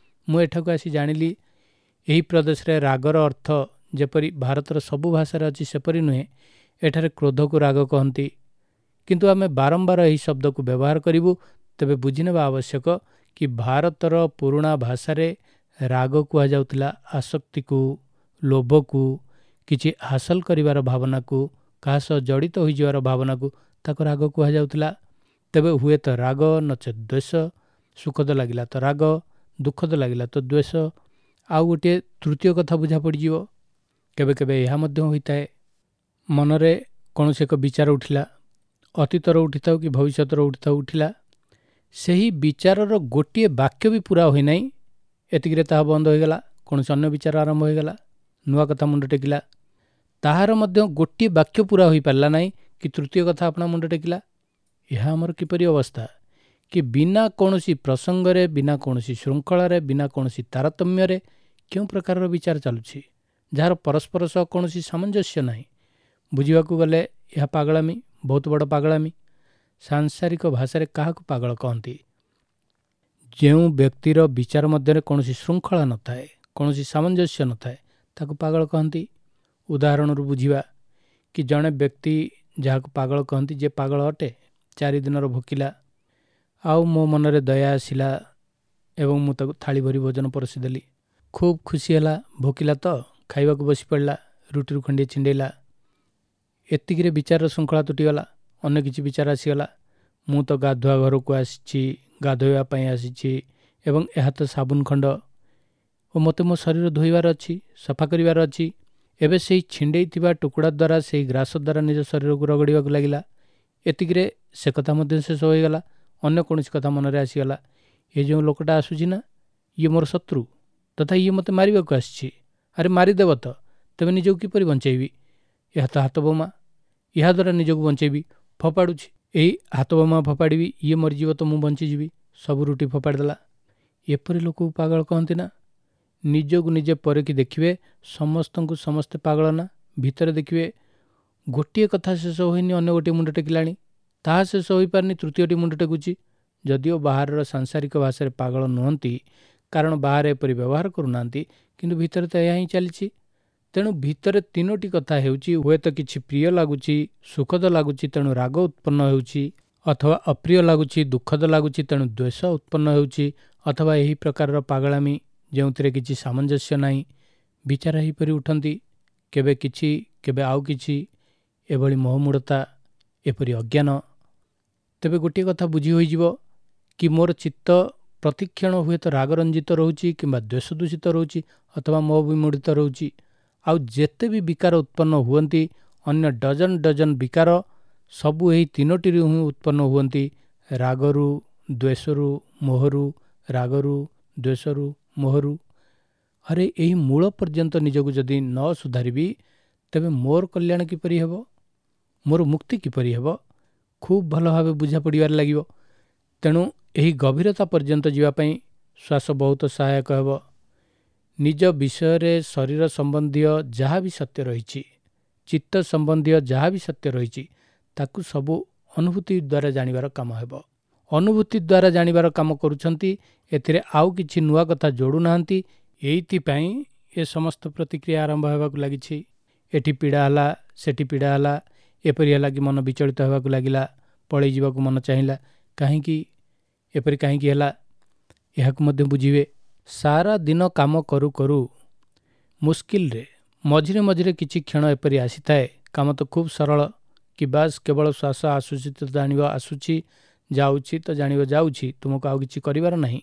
ମୁଁ ଏଠାକୁ ଆସି ଜାଣିଲି ଏହି ପ୍ରଦେଶରେ ରାଗର ଅର୍ଥ ଯେପରି ଭାରତର ସବୁ ଭାଷାରେ ଅଛି ସେପରି ନୁହେଁ। ଏଠାରେ କ୍ରୋଧକୁ ରାଗ କହନ୍ତି, କିନ୍ତୁ ଆମେ ବାରମ୍ବାର ଏହି ଶବ୍ଦକୁ ବ୍ୟବହାର କରିବୁ। ତେବେ ବୁଝିନେବା ଆବଶ୍ୟକ କି ଭାରତର ପୁରୁଣା ଭାଷାରେ ରାଗ କୁହାଯାଉଥିଲା ଆସକ୍ତିକୁ, ଲୋଭକୁ, କିଛି ହାସଲ କରିବାର ଭାବନାକୁ, କାହା ସହ ଜଡ଼ିତ ହୋଇଯିବାର ଭାବନାକୁ ତାକୁ ରାଗ କୁହାଯାଉଥିଲା। ତେବେ ହୁଏତ ରାଗ ନଚେତ୍ ଦ୍ୱେଷ, ସୁଖଦ ଲାଗିଲା ତ ରାଗ, ଦୁଃଖଦ ଲାଗିଲା ତ ଦ୍ୱେଷ। ଆଉ ଗୋଟିଏ ତୃତୀୟ କଥା ବୁଝା ପଡ଼ିଯିବ, କେବେ କେବେ ଏହା ମଧ୍ୟ ହୋଇଥାଏ, ମନରେ କୌଣସି ଏକ ବିଚାର ଉଠିଲା, ଅତୀତର ଉଠିଥାଉ କି ଭବିଷ୍ୟତର ଉଠିଥାଉ, ଉଠିଲା, ସେହି ବିଚାରର ଗୋଟିଏ ବାକ୍ୟ ବି ପୁରା ହୋଇନାହିଁ, ଏତିକିରେ ତାହା ବନ୍ଦ ହୋଇଗଲା, କୌଣସି ଅନ୍ୟ ବିଚାର ଆରମ୍ଭ ହୋଇଗଲା, ନୂଆ କଥା ମୁଣ୍ଡ ଟେକିଲା, ତାହାର ମଧ୍ୟ ଗୋଟିଏ ବାକ୍ୟ ପୁରା ହୋଇପାରିଲା ନାହିଁ କି ତୃତୀୟ କଥା ଆପଣା ମୁଣ୍ଡ ଟେକିଲା। ଏହା ଆମର କିପରି ଅବସ୍ଥା କି ବିନା କୌଣସି ପ୍ରସଙ୍ଗରେ, ବିନା କୌଣସି ଶୃଙ୍ଖଳାରେ, ବିନା କୌଣସି ତାରତମ୍ୟରେ କେଉଁ ପ୍ରକାରର ବିଚାର ଚାଲୁଛି, ଯାହାର ପରସ୍ପର ସହ କୌଣସି ସାମଞ୍ଜସ୍ୟ ନାହିଁ। ବୁଝିବାକୁ ଗଲେ ଏହା ପାଗଳାମି, ବହୁତ ବଡ଼ ପାଗଳାମି। ସାଂସାରିକ ଭାଷାରେ କାହାକୁ ପାଗଳ କହନ୍ତି? ଯେଉଁ ବ୍ୟକ୍ତିର ବିଚାର ମଧ୍ୟରେ କୌଣସି ଶୃଙ୍ଖଳା ନଥାଏ, କୌଣସି ସାମଞ୍ଜସ୍ୟ ନଥାଏ, ତାକୁ ପାଗଳ କହନ୍ତି। ଉଦାହରଣରୁ ବୁଝିବା କି ଜଣେ ବ୍ୟକ୍ତି ଯାହାକୁ ପାଗଳ କହନ୍ତି, ଯେ ପାଗଳ ଅଟେ, ଚାରି ଦିନର ଭୋକିଲା, ଆଉ ମୋ ମନରେ ଦୟା ଆସିଲା ଏବଂ ମୁଁ ତାକୁ ଥାଳି ଭରି ଭୋଜନ ପରଷିଦେଲି। ଖୁବ୍ ଖୁସି ହେଲା, ଭୋକିଲା ତ ଖାଇବାକୁ ବସି ପଡ଼ିଲା, ରୁଟିରୁ ଖଣ୍ଡିଏ ଛିଣ୍ଡେଇଲା। ଏତିକିରେ ବିଚାରର ଶୃଙ୍ଖଳା ତୁଟିଗଲା, ଅନ୍ୟ କିଛି ବିଚାର ଆସିଗଲା। ମୁଁ ତ ଗାଧୁଆ ଘରକୁ ଆସିଛି, ଗାଧୋଇବା ପାଇଁ ଆସିଛି, ଏବଂ ଏହା ତ ସାବୁନ ଖଣ୍ଡ ଓ ମୋତେ ମୋ ଶରୀର ଧୋଇବାର ଅଛି, ସଫା କରିବାର ଅଛି। ଏବେ ସେଇ ଛିଣ୍ଡେଇଥିବା ଟୁକୁଡ଼ା ଦ୍ୱାରା, ସେଇ ଗ୍ରାସ ଦ୍ୱାରା ନିଜ ଶରୀରକୁ ରଗଡ଼ିବାକୁ ଲାଗିଲା। ଏତିକିରେ ସେ କଥା ମଧ୍ୟ ଶେଷ ହୋଇଗଲା, ଅନ୍ୟ କୌଣସି କଥା ମନରେ ଆସିଗଲା। ଏ ଯେଉଁ ଲୋକଟା ଆସୁଛି ନା, ଇଏ ମୋର ଶତ୍ରୁ ତଥା ଇଏ ମୋତେ ମାରିବାକୁ ଆସିଛି। ଆରେ ମାରିଦେବ ତ, ତେବେ ନିଜକୁ କିପରି ବଞ୍ଚେଇବି? ଏହା ତ ହାତ ବୋମା, ଏହାଦ୍ୱାରା ନିଜକୁ ବଞ୍ଚେଇବି। ଫୋପାଡ଼ୁଛି, ଏଇ ହାତ ବୋମା ଫୋପାଡ଼ିବି, ଇଏ ମରିଯିବ ତ ମୁଁ ବଞ୍ଚିଯିବି। ସବୁ ରୁଟି ଫୋପାଡ଼ିଦେଲା। ଏପରି ଲୋକକୁ ପାଗଳ କହନ୍ତି ନା? ନିଜକୁ ନିଜେ ପରଖି ଦେଖିବେ, ସମସ୍ତଙ୍କୁ ସମସ୍ତେ ପାଗଳ ନା? ଭିତରେ ଦେଖିବେ ଗୋଟିଏ କଥା ଶେଷ ହୋଇନି, ଅନ୍ୟ ଗୋଟିଏ ମୁଣ୍ଡ ଟେକିଲାଣି, ତାହା ଶେଷ ହୋଇପାରିନି, ତୃତୀୟଟି ମୁଣ୍ଡ ଟେକୁଛି। ଯଦିଓ ବାହାରର ସାଂସାରିକ ଭାଷାରେ ପାଗଳ ନୁହନ୍ତି, କାରଣ ବାହାରେ ଏପରି ବ୍ୟବହାର କରୁନାହାନ୍ତି, କିନ୍ତୁ ଭିତରେ ତ ଏହା ହିଁ ଚାଲିଛି। ତେଣୁ ଭିତରେ ତିନୋଟି କଥା ହେଉଛି, ହୁଏତ କିଛି ପ୍ରିୟ ଲାଗୁଛି, ସୁଖଦ ଲାଗୁଛି, ତେଣୁ ରାଗ ଉତ୍ପନ୍ନ ହେଉଛି, ଅଥବା ଅପ୍ରିୟ ଲାଗୁଛି, ଦୁଃଖଦ ଲାଗୁଛି, ତେଣୁ ଦ୍ୱେଷ ଉତ୍ପନ୍ନ ହେଉଛି, ଅଥବା ଏହି ପ୍ରକାରର ପାଗଳାମି ଯେଉଁଥିରେ କିଛି ସାମଞ୍ଜସ୍ୟ ନାହିଁ। ବିଚାର ଏହିପରି ଉଠନ୍ତି, କେବେ କିଛି କେବେ ଆଉ କିଛି, ଏଭଳି ମୋହମୂଢ଼ତା, ଏପରି ଅଜ୍ଞାନ। ତେବେ ଗୋଟିଏ କଥା ବୁଝି ହୋଇଯିବ କି ମୋର ଚିତ୍ତ ପ୍ରତିକ୍ଷଣ ହୁଏତ ରାଗରଞ୍ଜିତ ରହୁଛି କିମ୍ବା ଦ୍ୱେଷ ଦୂଷିତ ରହୁଛି ଅଥବା ମୋହ ବିମୂଢ଼ିତ ରହୁଛି। ଆଉ ଯେତେ ବି ବିକାର ଉତ୍ପନ୍ନ ହୁଅନ୍ତି, ଅନ୍ୟ ଡଜନ ଡଜନ ବିକାର ସବୁ ଏହି ତିନୋଟିରୁ ହିଁ ଉତ୍ପନ୍ନ ହୁଅନ୍ତି, ରାଗରୁ, ଦ୍ୱେଷରୁ, ମୋହରୁ, ରାଗରୁ, ଦ୍ୱେଷରୁ, ମୋହରୁ। ଆରେ ଏହି ମୂଳ ପର୍ଯ୍ୟନ୍ତ ନିଜକୁ ଯଦି ନ ସୁଧାରିବି ତେବେ ମୋର କଲ୍ୟାଣ କିପରି ହେବ, ମୋର ମୁକ୍ତି କିପରି ହେବ, ଖୁବ୍ ଭଲ ଭାବେ ବୁଝା ପଡ଼ିବାରେ ଲାଗିବ। ତେଣୁ ଏହି ଗଭୀରତା ପର୍ଯ୍ୟନ୍ତ ଯିବା ପାଇଁ ଶ୍ୱାସ ବହୁତ ସହାୟକ ହେବ। ନିଜ ବିଷୟରେ ଶରୀର ସମ୍ବନ୍ଧୀୟ ଯାହା ବି ସତ୍ୟ ରହିଛି, ଚିତ୍ତ ସମ୍ବନ୍ଧୀୟ ଯାହା ବି ସତ୍ୟ ରହିଛି, ତାକୁ ସବୁ ଅନୁଭୂତି ଦ୍ୱାରା ଜାଣିବାର କାମ ହେବ। ଅନୁଭୂତି ଦ୍ୱାରା ଜାଣିବାର କାମ କରୁଛନ୍ତି, ଏଥିରେ ଆଉ କିଛି ନୂଆ କଥା ଯୋଡ଼ୁନାହାନ୍ତି। ଏଇଥିପାଇଁ ଏ ସମସ୍ତ ପ୍ରତିକ୍ରିୟା ଆରମ୍ଭ ହେବାକୁ ଲାଗିଛି। ଏଠି ପୀଡ଼ା ହେଲା, ସେଠି ପୀଡ଼ା ହେଲା, ଏପରି ହେଲା କି ମନ ବିଚଳିତ ହେବାକୁ ଲାଗିଲା, ପଳେଇ ଯିବାକୁ ମନ ଚାହିଁଲା। କାହିଁକି ଏପରି କାହିଁକି ହେଲା, ଏହାକୁ ମଧ୍ୟ ବୁଝିବେ। ସାରା ଦିନ କାମ କରୁ କରୁ ମୁସ୍କିଲରେ ମଝିରେ ମଝିରେ କିଛି କ୍ଷଣ ଏପରି ଆସିଥାଏ, କାମ ତ ଖୁବ୍ ସରଳ କି ବାସ୍ କେବଳ ଶ୍ୱାସ ଆସୁଛି ତ ଜାଣିବ ଆସୁଛି, ଯାଉଛି ତ ଜାଣିବ ଯାଉଛି, ତୁମକୁ ଆଉ କିଛି କରିବାର ନାହିଁ।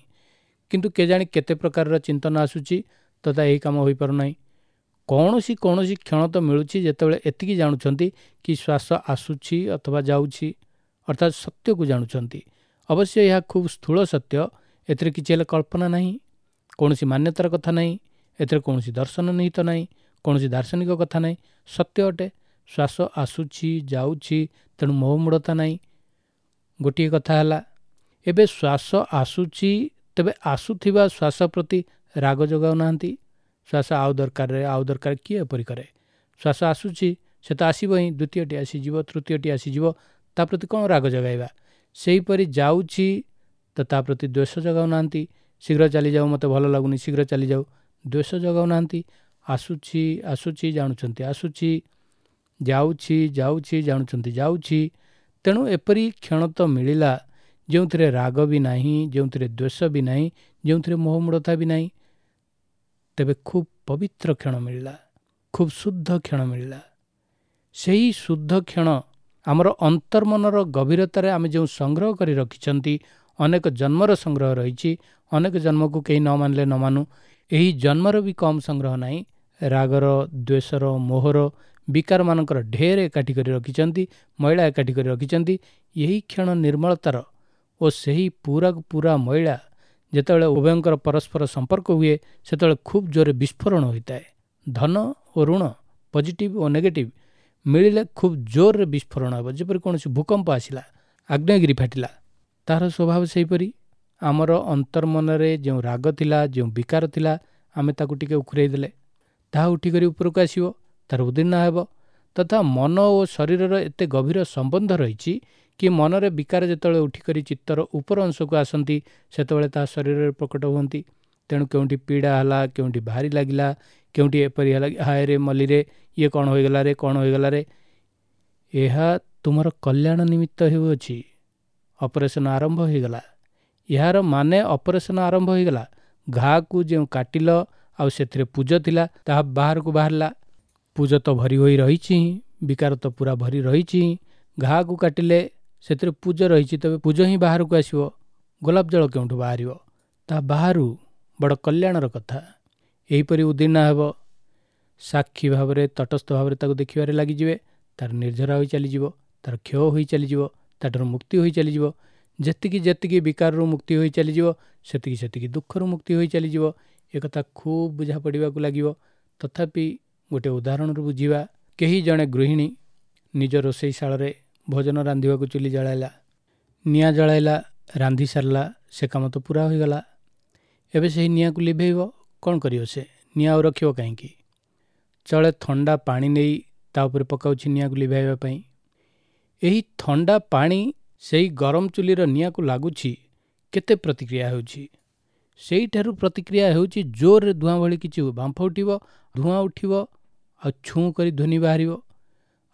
କିନ୍ତୁ କେଜାଣି କେତେ ପ୍ରକାରର ଚିନ୍ତନ ଆସୁଛି ତଥା ଏହି କାମ ହୋଇପାରୁନାହିଁ। କୌଣସି କୌଣସି କ୍ଷଣ ତ ମିଳୁଛି ଯେତେବେଳେ ଏତିକି ଜାଣୁଛନ୍ତି କି ଶ୍ୱାସ ଆସୁଛି ଅଥବା ଯାଉଛି, ଅର୍ଥାତ୍ ସତ୍ୟକୁ ଜାଣୁଛନ୍ତି। ଅବଶ୍ୟ ଏହା ଖୁବ୍ ସ୍ଥୂଳ ସତ୍ୟ, ଏଥିରେ କିଛି ହେଲେ କଳ୍ପନା ନାହିଁ, କୌଣସି ମାନ୍ୟତାର କଥା ନାହିଁ, ଏଥିରେ କୌଣସି ଦର୍ଶନ ନିହିତ ନାହିଁ, କୌଣସି ଦାର୍ଶନିକ କଥା ନାହିଁ। ସତ୍ୟ ଅଟେ, ଶ୍ୱାସ ଆସୁଛି ଯାଉଛି, ତେଣୁ ମୋହମୂଢ଼ତା ନାହିଁ। ଗୋଟିଏ କଥା ହେଲା, ଏବେ ଶ୍ୱାସ ଆସୁଛି, ତେବେ ଆସୁଥିବା ଶ୍ୱାସ ପ୍ରତି ରାଗ ଯୋଗାଉନାହାନ୍ତି। ଶ୍ୱାସ ଆଉ ଦରକାରରେ ଆଉ ଦରକାର, କିଏ ଏପରି କରେ? ଶ୍ୱାସ ଆସୁଛି, ସେ ତ ଆସିବ ହିଁ, ଦ୍ୱିତୀୟଟି ଆସିଯିବ, ତୃତୀୟଟି ଆସିଯିବ, ତା ପ୍ରତି କ'ଣ ରାଗ ଜଗାଇବା? ସେହିପରି ଯାଉଛି ତ ତା ପ୍ରତି ଦ୍ୱେଷ ଜଗାଉନାହାନ୍ତି। ଶୀଘ୍ର ଚାଲିଯାଉ, ମୋତେ ଭଲ ଲାଗୁନି, ଶୀଘ୍ର ଚାଲିଯାଉ, ଦ୍ୱେଷ ଜଗାଉନାହାନ୍ତି। ଆସୁଛି ଆସୁଛି ଜାଣୁଛନ୍ତି ଆସୁଛି, ଯାଉଛି ଯାଉଛି ଜାଣୁଛନ୍ତି ଯାଉଛି। ତେଣୁ ଏପରି କ୍ଷଣ ତ ମିଳିଲା ଯେଉଁଥିରେ ରାଗ ବି ନାହିଁ, ଯେଉଁଥିରେ ଦ୍ୱେଷ ବି ନାହିଁ, ଯେଉଁଥିରେ ମୋହମୂଢ଼ତା ବି ନାହିଁ। ତେବେ ଖୁବ୍ ପବିତ୍ର କ୍ଷଣ ମିଳିଲା, ଖୁବ୍ ଶୁଦ୍ଧ କ୍ଷଣ ମିଳିଲା। ସେହି ଶୁଦ୍ଧ କ୍ଷଣ ଆମର ଅନ୍ତର୍ମନର ଗଭୀରତାରେ ଆମେ ଯେଉଁ ସଂଗ୍ରହ କରି ରଖିଛନ୍ତି, ଅନେକ ଜନ୍ମର ସଂଗ୍ରହ ରହିଛି, ଅନେକ ଜନ୍ମକୁ କେହି ନ ମାନିଲେ ନ ମାନୁ, ଏହି ଜନ୍ମର ବି କମ୍ ସଂଗ୍ରହ ନାହିଁ। ରାଗର, ଦ୍ୱେଷର, ମୋହର, ବିକାରମାନଙ୍କର ଢେର ଏକାଠି କରି ରଖିଛନ୍ତି, ମଇଳା ଏକାଠି କରି ରଖିଛନ୍ତି। ଏହି କ୍ଷଣ ନିର୍ମଳତାର ଓ ସେହି ପୁରାକୁ ପୁରା ମଇଳା ଯେତେବେଳେ ଉଭୟଙ୍କର ପରସ୍ପର ସମ୍ପର୍କ ହୁଏ, ସେତେବେଳେ ଖୁବ୍ ଜୋରରେ ବିସ୍ଫୋରଣ ହୋଇଥାଏ। ଧନ ଓ ଋଣ, ପଜିଟିଭ୍ ଓ ନେଗେଟିଭ୍ ମିଳିଲେ ଖୁବ୍ ଜୋରରେ ବିସ୍ଫୋରଣ ହେବ। ଯେପରି କୌଣସି ଭୂକମ୍ପ ଆସିଲା, ଆଗ୍ନେୟଗିରି ଫାଟିଲା, ତାହାର ସ୍ୱଭାବ ସେହିପରି। ଆମର ଅନ୍ତର୍ମନରେ ଯେଉଁ ରାଗ ଥିଲା, ଯେଉଁ ବିକାର ଥିଲା, ଆମେ ତାକୁ ଟିକେ ଉଖୁରେଇ ଦେଲେ ତାହା ଉଠିକରି ଉପରକୁ ଆସିବ, ତାର ଉଦୀର୍ଣ୍ଣ ହେବ। ତଥା ମନ ଓ ଶରୀରର ଏତେ ଗଭୀର ସମ୍ବନ୍ଧ ରହିଛି କି ମନରେ ବିକାର ଯେତେବେଳେ ଉଠିକରି ଚିତ୍ତର ଉପର ଅଂଶକୁ ଆସନ୍ତି, ସେତେବେଳେ ତାହା ଶରୀରରେ ପ୍ରକଟ ହୁଅନ୍ତି। ତେଣୁ କେଉଁଠି ପୀଡ଼ା ହେଲା, କେଉଁଠି ଭାରି ଲାଗିଲା, କେଉଁଠି ଏପରି ହେଲା, ହାୟରେ ମଲିରେ, ଇଏ କ'ଣ ହୋଇଗଲା ରେ, କ'ଣ ହୋଇଗଲା ରେ, ଏହା ତୁମର କଲ୍ୟାଣ ନିମିତ୍ତ ହେଉଅଛି। ଅପରେସନ୍ ଆରମ୍ଭ ହୋଇଗଲା, ଏହାର ମାନେ ଅପରେସନ୍ ଆରମ୍ଭ ହୋଇଗଲା। ଘାକୁ ଯେଉଁ କାଟିଲ ଆଉ ସେଥିରେ ପୂଜ ଥିଲା, ତାହା ବାହାରକୁ ବାହାରିଲା। ପୂଜ ତ ଭରି ହୋଇ ରହିଛି ହିଁ, ବିକାର ତ ପୁରା ଭରି ରହିଛି ହିଁ। ଘାକୁ କାଟିଲେ ସେଥିରେ ପୂଜ ରହିଛି, ତେବେ ପୂଜ ହିଁ ବାହାରକୁ ଆସିବ। ଗୋଲାପ ଜଳ କେଉଁଠୁ ବାହାରିବ? ତାହା ବାହାରୁ। ବଡ଼ କଲ୍ୟାଣର କଥା। ଏହିପରି ଉଦୀର୍ଣ୍ଣ ହେବ। ସାକ୍ଷୀ ଭାବରେ, ତଟସ୍ଥ ଭାବରେ ତାକୁ ଦେଖିବାରେ ଲାଗିଯିବେ। ତାର ନିର୍ଝରା ହୋଇ ଚାଲିଯିବ, ତାର କ୍ଷୟ ହୋଇ ଚାଲିଯିବ, ତାଠାରୁ ମୁକ୍ତି ହୋଇ ଚାଲିଯିବ। ଯେତିକି ଯେତିକି ବିକାରରୁ ମୁକ୍ତି ହୋଇ ଚାଲିଯିବ, ସେତିକି ସେତିକି ଦୁଃଖରୁ ମୁକ୍ତି ହୋଇ ଚାଲିଯିବ। ଏକଥା ଖୁବ୍ ବୁଝା ପଡ଼ିବାକୁ ଲାଗିବ। ତଥାପି ଗୋଟେ ଉଦାହରଣରୁ ବୁଝିବା। କେହି ଜଣେ ଗୃହିଣୀ ନିଜ ରୋଷେଇଶାଳରେ ଭୋଜନ ରାନ୍ଧିବାକୁ ଚୁଲି ଜଳାଇଲା, ନିଆଁ ଜଳାଇଲା, ରାନ୍ଧି ସାରିଲା, ସେ କାମ ତ ପୁରା ହୋଇଗଲା। ଏବେ ସେହି ନିଆଁକୁ ଲିଭେଇବ, କ'ଣ କରିବ ସେ? ନିଆଁ ଆଉ ରଖିବ କାହିଁକି? ଚଳେ ଥଣ୍ଡା ପାଣି ନେଇ ତା ଉପରେ ପକାଉଛି ନିଆଁକୁ ଲିଭାଇବା ପାଇଁ। ଏହି ଥଣ୍ଡା ପାଣି ସେଇ ଗରମ ଚୁଲିର ନିଆଁକୁ ଲାଗୁଛି, କେତେ ପ୍ରତିକ୍ରିୟା ହେଉଛି? ସେଇଠାରୁ ପ୍ରତିକ୍ରିୟା ହେଉଛି ଜୋରରେ ଧୂଆଁ ଭଳି କିଛି ବାମ୍ଫ ଉଠିବ, ଧୂଆଁ ଉଠିବ, ଆଉ ଛୁଁ କରି ଧ୍ୱନି ବାହାରିବ।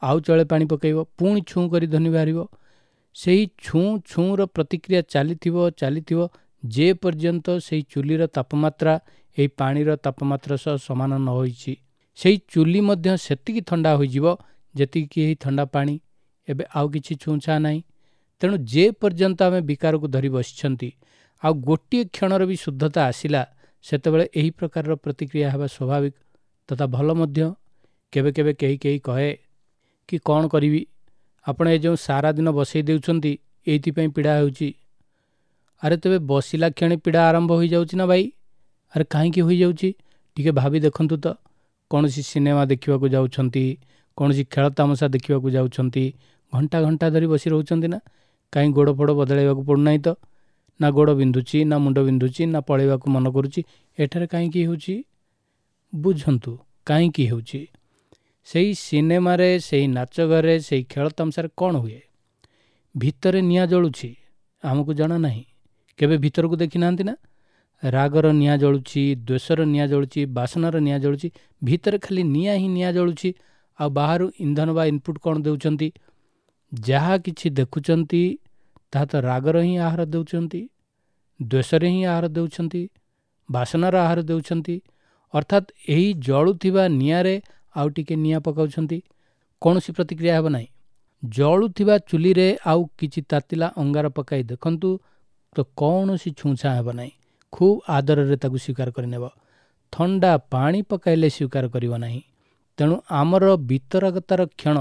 ଆଉ ଚଳେ ପାଣି ପକାଇବ, ପୁଣି ଛୁଁ କରି ଧ୍ୱନି ବାହାରିବ। ସେହି ଛୁଁ ଛୁଁର ପ୍ରତିକ୍ରିୟା ଚାଲିଥିବ ଚାଲିଥିବ ଯେ ପର୍ଯ୍ୟନ୍ତ ସେଇ ଚୁଲିର ତାପମାତ୍ରା ଏହି ପାଣିର ତାପମାତ୍ରା ସହ ସମାନ ନ ହୋଇଛି। ସେଇ ଚୁଲି ମଧ୍ୟ ସେତିକି ଥଣ୍ଡା ହୋଇଯିବ ଯେତିକି ଏହି ଥଣ୍ଡା ପାଣି। ଏବେ ଆଉ କିଛି ଛୁଁଛାଁ ନାହିଁ। ତେଣୁ ଯେ ପର୍ଯ୍ୟନ୍ତ ଆମେ ବିକାରକୁ ଧରି ବସିଛନ୍ତି, ଆଉ ଗୋଟିଏ କ୍ଷଣର ବି ଶୁଦ୍ଧତା ଆସିଲା, ସେତେବେଳେ ଏହି ପ୍ରକାରର ପ୍ରତିକ୍ରିୟା ହେବା ସ୍ୱାଭାବିକ ତଥା ଭଲ ମଧ୍ୟ। କେବେ କେବେ କେହି କେହି କହେ କି କ'ଣ କରିବି, ଆପଣ ଏ ଯେଉଁ ସାରା ଦିନ ବସେଇ ଦେଉଛନ୍ତି, ଏଇଥିପାଇଁ ପୀଡ଼ା ହେଉଛି। ଆରେ ତେବେ ବସିଲା କ୍ଷଣି ପୀଡ଼ା ଆରମ୍ଭ ହୋଇଯାଉଛି ନା ଭାଇ? ଆରେ କାହିଁକି ହୋଇଯାଉଛି ଟିକେ ଭାବି ଦେଖନ୍ତୁ ତ। କୌଣସି ସିନେମା ଦେଖିବାକୁ ଯାଉଛନ୍ତି, କୌଣସି ଖେଳ ତାମସା ଦେଖିବାକୁ ଯାଉଛନ୍ତି, ଘଣ୍ଟା ଘଣ୍ଟା ଧରି ବସି ରହୁଛନ୍ତି ନା? କାହିଁ ଗୋଡ଼ ଫୋଡ଼ ବଦଳାଇବାକୁ ପଡ଼ୁନାହିଁ ତ? ନା ଗୋଡ଼ ବିନ୍ଧୁଛି, ନା ମୁଣ୍ଡ ବିନ୍ଧୁଛି, ନା ପଳେଇବାକୁ ମନ କରୁଛି। ଏଠାରେ କାହିଁକି ହେଉଛି ବୁଝନ୍ତୁ, କାହିଁକି ହେଉଛି? ସେଇ ସିନେମାରେ, ସେଇ ନାଚ ଘରେ, ସେଇ ଖେଳ ତାମସାରେ କ'ଣ ହୁଏ? ଭିତରେ ନିଆଁ ଜଳୁଛି, ଆମକୁ ଜଣା ନାହିଁ। କେବେ ଭିତରକୁ ଦେଖିନାହାନ୍ତି ନା? ରାଗର ନିଆଁ ଜଳୁଛି, ଦ୍ୱେଷର ନିଆଁ ଜଳୁଛି, ବାସନାର ନିଆଁ ଜଳୁଛି, ଭିତରେ ଖାଲି ନିଆଁ ହିଁ ନିଆଁ ଜଳୁଛି। ଆଉ ବାହାରୁ ଇନ୍ଧନ ବା ଇନପୁଟ୍ କ'ଣ ଦେଉଛନ୍ତି? ଯାହା କିଛି ଦେଖୁଛନ୍ତି ତାହା ତ ରାଗର ହିଁ ଆହାର ଦେଉଛନ୍ତି, ଦ୍ୱେଷରେ ହିଁ ଆହାର ଦେଉଛନ୍ତି, ବାସନାର ଆହାର ଦେଉଛନ୍ତି। ଅର୍ଥାତ୍ ଏହି ଜଳୁଥିବା ନିଆଁରେ ଆଉ ଟିକେ ନିଆଁ ପକାଉଛନ୍ତି, କୌଣସି ପ୍ରତିକ୍ରିୟା ହେବ ନାହିଁ। ଜଳୁଥିବା ଚୁଲିରେ ଆଉ କିଛି ତାତିଲା ଅଙ୍ଗାର ପକାଇ ଦେଖନ୍ତୁ ତ କୌଣସି ଛୁଁଛାଁ ହେବ ନାହିଁ, ଖୁବ୍ ଆଦରରେ ତାକୁ ସ୍ୱୀକାର କରିନେବ। ଥଣ୍ଡା ପାଣି ପକାଇଲେ ସ୍ୱୀକାର କରିବ ନାହିଁ। ତେଣୁ ଆମର ବିତରାଗତାର କ୍ଷଣ,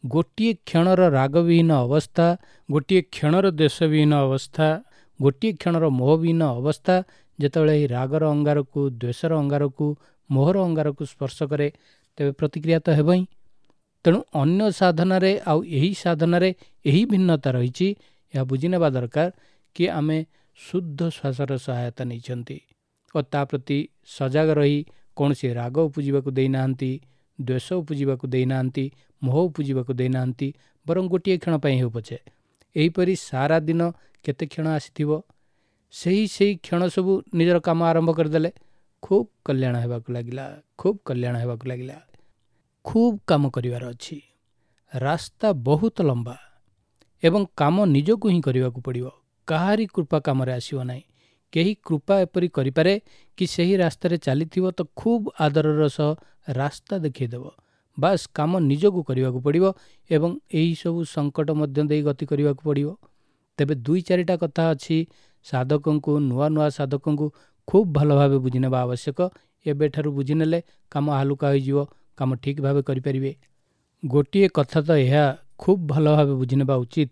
ଗୋଟିଏ କ୍ଷଣର ରାଗବିହୀନ ଅବସ୍ଥା, ଗୋଟିଏ କ୍ଷଣର ଦ୍ୱେଷବିହୀନ ଅବସ୍ଥା, ଗୋଟିଏ କ୍ଷଣର ମୋହବିହୀନ ଅବସ୍ଥା ଯେତେବେଳେ ଏହି ରାଗର ଅଙ୍ଗାରକୁ, ଦ୍ୱେଷର ଅଙ୍ଗାରକୁ, ମୋହର ଅଙ୍ଗାରକୁ ସ୍ପର୍ଶ କରେ, ତେବେ ପ୍ରତିକ୍ରିୟା ତ ହେବ ହିଁ। ତେଣୁ ଅନ୍ୟ ସାଧନାରେ ଆଉ ଏହି ସାଧନାରେ ଏହି ଭିନ୍ନତା ରହିଛି। ଏହା ବୁଝିନେବା ଦରକାର କି ଆମେ ଶୁଦ୍ଧ ଶ୍ୱାସର ସହାୟତା ନେଇଛନ୍ତି ଓ ତା ପ୍ରତି ସଜାଗ ରହି କୌଣସି ରାଗ ଉପୁଜିବାକୁ ଦେଇନାହାନ୍ତି, ଦ୍ୱେଷ ଉପୁଜିବାକୁ ଦେଇନାହାନ୍ତି, ମୋହ ଉପୁଜିବାକୁ ଦେଇନାହାନ୍ତି, ବରଂ ଗୋଟିଏ କ୍ଷଣ ପାଇଁ ହେଉ ପଛେ। ଏହିପରି ସାରା ଦିନ କେତେ କ୍ଷଣ ଆସିଥିବ, ସେହି ସେହି କ୍ଷଣ ସବୁ ନିଜର କାମ ଆରମ୍ଭ କରିଦେଲେ ଖୁବ୍ କଲ୍ୟାଣ ହେବାକୁ ଲାଗିଲା, ଖୁବ୍ କଲ୍ୟାଣ ହେବାକୁ ଲାଗିଲା। ଖୁବ୍ କାମ କରିବାର ଅଛି, ରାସ୍ତା ବହୁତ ଲମ୍ବା ଏବଂ କାମ ନିଜକୁ ହିଁ କରିବାକୁ ପଡ଼ିବ। କାହାରି କୃପା କାମରେ ଆସିବ ନାହିଁ। କେହି କୃପା ଏପରି କରିପାରେ କି ସେହି ରାସ୍ତାରେ ଚାଲିଥିବ ତ ଖୁବ୍ ଆଦରର ସହ ରାସ୍ତା ଦେଖାଇଦେବ। ବାସ୍ କାମ ନିଜକୁ କରିବାକୁ ପଡ଼ିବ ଏବଂ ଏହିସବୁ ସଙ୍କଟ ମଧ୍ୟ ଦେଇ ଗତି କରିବାକୁ ପଡ଼ିବ। ତେବେ ଦୁଇ ଚାରିଟା କଥା ଅଛି ସାଧକଙ୍କୁ, ନୂଆ ନୂଆ ସାଧକଙ୍କୁ ଖୁବ୍ ଭଲ ଭାବେ ବୁଝିନେବା ଆବଶ୍ୟକ। ଏବେଠାରୁ ବୁଝିନେଲେ କାମ ହାଲୁକା ହୋଇଯିବ, କାମ ଠିକ୍ ଭାବେ କରିପାରିବେ। ଗୋଟିଏ କଥା ତ ଏହା ଖୁବ୍ ଭଲ ଭାବେ ବୁଝିନେବା ଉଚିତ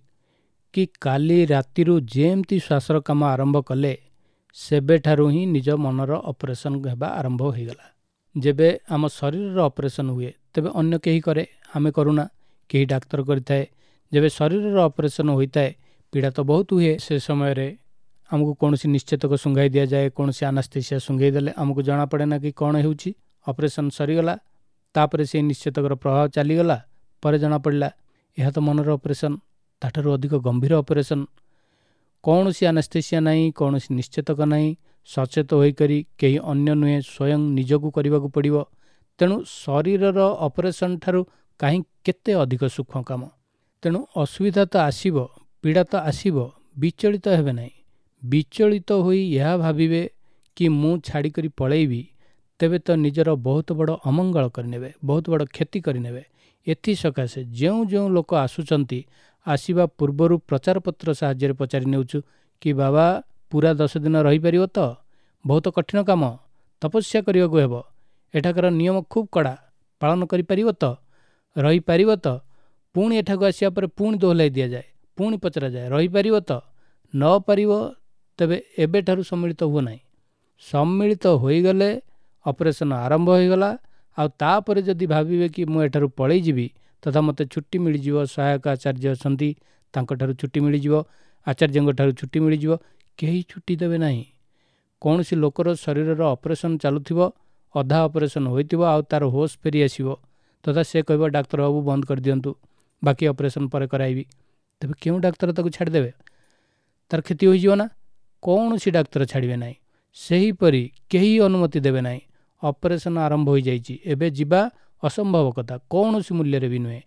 କି କାଲି ରାତିରୁ ଯେମିତି ଶ୍ୱାସର କାମ ଆରମ୍ଭ କଲେ ସେବେଠାରୁ ହିଁ ନିଜ ମନର ଅପରେସନ୍ ହେବା ଆରମ୍ଭ ହୋଇଗଲା। ଯେବେ ଆମ ଶରୀରର ଅପରେସନ୍ ହୁଏ ତେବେ ଅନ୍ୟ କେହି କରେ, ଆମେ କରୁନା, କେହି ଡାକ୍ତର କରିଥାଏ। ଯେବେ ଶରୀରର ଅପରେସନ୍ ହୋଇଥାଏ ପୀଡ଼ା ତ ବହୁତ ହୁଏ। ସେ ସମୟରେ ଆମକୁ କୌଣସି ନିଶ୍ଚେତକ ଶୁଙ୍ଘାଇ ଦିଆଯାଏ, କୌଣସି ଆନାସ୍ଥେସିଆ ଶୁଙ୍ଘେଇ ଦେଲେ ଆମକୁ ଜଣାପଡ଼େ ନା କି କ'ଣ ହେଉଛି। ଅପରେସନ୍ ସରିଗଲା, ତାପରେ ସେଇ ନିଶ୍ଚେତକର ପ୍ରଭାବ ଚାଲିଗଲା, ପରେ ଜଣାପଡ଼ିଲା ଏହା ତ ମନର ଅପରେସନ୍, ତାଠାରୁ ଅଧିକ ଗମ୍ଭୀର ଅପରେସନ୍। କୌଣସି ଆନାସ୍ଥେସିଆ ନାହିଁ, କୌଣସି ନିଶ୍ଚେତକ ନାହିଁ, ସଚେତ ହୋଇକରି କେହି ଅନ୍ୟ ନୁହେଁ, ସ୍ୱୟଂ ନିଜକୁ କରିବାକୁ ପଡ଼ିବ। ତେଣୁ ଶରୀରର ଅପରେସନ୍ ଠାରୁ କାହିଁ କେତେ ଅଧିକ ସୂକ୍ଷ୍ମ କାମ। ତେଣୁ ଅସୁବିଧା ତ ଆସିବ, ପୀଡ଼ା ତ ଆସିବ, ବିଚଳିତ ହେବେ ନାହିଁ। ବିଚଳିତ ହୋଇ ଏହା ଭାବିବେ କି ମୁଁ ଛାଡ଼ିକରି ପଳେଇବି, ତେବେ ତ ନିଜର ବହୁତ ବଡ଼ ଅମଙ୍ଗଳ କରିନେବେ, ବହୁତ ବଡ଼ କ୍ଷତି କରିନେବେ। ଏଥିସକାଶେ ଯେଉଁ ଯେଉଁ ଲୋକ ଆସୁଛନ୍ତି, ଆସିବା ପୂର୍ବରୁ ପ୍ରଚାରପତ୍ର ସାହାଯ୍ୟରେ ପଚାରି ନେଉଛୁ କି ବାବା ପୁରା ଦଶ ଦିନ ରହିପାରିବ ତ? ବହୁତ କଠିନ କାମ, ତପସ୍ୟା କରିବାକୁ ହେବ, ଏଠାକାର ନିୟମ ଖୁବ୍ କଡ଼ା, ପାଳନ କରିପାରିବ ତ? ରହିପାରିବ ତ? ପୁଣି ଏଠାକୁ ଆସିବା ପରେ ପୁଣି ଦୋହଲାଇ ଦିଆଯାଏ, ପୁଣି ପଚରାଯାଏ ରହିପାରିବ ତ? ନ ପାରିବ ତେବେ ଏବେଠାରୁ ସମ୍ମିଳିତ ହୁଅ ନାହିଁ। ସମ୍ମିଳିତ ହୋଇଗଲେ ଅପରେସନ୍ ଆରମ୍ଭ ହୋଇଗଲା। ଆଉ ତାପରେ ଯଦି ଭାବିବେ କି ମୁଁ ଏଠାରୁ ପଳେଇ ଯିବି ତଥା ମୋତେ ଛୁଟି ମିଳିଯିବ, ସହାୟକ ଆଚାର୍ଯ୍ୟ ଅଛନ୍ତି ତାଙ୍କଠାରୁ ଛୁଟି ମିଳିଯିବ, ଆଚାର୍ଯ୍ୟଙ୍କ ଠାରୁ ଛୁଟି ମିଳିଯିବ, କେହି ଛୁଟି ଦେବେ ନାହିଁ। କୌଣସି ଲୋକର ଶରୀରର ଅପରେସନ୍ ଚାଲୁଥିବ, ଅଧା ଅପରେସନ୍ ହୋଇଥିବ, ଆଉ ତା'ର ହୋସ୍ ଫେରି ଆସିବ ତଥା ସେ କହିବ ଡାକ୍ତର ବାବୁ ବନ୍ଦ କରିଦିଅନ୍ତୁ, ବାକି ଅପରେସନ୍ ପରେ କରାଇବି, ତେବେ କେଉଁ ଡାକ୍ତର ତାକୁ ଛାଡ଼ିଦେବେ? ତା'ର କ୍ଷତି ହୋଇଯିବ ନା? କୌଣସି ଡାକ୍ତର ଛାଡ଼ିବେ ନାହିଁ। ସେହିପରି କେହି ଅନୁମତି ଦେବେ ନାହିଁ। ଅପରେସନ୍ ଆରମ୍ଭ ହୋଇଯାଇଛି, ଏବେ ଯିବା ଅସମ୍ଭବ କଥା, କୌଣସି ମୂଲ୍ୟରେ ବି ନୁହେଁ।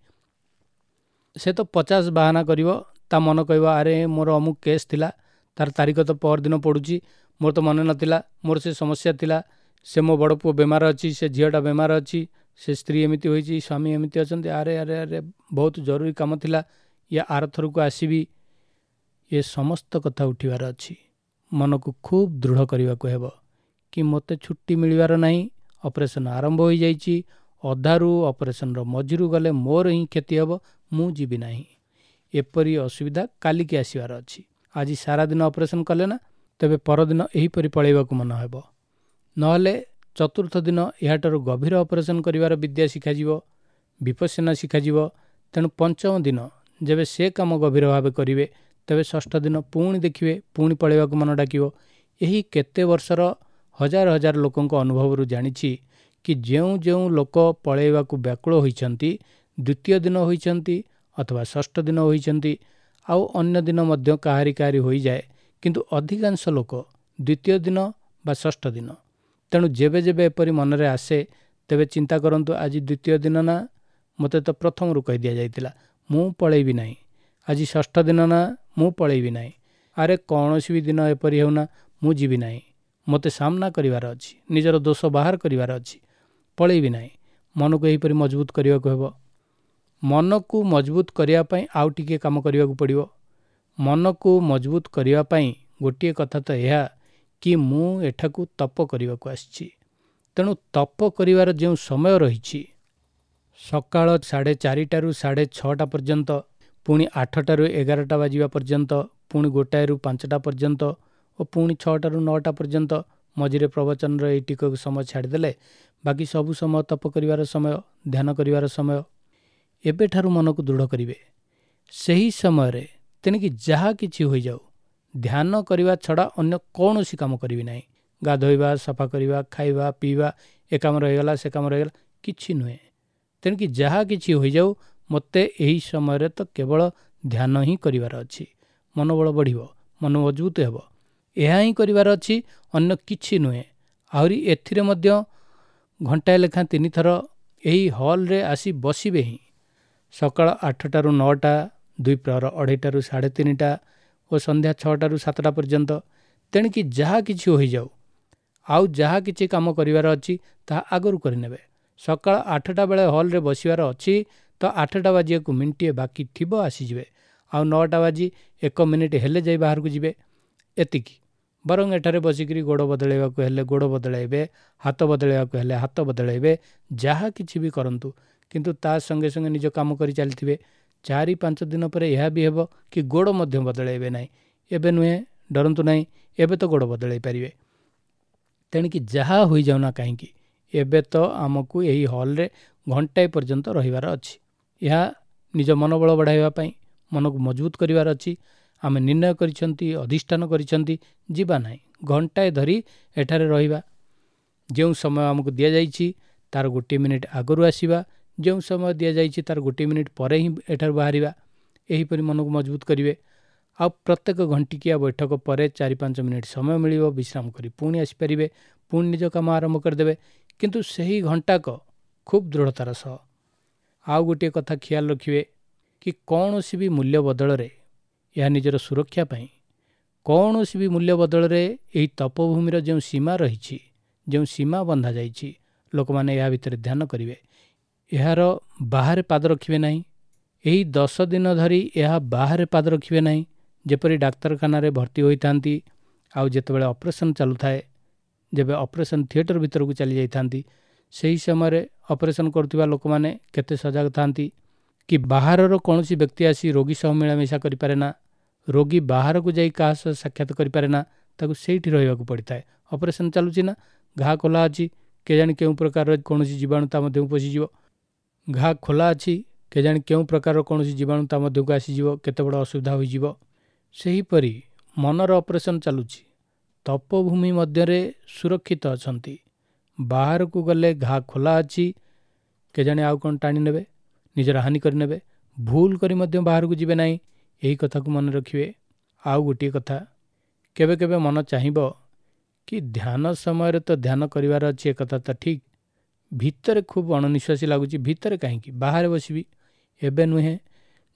ସେ ତ ପଚାଶ ବାହାନା କରିବ, ତା ମନ କହିବ ଆରେ ମୋର ଅମୁକ କେସ୍ ଥିଲା, ତାର ତାରିଖ ତ ପରଦିନ ପଡ଼ୁଛି, ମୋର ତ ମନେ ନଥିଲା, ମୋର ସେ ସମସ୍ୟା ଥିଲା, ସେ ମୋ ବଡ଼ ପୁଅ ବେମାର ଅଛି, ସେ ଝିଅଟା ବେମାର ଅଛି, ସେ ସ୍ତ୍ରୀ ଏମିତି ହୋଇଛି, ସ୍ୱାମୀ ଏମିତି ଅଛନ୍ତି, ଆରେ ଆରେ ଆରେ ବହୁତ ଜରୁରୀ କାମ ଥିଲା, ଇଏ ଆରଥରକୁ ଆସିବି। ଏ ସମସ୍ତ କଥା ଉଠିବାର ଅଛି। ମନକୁ ଖୁବ୍ ଦୃଢ଼ କରିବାକୁ ହେବ କି ମୋତେ ଛୁଟି ମିଳିବାର ନାହିଁ, ଅପରେସନ୍ ଆରମ୍ଭ ହୋଇଯାଇଛି, ଅଧାରୁ ଅପରେସନ୍ର ମଝିରୁ ଗଲେ ମୋର ହିଁ କ୍ଷତି ହେବ, ମୁଁ ଯିବି ନାହିଁ। ଏପରି ଅସୁବିଧା କାଲିକି ଆସିବାର ଅଛି। ଆଜି ସାରାଦିନ ଅପରେସନ୍ କଲେ ନା, ତେବେ ପରଦିନ ଏହିପରି ପଳାଇବାକୁ ମନ ହେବ। ନହେଲେ ଚତୁର୍ଥ ଦିନ ଏହାଠାରୁ ଗଭୀର ଅପରେସନ୍ କରିବାର ବିଦ୍ୟା ଶିଖାଯିବ, ବିପස්සନା ଶିଖାଯିବ। ତେଣୁ ପଞ୍ଚମ ଦିନ ଯେବେ ସେ କାମ ଗଭୀର ଭାବେ କରିବେ, ତେବେ ଷଷ୍ଠ ଦିନ ପୁଣି ଦେଖିବେ ପୁଣି ପଳାଇବାକୁ ମନ ଡାକିବ। ଏହି କେତେ ବର୍ଷର ହଜାର ହଜାର ଲୋକଙ୍କ ଅନୁଭବରୁ ଜାଣିଛି କି ଯେଉଁ ଯେଉଁ ଲୋକ ପଳାଇବାକୁ ବ୍ୟାକୁଳ ହୋଇଛନ୍ତି, ଦ୍ୱିତୀୟ ଦିନ ହୋଇଛନ୍ତି ଅଥବା ଷଷ୍ଠ ଦିନ ହୋଇଛନ୍ତି, ଆଉ ଅନ୍ୟ ଦିନ ମଧ୍ୟ କାହାରି କାହାରି ହୋଇଯାଏ, କିନ୍ତୁ ଅଧିକାଂଶ ଲୋକ ଦ୍ୱିତୀୟ ଦିନ ବା ଷଷ୍ଠ ଦିନ। ତେଣୁ ଯେବେ ଯେବେ ଏପରି ମନରେ ଆସେ ତେବେ ଚିନ୍ତା କରନ୍ତୁ, ଆଜି ଦ୍ୱିତୀୟ ଦିନ ନା, ମୋତେ ତ ପ୍ରଥମରୁ କହି ଦିଆଯାଇଥିଲା ମୁଁ ପଳେଇବି ନାହିଁ। ଆଜି ଷଷ୍ଠ ଦିନ ନା, ମୁଁ ପଳେଇବି ନାହିଁ। ଆରେ କୌଣସି ବି ଦିନ ଏପରି ହେଉନା, ମୁଁ ଯିବି ନାହିଁ, ମୋତେ ସାମ୍ନା କରିବାର ଅଛି, ନିଜର ଦୋଷ ବାହାର କରିବାର ଅଛି, ପଳେଇବି ନାହିଁ। ମନକୁ ଏହିପରି ମଜବୁତ କରିବାକୁ ହେବ। ମନକୁ ମଜବୁତ କରିବା ପାଇଁ ଆଉ ଟିକିଏ କାମ କରିବାକୁ ପଡ଼ିବ। ମନକୁ ମଜବୁତ କରିବା ପାଇଁ ଗୋଟିଏ କଥା ତ ଏହା କି ମୁଁ ଏଠାକୁ ତପ କରିବାକୁ ଆସିଛି। ତେଣୁ ତପ କରିବାର ଯେଉଁ ସମୟ ରହିଛି, ସକାଳ ସାଢ଼େ ଚାରିଟାରୁ ସାଢ଼େ ଛଅଟା ପର୍ଯ୍ୟନ୍ତ, ପୁଣି ଆଠଟାରୁ ଏଗାରଟା ବାଜିବା ପର୍ଯ୍ୟନ୍ତ, ପୁଣି ଗୋଟାଏରୁ ପାଞ୍ଚଟା ପର୍ଯ୍ୟନ୍ତ ଓ ପୁଣି ଛଅଟାରୁ ନଅଟା ପର୍ଯ୍ୟନ୍ତ, ମଝିରେ ପ୍ରବଚନର ଏଇ ଟିକକ ସମୟ ଛାଡ଼ିଦେଲେ ବାକି ସବୁ ସମୟ ତପ କରିବାର ସମୟ, ଧ୍ୟାନ କରିବାର ସମୟ। ଏବେଠାରୁ ମନକୁ ଦୃଢ଼ କରିବେ। ସେହି ସମୟରେ ତେଣିକି ଯାହା କିଛି ହୋଇଯାଉ, ଧ୍ୟାନ କରିବା ଛଡ଼ା ଅନ୍ୟ କୌଣସି କାମ କରିବି ନାହିଁ। ଗାଧୋଇବା, ସଫା କରିବା, ଖାଇବା ପିଇବା, ଏ କାମ ରହିଗଲା ସେ କାମ ରହିଗଲା, କିଛି ନୁହେଁ। ତେଣିକି ଯାହା କିଛି ହୋଇଯାଉ, ମୋତେ ଏହି ସମୟରେ ତ କେବଳ ଧ୍ୟାନ ହିଁ କରିବାର ଅଛି। ମନୋବଳ ବଢ଼ିବ, ମନ ମଜବୁତ ହେବ, ଏହା ହିଁ କରିବାର ଅଛି, ଅନ୍ୟ କିଛି ନୁହେଁ। ଆହୁରି ଏଥିରେ ମଧ୍ୟ ଘଣ୍ଟାଏ ଲେଖାଁ ତିନିଥର ଏହି ହଲ୍ରେ ଆସି ବସିବେ ହିଁ। ସକାଳ ଆଠଟାରୁ ନଅଟା, ଦ୍ୱିପ୍ରହର ଅଢ଼େଇଟାରୁ ସାଢ଼େ ତିନିଟା ଓ ସନ୍ଧ୍ୟା ଛଅଟାରୁ ସାତଟା ପର୍ଯ୍ୟନ୍ତ। ତେଣିକି ଯାହା କିଛି ହୋଇଯାଉ, ଆଉ ଯାହା କିଛି କାମ କରିବାର ଅଛି ତାହା ଆଗରୁ କରିନେବେ। ସକାଳ ଆଠଟା ବେଳେ ହଲ୍ରେ ବସିବାର ଅଛି ତ ଆଠଟା ବାଜିବାକୁ ମିନିଟିଏ ବାକି ଥିବ ଆସିଯିବେ, ଆଉ ନଅଟା ବାଜି ଏକ ମିନିଟ୍ ହେଲେ ଯାଇ ବାହାରକୁ ଯିବେ, ଏତିକି। ବରଂ ଏଠାରେ ବସିକରି ଗୋଡ଼ ବଦଳାଇବାକୁ ହେଲେ ଗୋଡ଼ ବଦଳାଇବେ, ହାତ ବଦଳାଇବାକୁ ହେଲେ ହାତ ବଦଳାଇବେ, ଯାହା କିଛି ବି କରନ୍ତୁ, କିନ୍ତୁ ତା ସଙ୍ଗେ ସଙ୍ଗେ ନିଜ କାମ କରି ଚାଲିଥିବେ। ଚାରି ପାଞ୍ଚ ଦିନ ପରେ ଏହା ବି ହେବ କି ଗୋଡ଼ ମଧ୍ୟ ବଦଳାଇବେ ନାହିଁ। ଏବେ ନୁହେଁ, ଡରନ୍ତୁ ନାହିଁ, ଏବେ ତ ଗୋଡ଼ ବଦଳାଇ ପାରିବେ। ତେଣିକି ଯାହା ହୋଇଯାଉନା କାହିଁକି, ଏବେ ତ ଆମକୁ ଏହି ହଲ୍ରେ ଘଣ୍ଟାଏ ପର୍ଯ୍ୟନ୍ତ ରହିବାର ଅଛି। ଏହା ନିଜ ମନୋବଳ ବଢ଼ାଇବା ପାଇଁ, ମନକୁ ମଜବୁତ କରିବାର ଅଛି। ଆମେ ନିର୍ଣ୍ଣୟ କରିଛନ୍ତି, ଅଧିଷ୍ଠାନ କରିଛନ୍ତି, ଯିବା ନାହିଁ, ଘଣ୍ଟାଏ ଧରି ଏଠାରେ ରହିବା। ଯେଉଁ ସମୟ ଆମକୁ ଦିଆଯାଇଛି ତାର ଗୋଟିଏ ମିନିଟ୍ ଆଗରୁ ଆସିବା, ଯେଉଁ ସମୟ ଦିଆଯାଇଛି ତାର ଗୋଟିଏ ମିନିଟ୍ ପରେ ହିଁ ଏଠାରୁ ବାହାରିବା। ଏହିପରି ମନକୁ ମଜବୁତ କରିବେ। ଆଉ ପ୍ରତ୍ୟେକ ଘଣ୍ଟିକିଆ ବୈଠକ ପରେ ଚାରି ପାଞ୍ଚ ମିନିଟ୍ ସମୟ ମିଳିବ, ବିଶ୍ରାମ କରି ପୁଣି ଆସିପାରିବେ, ପୁଣି ନିଜ କାମ ଆରମ୍ଭ କରିଦେବେ, କିନ୍ତୁ ସେହି ଘଣ୍ଟାକ ଖୁବ୍ ଦୃଢ଼ତାର ସହ। ଆଉ ଗୋଟିଏ କଥା ଖିଆଲ ରଖିବେ କି କୌଣସି ବି ମୂଲ୍ୟ ବଦଳରେ, ଏହା ନିଜର ସୁରକ୍ଷା ପାଇଁ, କୌଣସି ବି ମୂଲ୍ୟ ବଦଳରେ ଏହି ତପଭୂମିର ଯେଉଁ ସୀମା ରହିଛି, ଯେଉଁ ସୀମା ବନ୍ଧାଯାଇଛି, ଲୋକମାନେ ଏହା ଭିତରେ ଧ୍ୟାନ କରିବେ, ଏହାର ବାହାରେ ପାଦ ରଖିବେ ନାହିଁ। ଏହି ଦଶ ଦିନ ଧରି ଏହା ବାହାରେ ପାଦ ରଖିବେ ନାହିଁ। ଯେପରି ଡାକ୍ତରଖାନାରେ ଭର୍ତ୍ତି ହୋଇଥାନ୍ତି, ଆଉ ଯେତେବେଳେ ଅପରେସନ୍ ଚାଲୁଥାଏ, ଯେବେ ଅପରେସନ୍ ଥିଏଟର ଭିତରକୁ ଚାଲି ଯାଇଥାନ୍ତି, ସେହି ସମୟରେ ଅପରେସନ୍ କରୁଥିବା ଲୋକମାନେ କେତେ ସଜାଗ ଥାନ୍ତି କି ବାହାରର କୌଣସି ବ୍ୟକ୍ତି ଆସି ରୋଗୀ ସହ ମିଳାମିଶା କରିପାରେ ନା, ରୋଗୀ ବାହାରକୁ ଯାଇ କାହା ସହ ସାକ୍ଷାତ କରିପାରେ ନା, ତାକୁ ସେଇଠି ରହିବାକୁ ପଡ଼ିଥାଏ। ଅପରେସନ୍ ଚାଲୁଛି ନା, ଘା ଖୋଲା ଅଛି, କେଜାଣି କେଉଁ ପ୍ରକାରର କୌଣସି ଜୀବାଣୁ ତା ମଧ୍ୟକୁ ପଶିଯିବ। ଘା ଖୋଲା ଅଛି, କେଜାଣି କେଉଁ ପ୍ରକାରର କୌଣସି ଜୀବାଣୁ ତା ମଧ୍ୟକୁ ଆସିଯିବ, କେତେ ବଡ଼ ଅସୁବିଧା ହୋଇଯିବ। ସେହିପରି ମନର ଅପରେସନ୍ ଚାଲୁଛି, ତପଭୂମି ମଧ୍ୟରେ ସୁରକ୍ଷିତ ଅଛନ୍ତି, ବାହାରକୁ ଗଲେ ଘା ଖୋଲା ଅଛି, କେଜାଣି ଆଉ କ'ଣ ଟାଣି ନେବେ, ନିଜର ହାନି କରିନେବେ। ଭୁଲ କରି ମଧ୍ୟ ବାହାରକୁ ଯିବେ ନାହିଁ, ଏହି କଥାକୁ ମନେ ରଖିବେ। ଆଉ ଗୋଟିଏ କଥା, କେବେ କେବେ ମନ ଚାହିଁବ କି ଧ୍ୟାନ ସମୟରେ ତ ଧ୍ୟାନ କରିବାର ଅଛି, ଏକଥା ତ ଠିକ୍, ଭିତରେ ଖୁବ୍ ଅଣନିଶ୍ୱାସୀ ଲାଗୁଛି, ଭିତରେ କାହିଁକି, ବାହାରେ ବସିବି। ଏବେ ନୁହେଁ,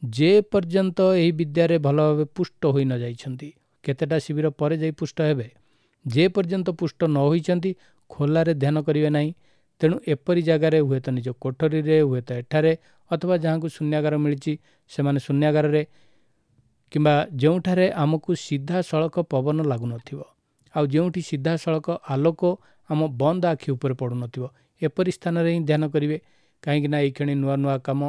ଯେ ପର୍ଯ୍ୟନ୍ତ ଏହି ବିଦ୍ୟାରେ ଭଲ ଭାବେ ପୁଷ୍ଟ ହୋଇ ନ ଯାଇଛନ୍ତି, କେତେଟା ଶିବିର ପରେ ଯାଇ ପୁଷ୍ଟ ହେବେ, ଯେ ପର୍ଯ୍ୟନ୍ତ ପୁଷ୍ଟ ନ ହୋଇଛନ୍ତି ଖୋଲାରେ ଧ୍ୟାନ କରିବେ ନାହିଁ। ତେଣୁ ଏପରି ଜାଗାରେ, ହୁଏତ ନିଜ କୋଠରୀରେ, ହୁଏତ ଏଠାରେ, ଅଥବା ଯାହାଙ୍କୁ ଶୂନ୍ୟାଗାର ମିଳିଛି ସେମାନେ ଶୂନ୍ୟାଗାରରେ, କିମ୍ବା ଯେଉଁଠାରେ ଆମକୁ ସିଧାସଳଖ ପବନ ଲାଗୁନଥିବ, ଆଉ ଯେଉଁଠି ସିଧାସଳଖ ଆଲୋକ ଆମ ବନ୍ଦ ଆଖି ଉପରେ ପଡ଼ୁନଥିବ, ଏପରି ସ୍ଥାନରେ ହିଁ ଧ୍ୟାନ କରିବେ। କାହିଁକିନା ଏଇକ୍ଷଣି ନୂଆ ନୂଆ କାମ,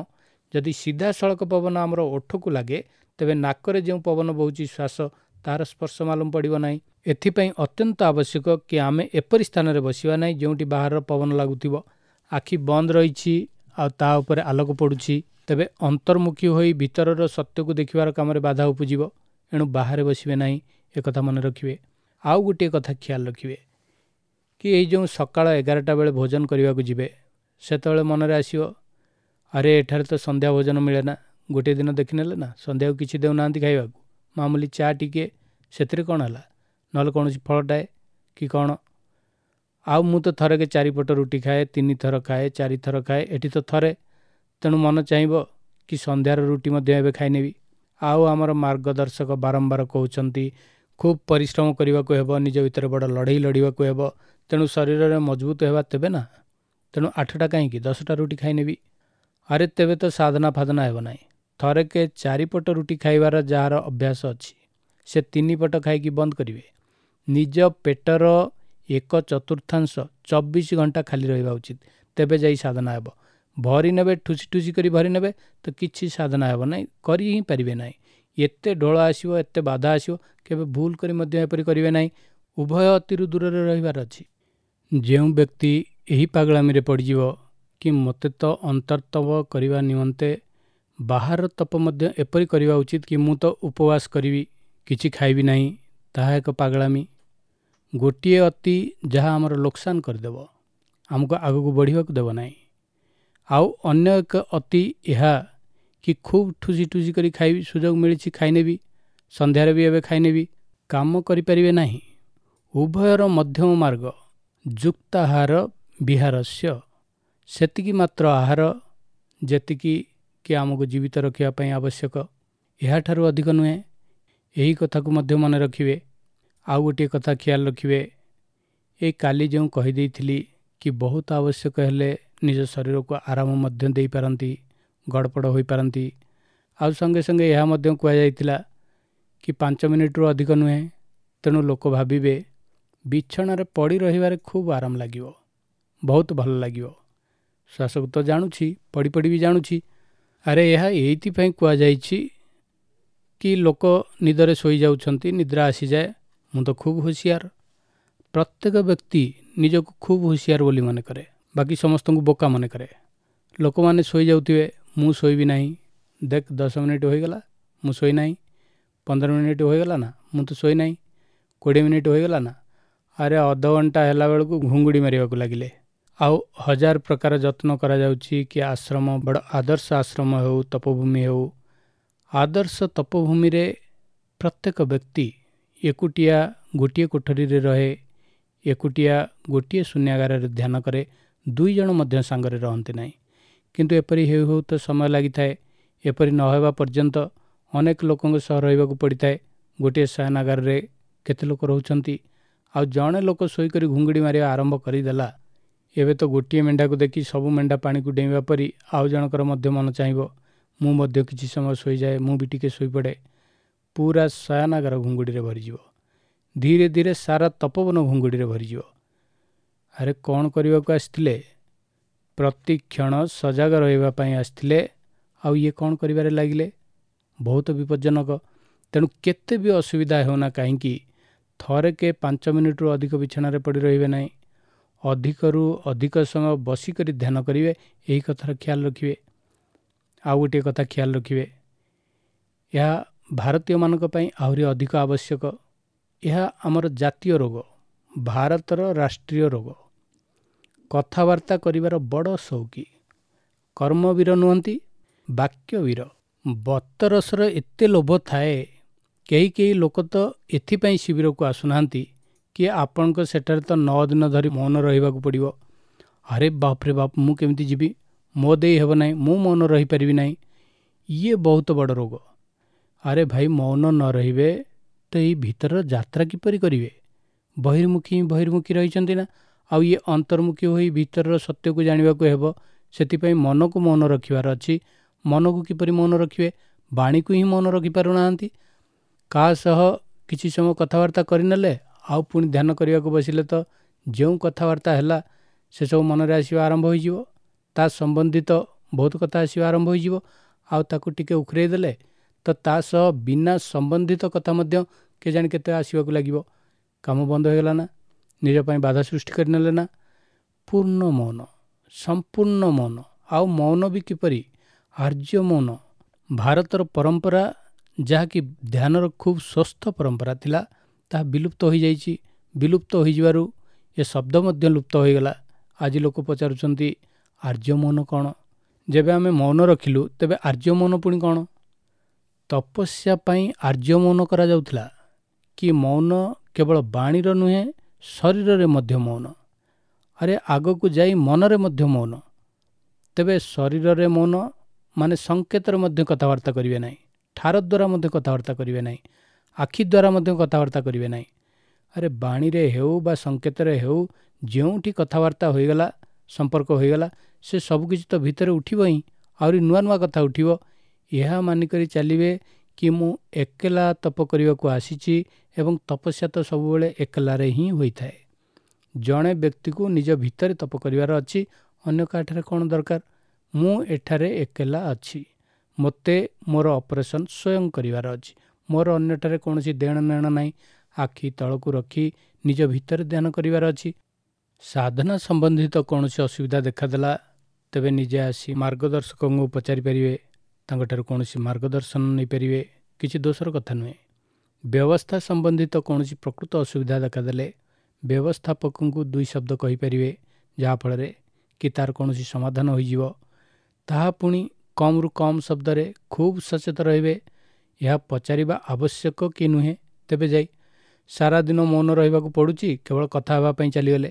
ଯଦି ସିଧାସଳଖ ପବନ ଆମର ଓଠକୁ ଲାଗେ, ତେବେ ନାକରେ ଯେଉଁ ପବନ ବହୁଛି ଶ୍ୱାସ, ତାହାର ସ୍ପର୍ଶ ମାଲୁମ ପଡ଼ିବ ନାହିଁ। ଏଥିପାଇଁ ଅତ୍ୟନ୍ତ ଆବଶ୍ୟକ କି ଆମେ ଏପରି ସ୍ଥାନରେ ବସିବା ନାହିଁ ଯେଉଁଠି ବାହାରର ପବନ ଲାଗୁଥିବ। ଆଖି ବନ୍ଦ ରହିଛି ଆଉ ତା ଉପରେ ଆଲୋକ ପଡ଼ୁଛି, ତେବେ ଅନ୍ତର୍ମୁଖୀ ହୋଇ ଭିତରର ସତ୍ୟକୁ ଦେଖିବାର କାମରେ ବାଧା ଉପୁଜିବ। ଏଣୁ ବାହାରେ ବସିବେ ନାହିଁ, ଏକଥା ମନେ ରଖିବେ। ଆଉ ଗୋଟିଏ କଥା ଖିଆଲ ରଖିବେ କି ଏଇ ଯେଉଁ ସକାଳ ଏଗାରଟା ବେଳେ ଭୋଜନ କରିବାକୁ ଯିବେ, ସେତେବେଳେ ମନରେ ଆସିବ, ଆରେ ଏଠାରେ ତ ସନ୍ଧ୍ୟା ଭୋଜନ ମିଳେ ନା। ଗୋଟିଏ ଦିନ ଦେଖିନେଲେ ନା ସନ୍ଧ୍ୟାକୁ କିଛି ଦେଉନାହାନ୍ତି ଖାଇବାକୁ, ମାମୁଲି ଚା ଟିକେ, ସେଥିରେ କ'ଣ ହେଲା, ନହେଲେ କୌଣସି ଫଳଟାଏ କି କ'ଣ। ଆଉ ମୁଁ ତ ଥରକେ ଚାରିପଟ ରୁଟି ଖାଏ, ତିନି ଥର ଖାଏ, ଚାରିଥର ଖାଏ, ଏଠି ତ ଥରେ। ତେଣୁ ମନ ଚାହିଁବ କି ସନ୍ଧ୍ୟାର ରୁଟି ମଧ୍ୟ ଏବେ ଖାଇନେବି। ଆଉ ଆମର ମାର୍ଗଦର୍ଶକ ବାରମ୍ବାର କହୁଛନ୍ତି ଖୁବ୍ ପରିଶ୍ରମ କରିବାକୁ ହେବ, ନିଜ ଭିତରେ ବଡ଼ ଲଢ଼େଇ ଲଢ଼ିବାକୁ ହେବ, ତେଣୁ ଶରୀରରେ ମଜବୁତ ହେବା ତେବେ ନା। ତେଣୁ ଆଠଟା କାହିଁକି ଦଶଟା ରୁଟି ଖାଇନେବି। ଆରେ ତେବେ ତ ସାଧନା ଫାଧନା ହେବ ନାହିଁ। ଥରକେ ଚାରିପଟ ରୁଟି ଖାଇବାର ଯାହାର ଅଭ୍ୟାସ ଅଛି, ସେ ତିନି ପଟ ଖାଇକି ବନ୍ଦ କରିବେ। ନିଜ ପେଟର ଏକ ଚତୁର୍ଥାଂଶ ଚବିଶ ଘଣ୍ଟା ଖାଲି ରହିବା ଉଚିତ, ତେବେ ଯାଇ ସାଧନା ହେବ। ଭରି ନେବେ, ଠୁସି ଠୁସି କରି ଭରି ନେବେ ତ କିଛି ସାଧନା ହେବ ନାହିଁ, କରି ହିଁ ପାରିବେ ନାହିଁ। ଏତେ ଢୋଳ ଆସିବ, ଏତେ ବାଧା ଆସିବ, କେବେ ଭୁଲ କରି ମଧ୍ୟ ଏପରି କରିବେ ନାହିଁ। ଉଭୟ ଅତିରୁ ଦୂରରେ ରହିବାର ଅଛି। ଯେଉଁ ବ୍ୟକ୍ତି ଏହି ପାଗଳାମିରେ ପଡ଼ିଯିବ କି ମୋତେ ତ ଅନ୍ତର୍ତପ କରିବା ନିମନ୍ତେ ବାହାର ତପ ମଧ୍ୟ ଏପରି କରିବା ଉଚିତ କି ମୁଁ ତ ଉପବାସ କରିବି, କିଛି ଖାଇବି ନାହିଁ, ତାହା ଏକ ପାଗଳାମି। ଗୋଟିଏ ଅତି ଯାହା ଆମର ଲୋକସାନ କରିଦେବ, ଆମକୁ ଆଗକୁ ବଢ଼ିବାକୁ ଦେବ ନାହିଁ। ଆଉ ଅନ୍ୟ ଏକ ଅତି ଏହା କି ଖୁବ୍ ଠୁସି ଠୁସି କରି ଖାଇବି, ସୁଯୋଗ ମିଳିଛି ଖାଇନେବି, ସନ୍ଧ୍ୟାରେ ବି ଏବେ ଖାଇନେବି, କାମ କରିପାରିବେ ନାହିଁ। ଉଭୟର ମଧ୍ୟମ ମାର୍ଗ ଯୁକ୍ତାହାର ବିହାରସ୍ୟ, ସେତିକି ମାତ୍ର ଆହାର ଯେତିକି କି ଆମକୁ ଜୀବିତ ରଖିବା ପାଇଁ ଆବଶ୍ୟକ, ଏହାଠାରୁ ଅଧିକ ନୁହେଁ। ଏହି କଥାକୁ ମଧ୍ୟ ମନେ ରଖିବେ। ଆଉ ଗୋଟିଏ କଥା ଖିଆଲ ରଖିବେ, ଏଇ କାଲି ଯେଉଁ କହିଦେଇଥିଲି କି ବହୁତ ଆବଶ୍ୟକ ହେଲେ ନିଜ ଶରୀରକୁ ଆରାମ ମଧ୍ୟ ଦେଇପାରନ୍ତି, ଗଡ଼ପଡ଼ ହୋଇପାରନ୍ତି। ଆଉ ସଙ୍ଗେ ସଙ୍ଗେ ଏହା ମଧ୍ୟ କୁହାଯାଇଥିଲା କି ପାଞ୍ଚ ମିନିଟରୁ ଅଧିକ ନୁହେଁ। ତେଣୁ ଲୋକ ଭାବିବେ ବିଛଣାରେ ପଡ଼ି ରହିବାରେ ଖୁବ୍ ଆରାମ ଲାଗିବ, ବହୁତ ଭଲ ଲାଗିବ। ଶ୍ୱାସକୁ ତ ଜାଣୁଛି, ପଡ଼ି ପଡ଼ି ବି ଜାଣୁଛି। ଆରେ ଏହା ଏଇଥିପାଇଁ କୁହାଯାଇଛି କି ଲୋକ ନିଦରେ ଶୋଇଯାଉଛନ୍ତି, ନିଦ୍ରା ଆସିଯାଏ, ମୁଁ ତ ଖୁବ୍ ହୁସିଆର। ପ୍ରତ୍ୟେକ ବ୍ୟକ୍ତି ନିଜକୁ ଖୁବ୍ ହୁସିଆର ବୋଲି ମନେ କରେ, ବାକି ସମସ୍ତଙ୍କୁ ବୋକା ମନେ କରେ। ଲୋକମାନେ ଶୋଇଯାଉଥିବେ, ମୁଁ ଶୋଇବି ନାହିଁ, ଦେଖ ଦଶ ମିନିଟ୍ ହୋଇଗଲା ମୁଁ ଶୋଇନାହିଁ, ପନ୍ଦର ମିନିଟ୍ ହୋଇଗଲା ନା ମୁଁ ତ ଶୋଇନାହିଁ, କୋଡ଼ିଏ ମିନିଟ୍ ହୋଇଗଲା ନା, ଆରେ ଅଧଘଣ୍ଟା ହେଲା ବେଳକୁ ଘୁଙ୍ଗୁଡ଼ି ମାରିବାକୁ ଲାଗିଲେ। ଆଉ ହଜାର ପ୍ରକାର ଯତ୍ନ କରାଯାଉଛି କି ଆଶ୍ରମ ବଡ଼ ଆଦର୍ଶ ଆଶ୍ରମ ହେଉ, ତପଭୂମି ହେଉ। ଆଦର୍ଶ ତପଭୂମିରେ ପ୍ରତ୍ୟେକ ବ୍ୟକ୍ତି ଏକୁଟିଆ ଗୋଟିଏ କୋଠରୀରେ ରହେ, ଏକୁଟିଆ ଗୋଟିଏ ଶୂନ୍ୟାଗାରରେ ଧ୍ୟାନ କରେ, ଦୁଇ ଜଣ ମଧ୍ୟ ସାଙ୍ଗରେ ରହନ୍ତି ନାହିଁ। କିନ୍ତୁ ଏପରି ହେଉ ହେଉ ତ ସମୟ ଲାଗିଥାଏ। ଏପରି ନ ହେବା ପର୍ଯ୍ୟନ୍ତ ଅନେକ ଲୋକଙ୍କ ସହ ରହିବାକୁ ପଡ଼ିଥାଏ। ଗୋଟିଏ ଶୟନାଗାରରେ କେତେ ଲୋକ ରହୁଛନ୍ତି, ଆଉ ଜଣେ ଲୋକ ଶୋଇକରି ଘୁଙ୍ଗୁଡ଼ି ମାରିବା ଆରମ୍ଭ କରିଦେଲା, ଏବେ ତ ଗୋଟିଏ ମେଣ୍ଢାକୁ ଦେଖି ସବୁ ମେଣ୍ଢା ପାଣିକୁ ଡେଇଁବା ପରି ଆଉ ଜଣଙ୍କର ମଧ୍ୟ ମନ ଚାହିଁବ ମୁଁ ମଧ୍ୟ କିଛି ସମୟ ଶୋଇଯାଏ, ମୁଁ ବି ଟିକେ ଶୋଇପଡ଼େ। ପୁରା ଶୟନାଗାର ଘୁଙ୍ଗୁଡ଼ିରେ ଭରିଯିବ, ଧୀରେ ଧୀରେ ସାରା ତପୋବନ ଘୁଙ୍ଗୁଡ଼ିରେ ଭରିଯିବ। ଆରେ କ'ଣ କରିବାକୁ ଆସିଥିଲେ? ପ୍ରତିକ୍ଷଣ ସଜାଗ ରହିବା ପାଇଁ ଆସିଥିଲେ, ଆଉ ଇଏ କ'ଣ କରିବାରେ ଲାଗିଲେ? ବହୁତ ବିପଜ୍ଜନକ। ତେଣୁ କେତେ ବି ଅସୁବିଧା ହେଉନା କାହିଁକି, ଥରକେ ପାଞ୍ଚ ମିନିଟରୁ ଅଧିକ ବିଛଣାରେ ପଡ଼ି ରହିବେ ନାହିଁ। ଅଧିକରୁ ଅଧିକ ସମୟ ବସିକରି ଧ୍ୟାନ କରିବେ, ଏହି କଥାର ଖିଆଲ ରଖିବେ। ଆଉ ଗୋଟିଏ କଥା ଖିଆଲ ରଖିବେ, ଏହା ଭାରତୀୟମାନଙ୍କ ପାଇଁ ଆହୁରି ଅଧିକ ଆବଶ୍ୟକ। ଏହା ଆମର ଜାତୀୟ ରୋଗ, ଭାରତର ରାଷ୍ଟ୍ରୀୟ ରୋଗ। କଥାବାର୍ତ୍ତା କରିବାର ବଡ଼ ସଉକି। କର୍ମବୀର ନୁହନ୍ତି, ବାକ୍ୟବୀର। ବତରସର ଏତେ ଲୋଭ ଥାଏ, କେହି କେହି ଲୋକ ତ ଏଥିପାଇଁ ଶିବିରକୁ ଆସୁନାହାନ୍ତି କି ଆପଣଙ୍କ ସେଠାରେ ତ ନଅ ଦିନ ଧରି ମୌନ ରହିବାକୁ ପଡ଼ିବ। ଆରେ ବାପରେ ବାପ, ମୁଁ କେମିତି ଯିବି? ମୋ ଦେଇ ହେବ ନାହିଁ, ମୁଁ ମୌନ ରହିପାରିବି ନାହିଁ। ଇଏ ବହୁତ ବଡ଼ ରୋଗ। ଆରେ ଭାଇ, ମୌନ ନ ରହିବେ ତ ଏଇ ଭିତରର ଯାତ୍ରା କିପରି କରିବେ? ବହିର୍ମୁଖୀ ହିଁ ବହିର୍ମୁଖୀ ରହିଛନ୍ତି ନା, ଆଉ ଇଏ ଅନ୍ତର୍ମୁଖୀ ହୋଇ ଭିତରର ସତ୍ୟକୁ ଜାଣିବାକୁ ହେବ। ସେଥିପାଇଁ ମନକୁ ମୌନ ରଖିବାର ଅଛି। ମନକୁ କିପରି ମୌନ ରଖିବେ? ବାଣୀକୁ ହିଁ ମୌନ ରଖିପାରୁନାହାନ୍ତି। କାହା ସହ କିଛି ସମୟ କଥାବାର୍ତ୍ତା କରିନେଲେ ଆଉ ପୁଣି ଧ୍ୟାନ କରିବାକୁ ବସିଲେ ତ ଯେଉଁ କଥାବାର୍ତ୍ତା ହେଲା ସେସବୁ ମନରେ ଆସିବା ଆରମ୍ଭ ହୋଇଯିବ, ତା ସମ୍ବନ୍ଧିତ ବହୁତ କଥା ଆସିବା ଆରମ୍ଭ ହୋଇଯିବ। ଆଉ ତାକୁ ଟିକେ ଉଖରେଇ ଦେଲେ ତ ତା ସହ ବିନା ସମ୍ବନ୍ଧିତ କଥା ମଧ୍ୟ କେଜାଣି କେତେ ଆସିବାକୁ ଲାଗିବ। କାମ ବନ୍ଦ ହୋଇଗଲା ନା, ନିଜ ପାଇଁ ବାଧା ସୃଷ୍ଟି କରିନେଲେ ନା। ପୂର୍ଣ୍ଣ ମୌନ, ସମ୍ପୂର୍ଣ୍ଣ ମୌନ। ଆଉ ମୌନ ବି କିପରି? ଆର୍ଯ୍ୟ ମୌନ। ଭାରତର ପରମ୍ପରା ଯାହାକି ଧ୍ୟାନର ଖୁବ୍ ସ୍ୱସ୍ଥ ପରମ୍ପରା ଥିଲା, ତାହା ବିଲୁପ୍ତ ହୋଇଯାଇଛି। ବିଲୁପ୍ତ ହୋଇଯିବାରୁ ଏ ଶବ୍ଦ ମଧ୍ୟ ଲୁପ୍ତ ହୋଇଗଲା। ଆଜି ଲୋକ ପଚାରୁଛନ୍ତି ଆର୍ଯ୍ୟ ମୌନ କ'ଣ? ଯେବେ ଆମେ ମୌନ ରଖିଲୁ, ତେବେ ଆର୍ଯ୍ୟ ମୌନ ପୁଣି କ'ଣ? ତପସ୍ୟା ପାଇଁ ଆର୍ଯ୍ୟ ମୌନ କରାଯାଉଥିଲା କି ମୌନ କେବଳ ବାଣୀର ନୁହେଁ, ଶରୀରରେ ମଧ୍ୟ ମୌନ। ଆରେ ଆଗକୁ ଯାଇ ମନରେ ମଧ୍ୟ ମୌନ। ତେବେ ଶରୀରରେ ମୌନ ମାନେ ସଂକେତରେ ମଧ୍ୟ କଥାବାର୍ତ୍ତା କରିବେ ନାହିଁ, ଠାର ଦ୍ୱାରା ମଧ୍ୟ କଥାବାର୍ତ୍ତା କରିବେ ନାହିଁ, ଆଖି ଦ୍ୱାରା ମଧ୍ୟ କଥାବାର୍ତ୍ତା କରିବେ ନାହିଁ। ଆରେ ବାଣୀରେ ହେଉ ବା ସଂକେତରେ ହେଉ, ଯେଉଁଠି କଥାବାର୍ତ୍ତା ହୋଇଗଲା, ସମ୍ପର୍କ ହୋଇଗଲା, ସେ ସବୁକିଛି ତ ଭିତରେ ଉଠିବ ହିଁ, ଆହୁରି ନୂଆ ନୂଆ କଥା ଉଠିବ। ଏହା ମାନିକରି ଚାଲିବେ କି ମୁଁ ଏକଲା ତପ କରିବାକୁ ଆସିଛି, ଏବଂ ତପସ୍ୟା ତ ସବୁବେଳେ ଏକଲାରେ ହିଁ ହୋଇଥାଏ। ଜଣେ ବ୍ୟକ୍ତିକୁ ନିଜ ଭିତରେ ତପ କରିବାର ଅଛି, ଅନ୍ୟ କାହାଠାରେ କ'ଣ ଦରକାର? ମୁଁ ଏଠାରେ ଏକଲା ଅଛି, ମୋତେ ମୋର ଅପରେସନ୍ ସ୍ୱୟଂ କରିବାର ଅଛି, ମୋର ଅନ୍ୟଠାରେ କୌଣସି ଦେଣ ନେଣ ନାହିଁ। ଆଖି ତଳକୁ ରଖି ନିଜ ଭିତରେ ଧ୍ୟାନ କରିବାର ଅଛି। ସାଧନା ସମ୍ବନ୍ଧିତ କୌଣସି ଅସୁବିଧା ଦେଖାଦେଲା, ତେବେ ନିଜେ ଆସି ମାର୍ଗଦର୍ଶକଙ୍କୁ ପଚାରିପାରିବେ, ତାଙ୍କଠାରୁ କୌଣସି ମାର୍ଗଦର୍ଶନ ନେଇପାରିବେ, କିଛି ଦୋଷର କଥା ନୁହେଁ। ବ୍ୟବସ୍ଥା ସମ୍ବନ୍ଧିତ କୌଣସି ପ୍ରକୃତ ଅସୁବିଧା ଦେଖାଦେଲେ ବ୍ୟବସ୍ଥାପକଙ୍କୁ ଦୁଇ ଶବ୍ଦ କହିପାରିବେ, ଯାହାଫଳରେ କି ତାର କୌଣସି ସମାଧାନ ହୋଇଯିବ। ତାହା ପୁଣି କମ୍ରୁ କମ୍ ଶବ୍ଦରେ। ଖୁବ୍ ସଚେତ ରହିବେ, ଏହା ପଚାରିବା ଆବଶ୍ୟକ କି ନୁହେଁ ତେବେ ଯାଇ। ସାରାଦିନ ମୌନ ରହିବାକୁ ପଡ଼ୁଛି, କେବଳ କଥା ହେବା ପାଇଁ ଚାଲିଗଲେ,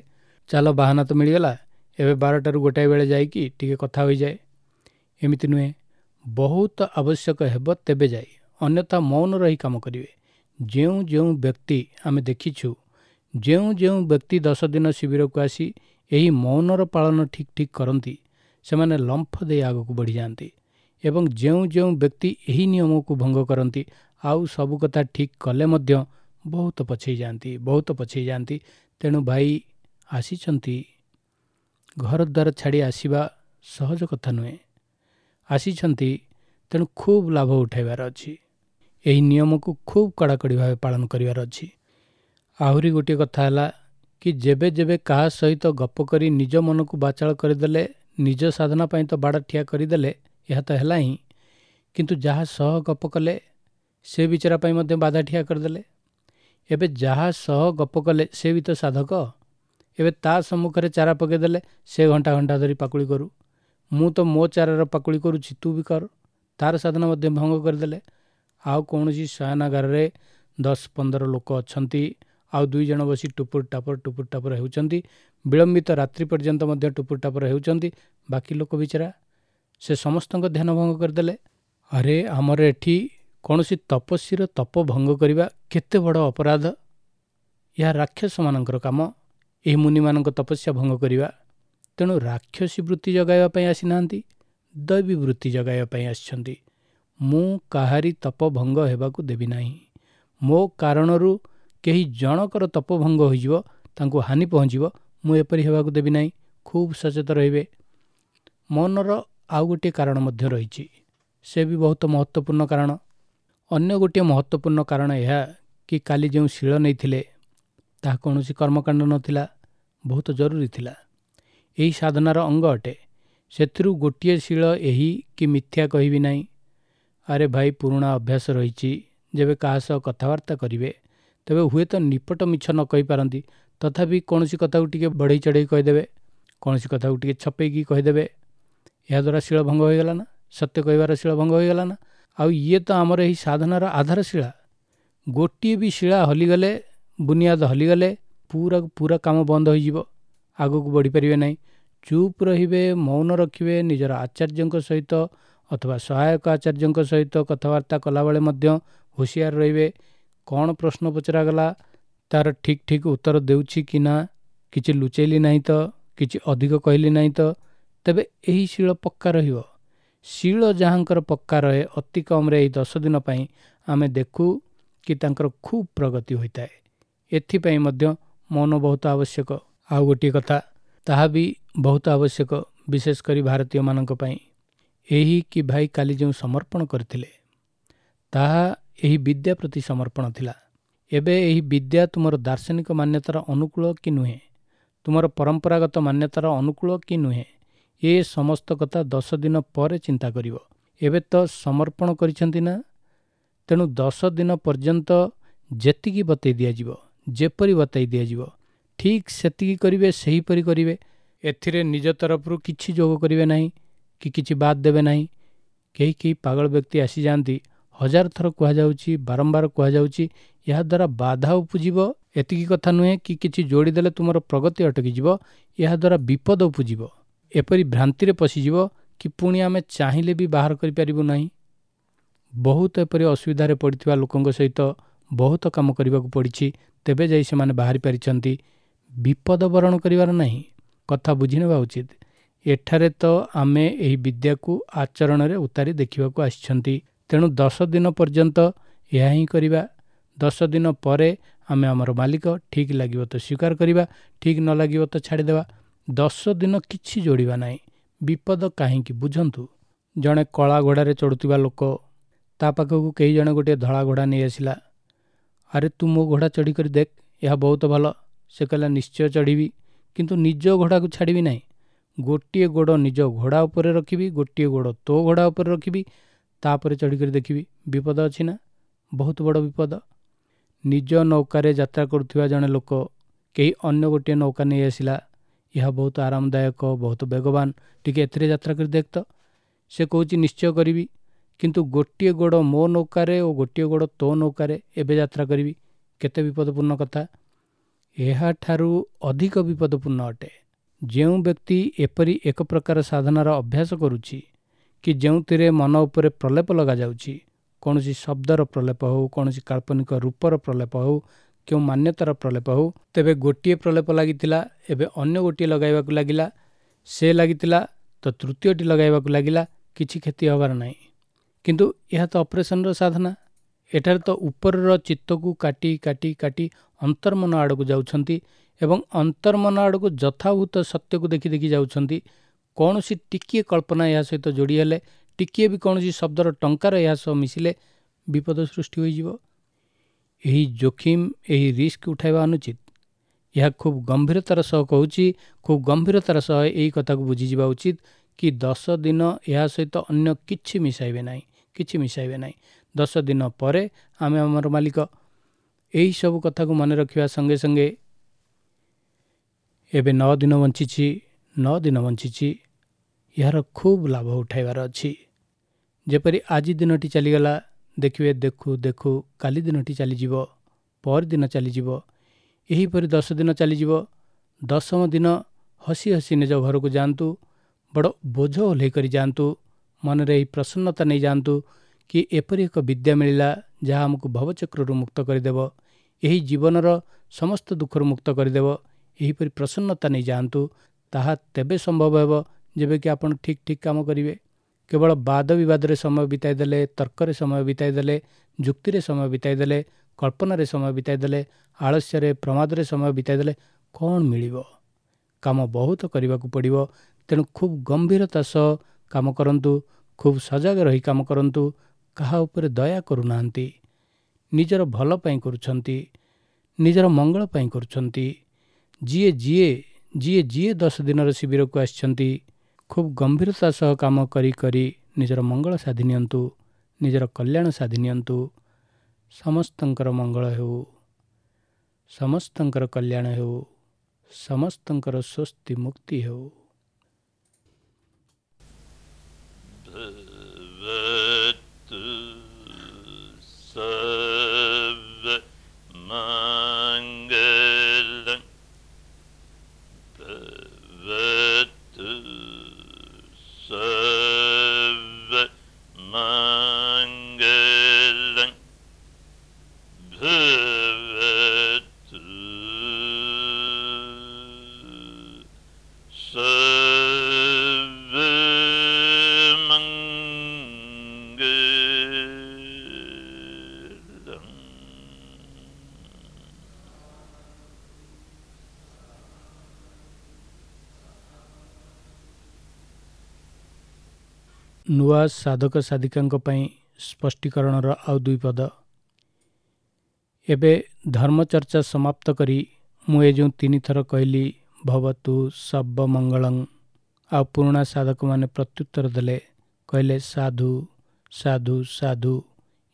ଚାଲ ବାହାନା ତ ମିଳିଗଲା, ଏବେ ବାରଟାରୁ ଗୋଟାଏ ବେଳେ ଯାଇକି ଟିକେ କଥା ହୋଇଯାଏ, ଏମିତି ନୁହେଁ। ବହୁତ ଆବଶ୍ୟକ ହେବ ତେବେ ଯାଇ, ଅନ୍ୟଥା ମୌନ ରହି କାମ କରିବେ। ଯେଉଁ ଯେଉଁ ବ୍ୟକ୍ତି ଆମେ ଦେଖିଛୁ, ଯେଉଁ ଯେଉଁ ବ୍ୟକ୍ତି ଦଶ ଦିନ ଶିବିରକୁ ଆସି ଏହି ମୌନର ପାଳନ ଠିକ୍ ଠିକ୍ କରନ୍ତି, ସେମାନେ ଲମ୍ଫ ଦେଇ ଆଗକୁ ବଢ଼ିଯାଆନ୍ତି। ଏବଂ ଯେଉଁ ଯେଉଁ ବ୍ୟକ୍ତି ଏହି ନିୟମକୁ ଭଙ୍ଗ କରନ୍ତି, ଆଉ ସବୁ କଥା ଠିକ୍ କଲେ ମଧ୍ୟ ବହୁତ ପଛେଇ ଯାଆନ୍ତି, ବହୁତ ପଛେଇ ଯାଆନ୍ତି। ତେଣୁ ଭାଇ ଆସିଛନ୍ତି, ଘର ଦ୍ୱାର ଛାଡ଼ି ଆସିବା ସହଜ କଥା ନୁହେଁ। ଆସିଛନ୍ତି, ତେଣୁ ଖୁବ୍ ଲାଭ ଉଠାଇବାର ଅଛି। ଏହି ନିୟମକୁ ଖୁବ୍ କଡ଼ାକଡ଼ି ଭାବେ ପାଳନ କରିବାର ଅଛି। ଆହୁରି ଗୋଟିଏ କଥା ହେଲା କି ଯେବେ ଯେବେ କାହା ସହିତ ଗପ କରି ନିଜ ମନକୁ ବାଚାଳ କରିଦେଲେ, ନିଜ ସାଧନା ପାଇଁ ତ ବାଡ଼ ଠିଆ କରିଦେଲେ, ଏହା ତ ହେଲା ହିଁ, କିନ୍ତୁ ଯାହା ସହ ଗପ କଲେ ସେ ବିଚରା ପାଇଁ ମଧ୍ୟ ବାଧା ଠିଆ କରିଦେଲେ। ଏବେ ଯାହା ସହ ଗପ କଲେ ସେ ବି ତ ସାଧକ। ଏବେ ତା ସମ୍ମୁଖରେ ଚାରା ପକାଇଦେଲେ ସେ ଘଣ୍ଟା ଘଣ୍ଟା ଧରି ପାକୁଳି କରୁ, ମୁଁ ତ ମୋ ଚାରାର ପାକୁଳି କରୁଛି, ତୁ ବି କର, ତାର ସାଧନା ମଧ୍ୟ ଭଙ୍ଗ କରିଦେଲେ। ଆଉ କୌଣସି ଶୟନାଗାରରେ ଦଶ ପନ୍ଦର ଲୋକ ଅଛନ୍ତି, ଆଉ ଦୁଇ ଜଣ ବସି ଟୁପୁର ଟାପର ଟୁପୁର ଟାପର ହେଉଛନ୍ତି, ବିଳମ୍ବିତ ରାତ୍ରି ପର୍ଯ୍ୟନ୍ତ ମଧ୍ୟ ଟୁପୁର ଟାପର ହେଉଛନ୍ତି। ବାକି ଲୋକ ବିଚରା ସେ ସମସ୍ତଙ୍କ ଧ୍ୟାନ ଭଙ୍ଗ କରିଦେଲେ। ଆରେ ଆମର ଏଠି କୌଣସି ତପସ୍ୱୀର ତପ ଭଙ୍ଗ କରିବା କେତେ ବଡ଼ ଅପରାଧ! ଏହା ରାକ୍ଷସମାନଙ୍କର କାମ, ଏହି ମୁନିମାନଙ୍କ ତପସ୍ୟା ଭଙ୍ଗ କରିବା। ତେଣୁ ରାକ୍ଷସୀ ବୃତ୍ତି ଜଗାଇବା ପାଇଁ ଆସିନାହାନ୍ତି, ଦୈବୀ ବୃତ୍ତି ଜଗାଇବା ପାଇଁ ଆସିଛନ୍ତି। ମୁଁ କାହାରି ତପ ଭଙ୍ଗ ହେବାକୁ ଦେବି ନାହିଁ। ମୋ କାରଣରୁ କେହି ଜଣକର ତପ ଭଙ୍ଗ ହୋଇଯିବ, ତାଙ୍କୁ ହାନି ପହଞ୍ଚିବ, ମୁଁ ଏପରି ହେବାକୁ ଦେବି ନାହିଁ। ଖୁବ୍ ସଚେତ ରହିବେ। ମନର ଆଉ ଗୋଟିଏ କାରଣ ମଧ୍ୟ ରହିଛି, ସେ ବି ବହୁତ ମହତ୍ତ୍ୱପୂର୍ଣ୍ଣ କାରଣ। ଅନ୍ୟ ଗୋଟିଏ ମହତ୍ତ୍ୱପୂର୍ଣ୍ଣ କାରଣ ଏହା କି କାଲି ଯେଉଁ ଶିଳ ନେଇଥିଲେ ତାହା କୌଣସି କର୍ମକାଣ୍ଡ ନଥିଲା, ବହୁତ ଜରୁରୀ ଥିଲା, ଏହି ସାଧନାର ଅଙ୍ଗ ଅଟେ। ସେଥିରୁ ଗୋଟିଏ ଶିଳ ଏହି କି ମିଥ୍ୟା କହିବି ନାହିଁ। ଆରେ ଭାଇ, ପୁରୁଣା ଅଭ୍ୟାସ ରହିଛି, ଯେବେ କାହା ସହ କଥାବାର୍ତ୍ତା କରିବେ ତେବେ ହୁଏତ ନିପଟ ମିଛ ନ କହିପାରନ୍ତି, ତଥାପି କୌଣସି କଥାକୁ ଟିକେ ବଢ଼େଇ ଚଢ଼େଇ କହିଦେବେ, କୌଣସି କଥାକୁ ଟିକେ ଛପେଇକି କହିଦେବେ। ଏହାଦ୍ୱାରା ଶିଳ ଭଙ୍ଗ ହୋଇଗଲା ନା, ସତ୍ୟ କହିବାର ଶିଳ ଭଙ୍ଗ ହୋଇଗଲା ନା। ଆଉ ଇଏ ତ ଆମର ଏହି ସାଧନାର ଆଧାରଶିଳା। ଗୋଟିଏ ବି ଶିଳା ହଲିଗଲେ, ବୁନିଆଦ ହଲିଗଲେ ପୁରା ପୁରା କାମ ବନ୍ଦ ହୋଇଯିବ, ଆଗକୁ ବଢ଼ିପାରିବେ ନାହିଁ। ଚୁପ୍ ରହିବେ, ମୌନ ରଖିବେ। ନିଜର ଆଚାର୍ଯ୍ୟଙ୍କ ସହିତ ଅଥବା ସହାୟକ ଆଚାର୍ଯ୍ୟଙ୍କ ସହିତ କଥାବାର୍ତ୍ତା କଲାବେଳେ ମଧ୍ୟ ହୁସିଆର ରହିବେ। କ'ଣ ପ୍ରଶ୍ନ ପଚରାଗଲା ତାର ଠିକ୍ ଠିକ୍ ଉତ୍ତର ଦେଉଛି କି ନା, କିଛି ଲୁଚେଇଲି ନାହିଁ ତ, କିଛି ଅଧିକ କହିଲି ନାହିଁ ତ, ତେବେ ଏହି ଶିଳ ପକ୍କା ରହିବ। ଶିଳ ଯାହାଙ୍କର ପକ୍କା ରହେ, ଅତି କମ୍ରେ ଏହି ଦଶ ଦିନ ପାଇଁ ଆମେ ଦେଖୁ କି ତାଙ୍କର ଖୁବ୍ ପ୍ରଗତି ହୋଇଥାଏ। ଏଥିପାଇଁ ମଧ୍ୟ ମୌନ ବହୁତ ଆବଶ୍ୟକ। ଆଉ ଗୋଟିଏ କଥା, ତାହା ବି ବହୁତ ଆବଶ୍ୟକ, ବିଶେଷ କରି ଭାରତୀୟମାନଙ୍କ ପାଇଁ, ଏହି କି ଭାଇ କାଲି ଯେଉଁ ସମର୍ପଣ କରିଥିଲେ ତାହା ଏହି ବିଦ୍ୟା ପ୍ରତି ସମର୍ପଣ ଥିଲା। ଏବେ ଏହି ବିଦ୍ୟା ତୁମର ଦାର୍ଶନିକ ମାନ୍ୟତାର ଅନୁକୂଳ କି ନୁହେଁ, ତୁମର ପରମ୍ପରାଗତ ମାନ୍ୟତାର ଅନୁକୂଳ କି ନୁହେଁ, ଏ ସମସ୍ତ କଥା ଦଶ ଦିନ ପରେ ଚିନ୍ତା କରିବ। ଏବେ ତ ସମର୍ପଣ କରିଛନ୍ତି ନା, ତେଣୁ ଦଶ ଦିନ ପର୍ଯ୍ୟନ୍ତ ଯେତିକି ବତେଇ ଦିଆଯିବ, ଯେପରି ବତାଇ ଦିଆଯିବ, ଠିକ୍ ସେତିକି କରିବେ, ସେହିପରି କରିବେ। ଏଥିରେ ନିଜ ତରଫରୁ କିଛି ଯୋଗ କରିବେ ନାହିଁ କି କିଛି ବାଦ ଦେବେ ନାହିଁ। କେହି କେହି ପାଗଳ ବ୍ୟକ୍ତି ଆସିଯାଆନ୍ତି, ହଜାର ଥର କୁହାଯାଉଛି, ବାରମ୍ବାର କୁହାଯାଉଛି, ଏହାଦ୍ୱାରା ବାଧା ଉପୁଜିବ। ଏତିକି କଥା ନୁହେଁ କି କିଛି ଯୋଡ଼ିଦେଲେ ତୁମର ପ୍ରଗତି ଅଟକିଯିବ, ଏହାଦ୍ୱାରା ବିପଦ ଉପୁଜିବ। ଏପରି ଭ୍ରାନ୍ତିରେ ପଶିଯିବ କି ପୁଣି ଆମେ ଚାହିଁଲେ ବି ବାହାର କରିପାରିବୁ ନାହିଁ। ବହୁତ ଏପରି ଅସୁବିଧାରେ ପଡ଼ିଥିବା ଲୋକଙ୍କ ସହିତ ବହୁତ କାମ କରିବାକୁ ପଡ଼ିଛି, ତେବେ ଯାଇ ସେମାନେ ବାହାରି ପାରିଛନ୍ତି। ବିପଦ ବରଣ କରିବାର ନାହିଁ, କଥା ବୁଝିନେବା ଉଚିତ। ଏଠାରେ ତ ଆମେ ଏହି ବିଦ୍ୟାକୁ ଆଚରଣରେ ଉତାରି ଦେଖିବାକୁ ଆସିଛନ୍ତି, ତେଣୁ ଦଶ ଦିନ ପର୍ଯ୍ୟନ୍ତ ଏହା ହିଁ କରିବା। ଦଶ ଦିନ ପରେ ଆମେ ଆମର ମାଲିକ, ଠିକ୍ ଲାଗିବ ତ ସ୍ୱୀକାର କରିବା, ଠିକ୍ ନ ଲାଗିବ ତ ଛାଡ଼ିଦେବା। ଦଶ ଦିନ କିଛି ଯୋଡ଼ିବା ନାହିଁ। ବିପଦ କାହିଁକି ବୁଝନ୍ତୁ। ଜଣେ କଳା ଘୋଡ଼ାରେ ଚଢ଼ୁଥିବା ଲୋକ, ତା ପାଖକୁ କେହି ଜଣେ ଗୋଟିଏ ଧଳା ଘୋଡ଼ା ନେଇ ଆସିଲା। ଆରେ ତୁ ମୋ ଘୋଡ଼ା ଚଢ଼ିକରି ଦେଖ, ଏହା ବହୁତ ଭଲ। ସେ କହିଲା, ନିଶ୍ଚୟ ଚଢ଼ିବି, କିନ୍ତୁ ନିଜ ଘୋଡ଼ାକୁ ଛାଡ଼ିବି ନାହିଁ। ଗୋଟିଏ ଗୋଡ଼ ନିଜ ଘୋଡ଼ା ଉପରେ ରଖିବି, ଗୋଟିଏ ଗୋଡ଼ ତୋ ଘୋଡ଼ା ଉପରେ ରଖିବି, ତାପରେ ଚଢ଼ିକରି ଦେଖିବି। ବିପଦ ଅଛି ନା? ବହୁତ ବଡ଼ ବିପଦ। ନିଜ ନୌକାରେ ଯାତ୍ରା କରୁଥିବା ଜଣେ ଲୋକ, କେହି ଅନ୍ୟ ଗୋଟିଏ ନୌକା ନେଇ ଆସିଲା। ଏହା ବହୁତ ଆରାମଦାୟକ, ବହୁତ ବେଗବାନ, ଟିକେ ଏଥିରେ ଯାତ୍ରା କରି ଦେଖ ତ। ସେ କହୁଛି, ନିଶ୍ଚୟ କରିବି, କିନ୍ତୁ ଗୋଟିଏ ଗୋଡ଼ ମୋ ନୌକାରେ ଓ ଗୋଟିଏ ଗୋଡ଼ ତୋ ନୌକାରେ ଏବେ ଯାତ୍ରା କରିବି। କେତେ ବିପଦପୂର୍ଣ୍ଣ କଥା! ଏହାଠାରୁ ଅଧିକ ବିପଦପୂର୍ଣ୍ଣ ଅଟେ ଯେଉଁ ବ୍ୟକ୍ତି ଏପରି ଏକ ପ୍ରକାର ସାଧନାର ଅଭ୍ୟାସ କରୁଛି କି ଯେଉଁଥିରେ ମନ ଉପରେ ପ୍ରଲେପ ଲଗାଯାଉଛି, କୌଣସି ଶବ୍ଦର ପ୍ରଲେପ ହେଉ, କୌଣସି କାଳ୍ପନିକ ରୂପର ପ୍ରଲେପ ହେଉ, କେଉଁ ମାନ୍ୟତାର ପ୍ରଲେପ ହେଉ। ତେବେ ଗୋଟିଏ ପ୍ରଲେପ ଲାଗିଥିଲା, ଏବେ ଅନ୍ୟ ଗୋଟିଏ ଲଗାଇବାକୁ ଲାଗିଲା, ସେ ଲାଗିଥିଲା ତ ତୃତୀୟଟି ଲଗାଇବାକୁ ଲାଗିଲା, କିଛି କ୍ଷତି ହେବାର ନାହିଁ। କିନ୍ତୁ ଏହା ତ ଅପରେସନର ସାଧନା। ଏଠାରେ ତ ଉପରର ଚିତ୍ତକୁ କାଟି କାଟି କାଟି ଅନ୍ତର୍ମନ ଆଡ଼କୁ ଯାଉଛନ୍ତି ଏବଂ ଅନ୍ତର୍ମନ ଆଡ଼କୁ ଯଥାଭୂତ ସତ୍ୟକୁ ଦେଖି ଦେଖି ଯାଉଛନ୍ତି। କୌଣସି ଟିକିଏ କଳ୍ପନା ଏହା ସହିତ ଯୋଡ଼ି ହେଲେ, ଟିକିଏ ବି କୌଣସି ଶବ୍ଦର ଟଙ୍କାର ଏହା ସହ ମିଶିଲେ ବିପଦ ସୃଷ୍ଟି ହୋଇଯିବ। ଏହି ଜୋଖିମ, ଏହି ରିସ୍କ ଉଠାଇବା ଅନୁଚିତ। ଏହା ଖୁବ୍ ଗମ୍ଭୀରତାର ସହ କହୁଛି, ଖୁବ୍ ଗମ୍ଭୀରତାର ସହ ଏହି କଥାକୁ ବୁଝିଯିବା ଉଚିତ କି ଦଶ ଦିନ ଏହା ସହିତ ଅନ୍ୟ କିଛି ମିଶାଇବେ ନାହିଁ, କିଛି ମିଶାଇବେ ନାହିଁ। ଦଶ ଦିନ ପରେ ଆମେ ଆମର ମାଲିକ। ଏହିସବୁ କଥାକୁ ମନେ ରଖିବା ସଙ୍ଗେ ସଙ୍ଗେ ଏବେ ନଅ ଦିନ ବଞ୍ଚିଛି, ନଅ ଦିନ ବଞ୍ଚିଛି, ଏହାର ଖୁବ୍ ଲାଭ ଉଠାଇବାର ଅଛି। ଯେପରି ଆଜି ଦିନଟି ଚାଲିଗଲା, ଦେଖିବେ ଦେଖୁ ଦେଖୁ କାଲି ଦିନଟି ଚାଲିଯିବ, ପରଦିନ ଚାଲିଯିବ, ଏହିପରି ଦଶ ଦିନ ଚାଲିଯିବ। ଦଶମ ଦିନ ହସି ହସି ନିଜ ଘରକୁ ଯାଆନ୍ତୁ, ବଡ଼ ବୋଝ ଓହ୍ଲେଇ କରି ଯାଆନ୍ତୁ, ମନରେ ଏହି ପ୍ରସନ୍ନତା ନେଇଯାଆନ୍ତୁ କି ଏପରି ଏକ ବିଦ୍ୟା ମିଳିଲା ଯାହା ଆମକୁ ଭବଚକ୍ରରୁ ମୁକ୍ତ କରିଦେବ, ଏହି ଜୀବନର ସମସ୍ତ ଦୁଃଖରୁ ମୁକ୍ତ କରିଦେବ। ଏହିପରି ପ୍ରସନ୍ନତା ନେଇଯାଆନ୍ତୁ। ତାହା ତେବେ ସମ୍ଭବ ହେବ ଯେବେକି ଆପଣ ଠିକ୍ ଠିକ୍ କାମ କରିବେ। କେବଳ ବାଦ ବିବାଦରେ ସମୟ ବିତାଇ ଦେଲେ, ତର୍କରେ ସମୟ ବିତାଇ ଦେଲେ, ଯୁକ୍ତିରେ ସମୟ ବିତାଇ ଦେଲେ, କଳ୍ପନାରେ ସମୟ ବିତାଇ ଦେଲେ, ଆଳସ୍ୟରେ ପ୍ରମାଦରେ ସମୟ ବିତାଇ ଦେଲେ କ'ଣ ମିଳିବ? କାମ ବହୁତ କରିବାକୁ ପଡ଼ିବ। ତେଣୁ ଖୁବ୍ ଗମ୍ଭୀରତା ସହ କାମ କରନ୍ତୁ, ଖୁବ୍ ସଜାଗ ରହି କାମ କରନ୍ତୁ। କାହା ଉପରେ ଦୟା କରୁନାହାନ୍ତି, ନିଜର ଭଲ ପାଇଁ କରୁଛନ୍ତି, ନିଜର ମଙ୍ଗଳ ପାଇଁ କରୁଛନ୍ତି। ଯିଏ ଯିଏ ଯିଏ ଯିଏ ଦଶ ଦିନର ଶିବିରକୁ ଆସିଛନ୍ତି, ଖୁବ୍ ଗମ୍ଭୀରତା ସହ କାମ କରି କରି ନିଜର ମଙ୍ଗଳ ସାଧି ନିଅନ୍ତୁ, ନିଜର କଲ୍ୟାଣ ସାଧି ନିଅନ୍ତୁ। ସମସ୍ତଙ୍କର ମଙ୍ଗଳ ହେଉ, ସମସ୍ତଙ୍କର କଲ୍ୟାଣ ହେଉ, ସମସ୍ତଙ୍କର ସ୍ୱସ୍ତି ମୁକ୍ତି ହେଉ। ନୂଆ ସାଧକ ସାଧିକାଙ୍କ ପାଇଁ ସ୍ପଷ୍ଟୀକରଣର ଆଉ ଦୁଇ ପଦ। ଏବେ ଧର୍ମଚର୍ଚ୍ଚା ସମାପ୍ତ କରି ମୁଁ ଏ ଯେଉଁ ତିନିଥର କହିଲି ଭବତୁ ସବ୍ବ ମଙ୍ଗଳଂ, ଆଉ ପୁରୁଣା ସାଧକମାନେ ପ୍ରତ୍ୟୁତ୍ତର ଦେଲେ, କହିଲେ ସାଧୁ ସାଧୁ ସାଧୁ।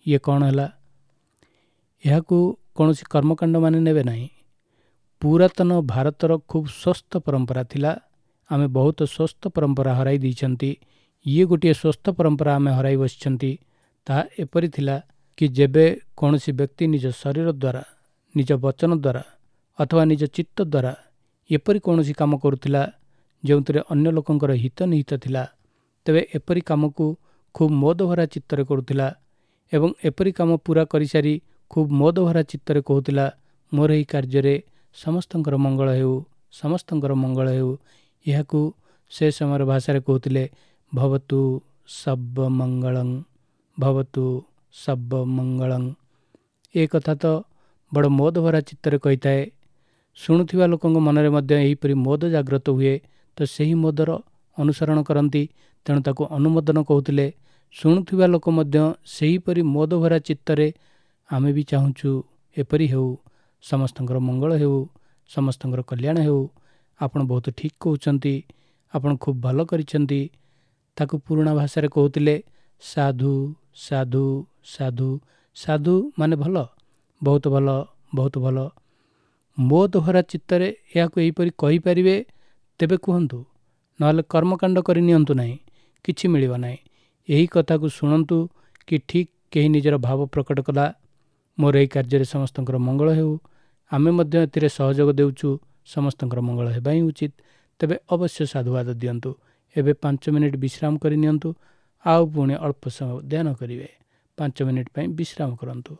ଇଏ କ'ଣ ହେଲା? ଏହାକୁ କୌଣସି କର୍ମକାଣ୍ଡ ମାନେ ନେବେ ନାହିଁ। ପୁରାତନ ଭାରତର ଖୁବ୍ ସ୍ୱସ୍ଥ ପରମ୍ପରା ଥିଲା। ଆମେ ବହୁତ ସ୍ୱସ୍ଥ ପରମ୍ପରା ହରାଇ ଦେଇଛନ୍ତି। ଇଏ ଗୋଟିଏ ସ୍ୱସ୍ଥ ପରମ୍ପରା ଆମେ ହରାଇ ବସିଛନ୍ତି। ତାହା ଏପରି ଥିଲା କି ଯେବେ କୌଣସି ବ୍ୟକ୍ତି ନିଜ ଶରୀର ଦ୍ୱାରା, ନିଜ ବଚନ ଦ୍ୱାରା ଅଥବା ନିଜ ଚିତ୍ତ ଦ୍ୱାରା ଏପରି କୌଣସି କାମ କରୁଥିଲା ଯେଉଁଥିରେ ଅନ୍ୟ ଲୋକଙ୍କର ହିତ ନିହିତ ଥିଲା, ତେବେ ଏପରି କାମକୁ ଖୁବ୍ ମୋଦଭରା ଚିତ୍ତରେ କରୁଥିଲା ଏବଂ ଏପରି କାମ ପୂରା କରିସାରି ଖୁବ୍ ମୋଦଭରା ଚିତ୍ତରେ କହୁଥିଲା, ମୋର ଏହି କାର୍ଯ୍ୟରେ ସମସ୍ତଙ୍କର ମଙ୍ଗଳ ହେଉ, ସମସ୍ତଙ୍କର ମଙ୍ଗଳ ହେଉ। ଏହାକୁ ସେ ସମୟର ଭାଷାରେ କହୁଥିଲେ ଭବତୁ ସବ୍ବ ମଙ୍ଗଳଂ, ଭବତୁ ସବ୍ବ ମଙ୍ଗଳଂ। ଏ କଥା ତ ବଡ଼ ମୋଦଭରା ଚିତ୍ତରେ କହିଥାଏ। ଶୁଣୁଥିବା ଲୋକଙ୍କ ମନରେ ମଧ୍ୟ ଏହିପରି ମୋଦ ଜାଗ୍ରତ ହୁଏ, ତ ସେହି ମୋଦର ଅନୁସରଣ କରନ୍ତି, ତେଣୁ ତାକୁ ଅନୁମୋଦନ କହୁଥିଲେ। ଶୁଣୁଥିବା ଲୋକ ମଧ୍ୟ ସେହିପରି ମୋଦଭରା ଚିତ୍ତରେ ଆମେ ବି ଚାହୁଁଛୁ ଏପରି ହେଉ, ସମସ୍ତଙ୍କର ମଙ୍ଗଳ ହେଉ, ସମସ୍ତଙ୍କର କଲ୍ୟାଣ ହେଉ, ଆପଣ ବହୁତ ଠିକ୍ କହୁଛନ୍ତି, ଆପଣ ଖୁବ୍ ଭଲ କରିଛନ୍ତି। ତାକୁ ପୁରୁଣା ଭାଷାରେ କହୁଥିଲେ ସାଧୁ ସାଧୁ ସାଧୁ। ସାଧୁ ମାନେ ଭଲ, ବହୁତ ଭଲ, ବହୁତ ଭଲ। ମୋଦଭରା ଚିତ୍ତରେ ଏହାକୁ ଏହିପରି କହିପାରିବେ ତେବେ କୁହନ୍ତୁ, ନହେଲେ କର୍ମକାଣ୍ଡ କରି ନିଅନ୍ତୁ ନାହିଁ, କିଛି ମିଳିବ ନାହିଁ। ଏହି କଥାକୁ ଶୁଣନ୍ତୁ କି ଠିକ୍ କେହି ନିଜର ଭାବ ପ୍ରକଟ କଲା, ମୋର ଏହି କାର୍ଯ୍ୟରେ ସମସ୍ତଙ୍କର ମଙ୍ଗଳ ହେଉ, ଆମେ ମଧ୍ୟ ଏଥିରେ ସହଯୋଗ ଦେଉଛୁ, ସମସ୍ତଙ୍କର ମଙ୍ଗଳ ହେବା ହିଁ ଉଚିତ, ତେବେ ଅବଶ୍ୟ ସାଧୁବାଦ ଦିଅନ୍ତୁ। ଏବେ ପାଞ୍ଚ ମିନିଟ୍ ବିଶ୍ରାମ କରି ନିଅନ୍ତୁ, ଆଉ ପୁଣି ଅଳ୍ପ ସମୟ ଧ୍ୟାନ କରିବେ। ପାଞ୍ଚ ମିନିଟ୍ ପାଇଁ ବିଶ୍ରାମ କରନ୍ତୁ।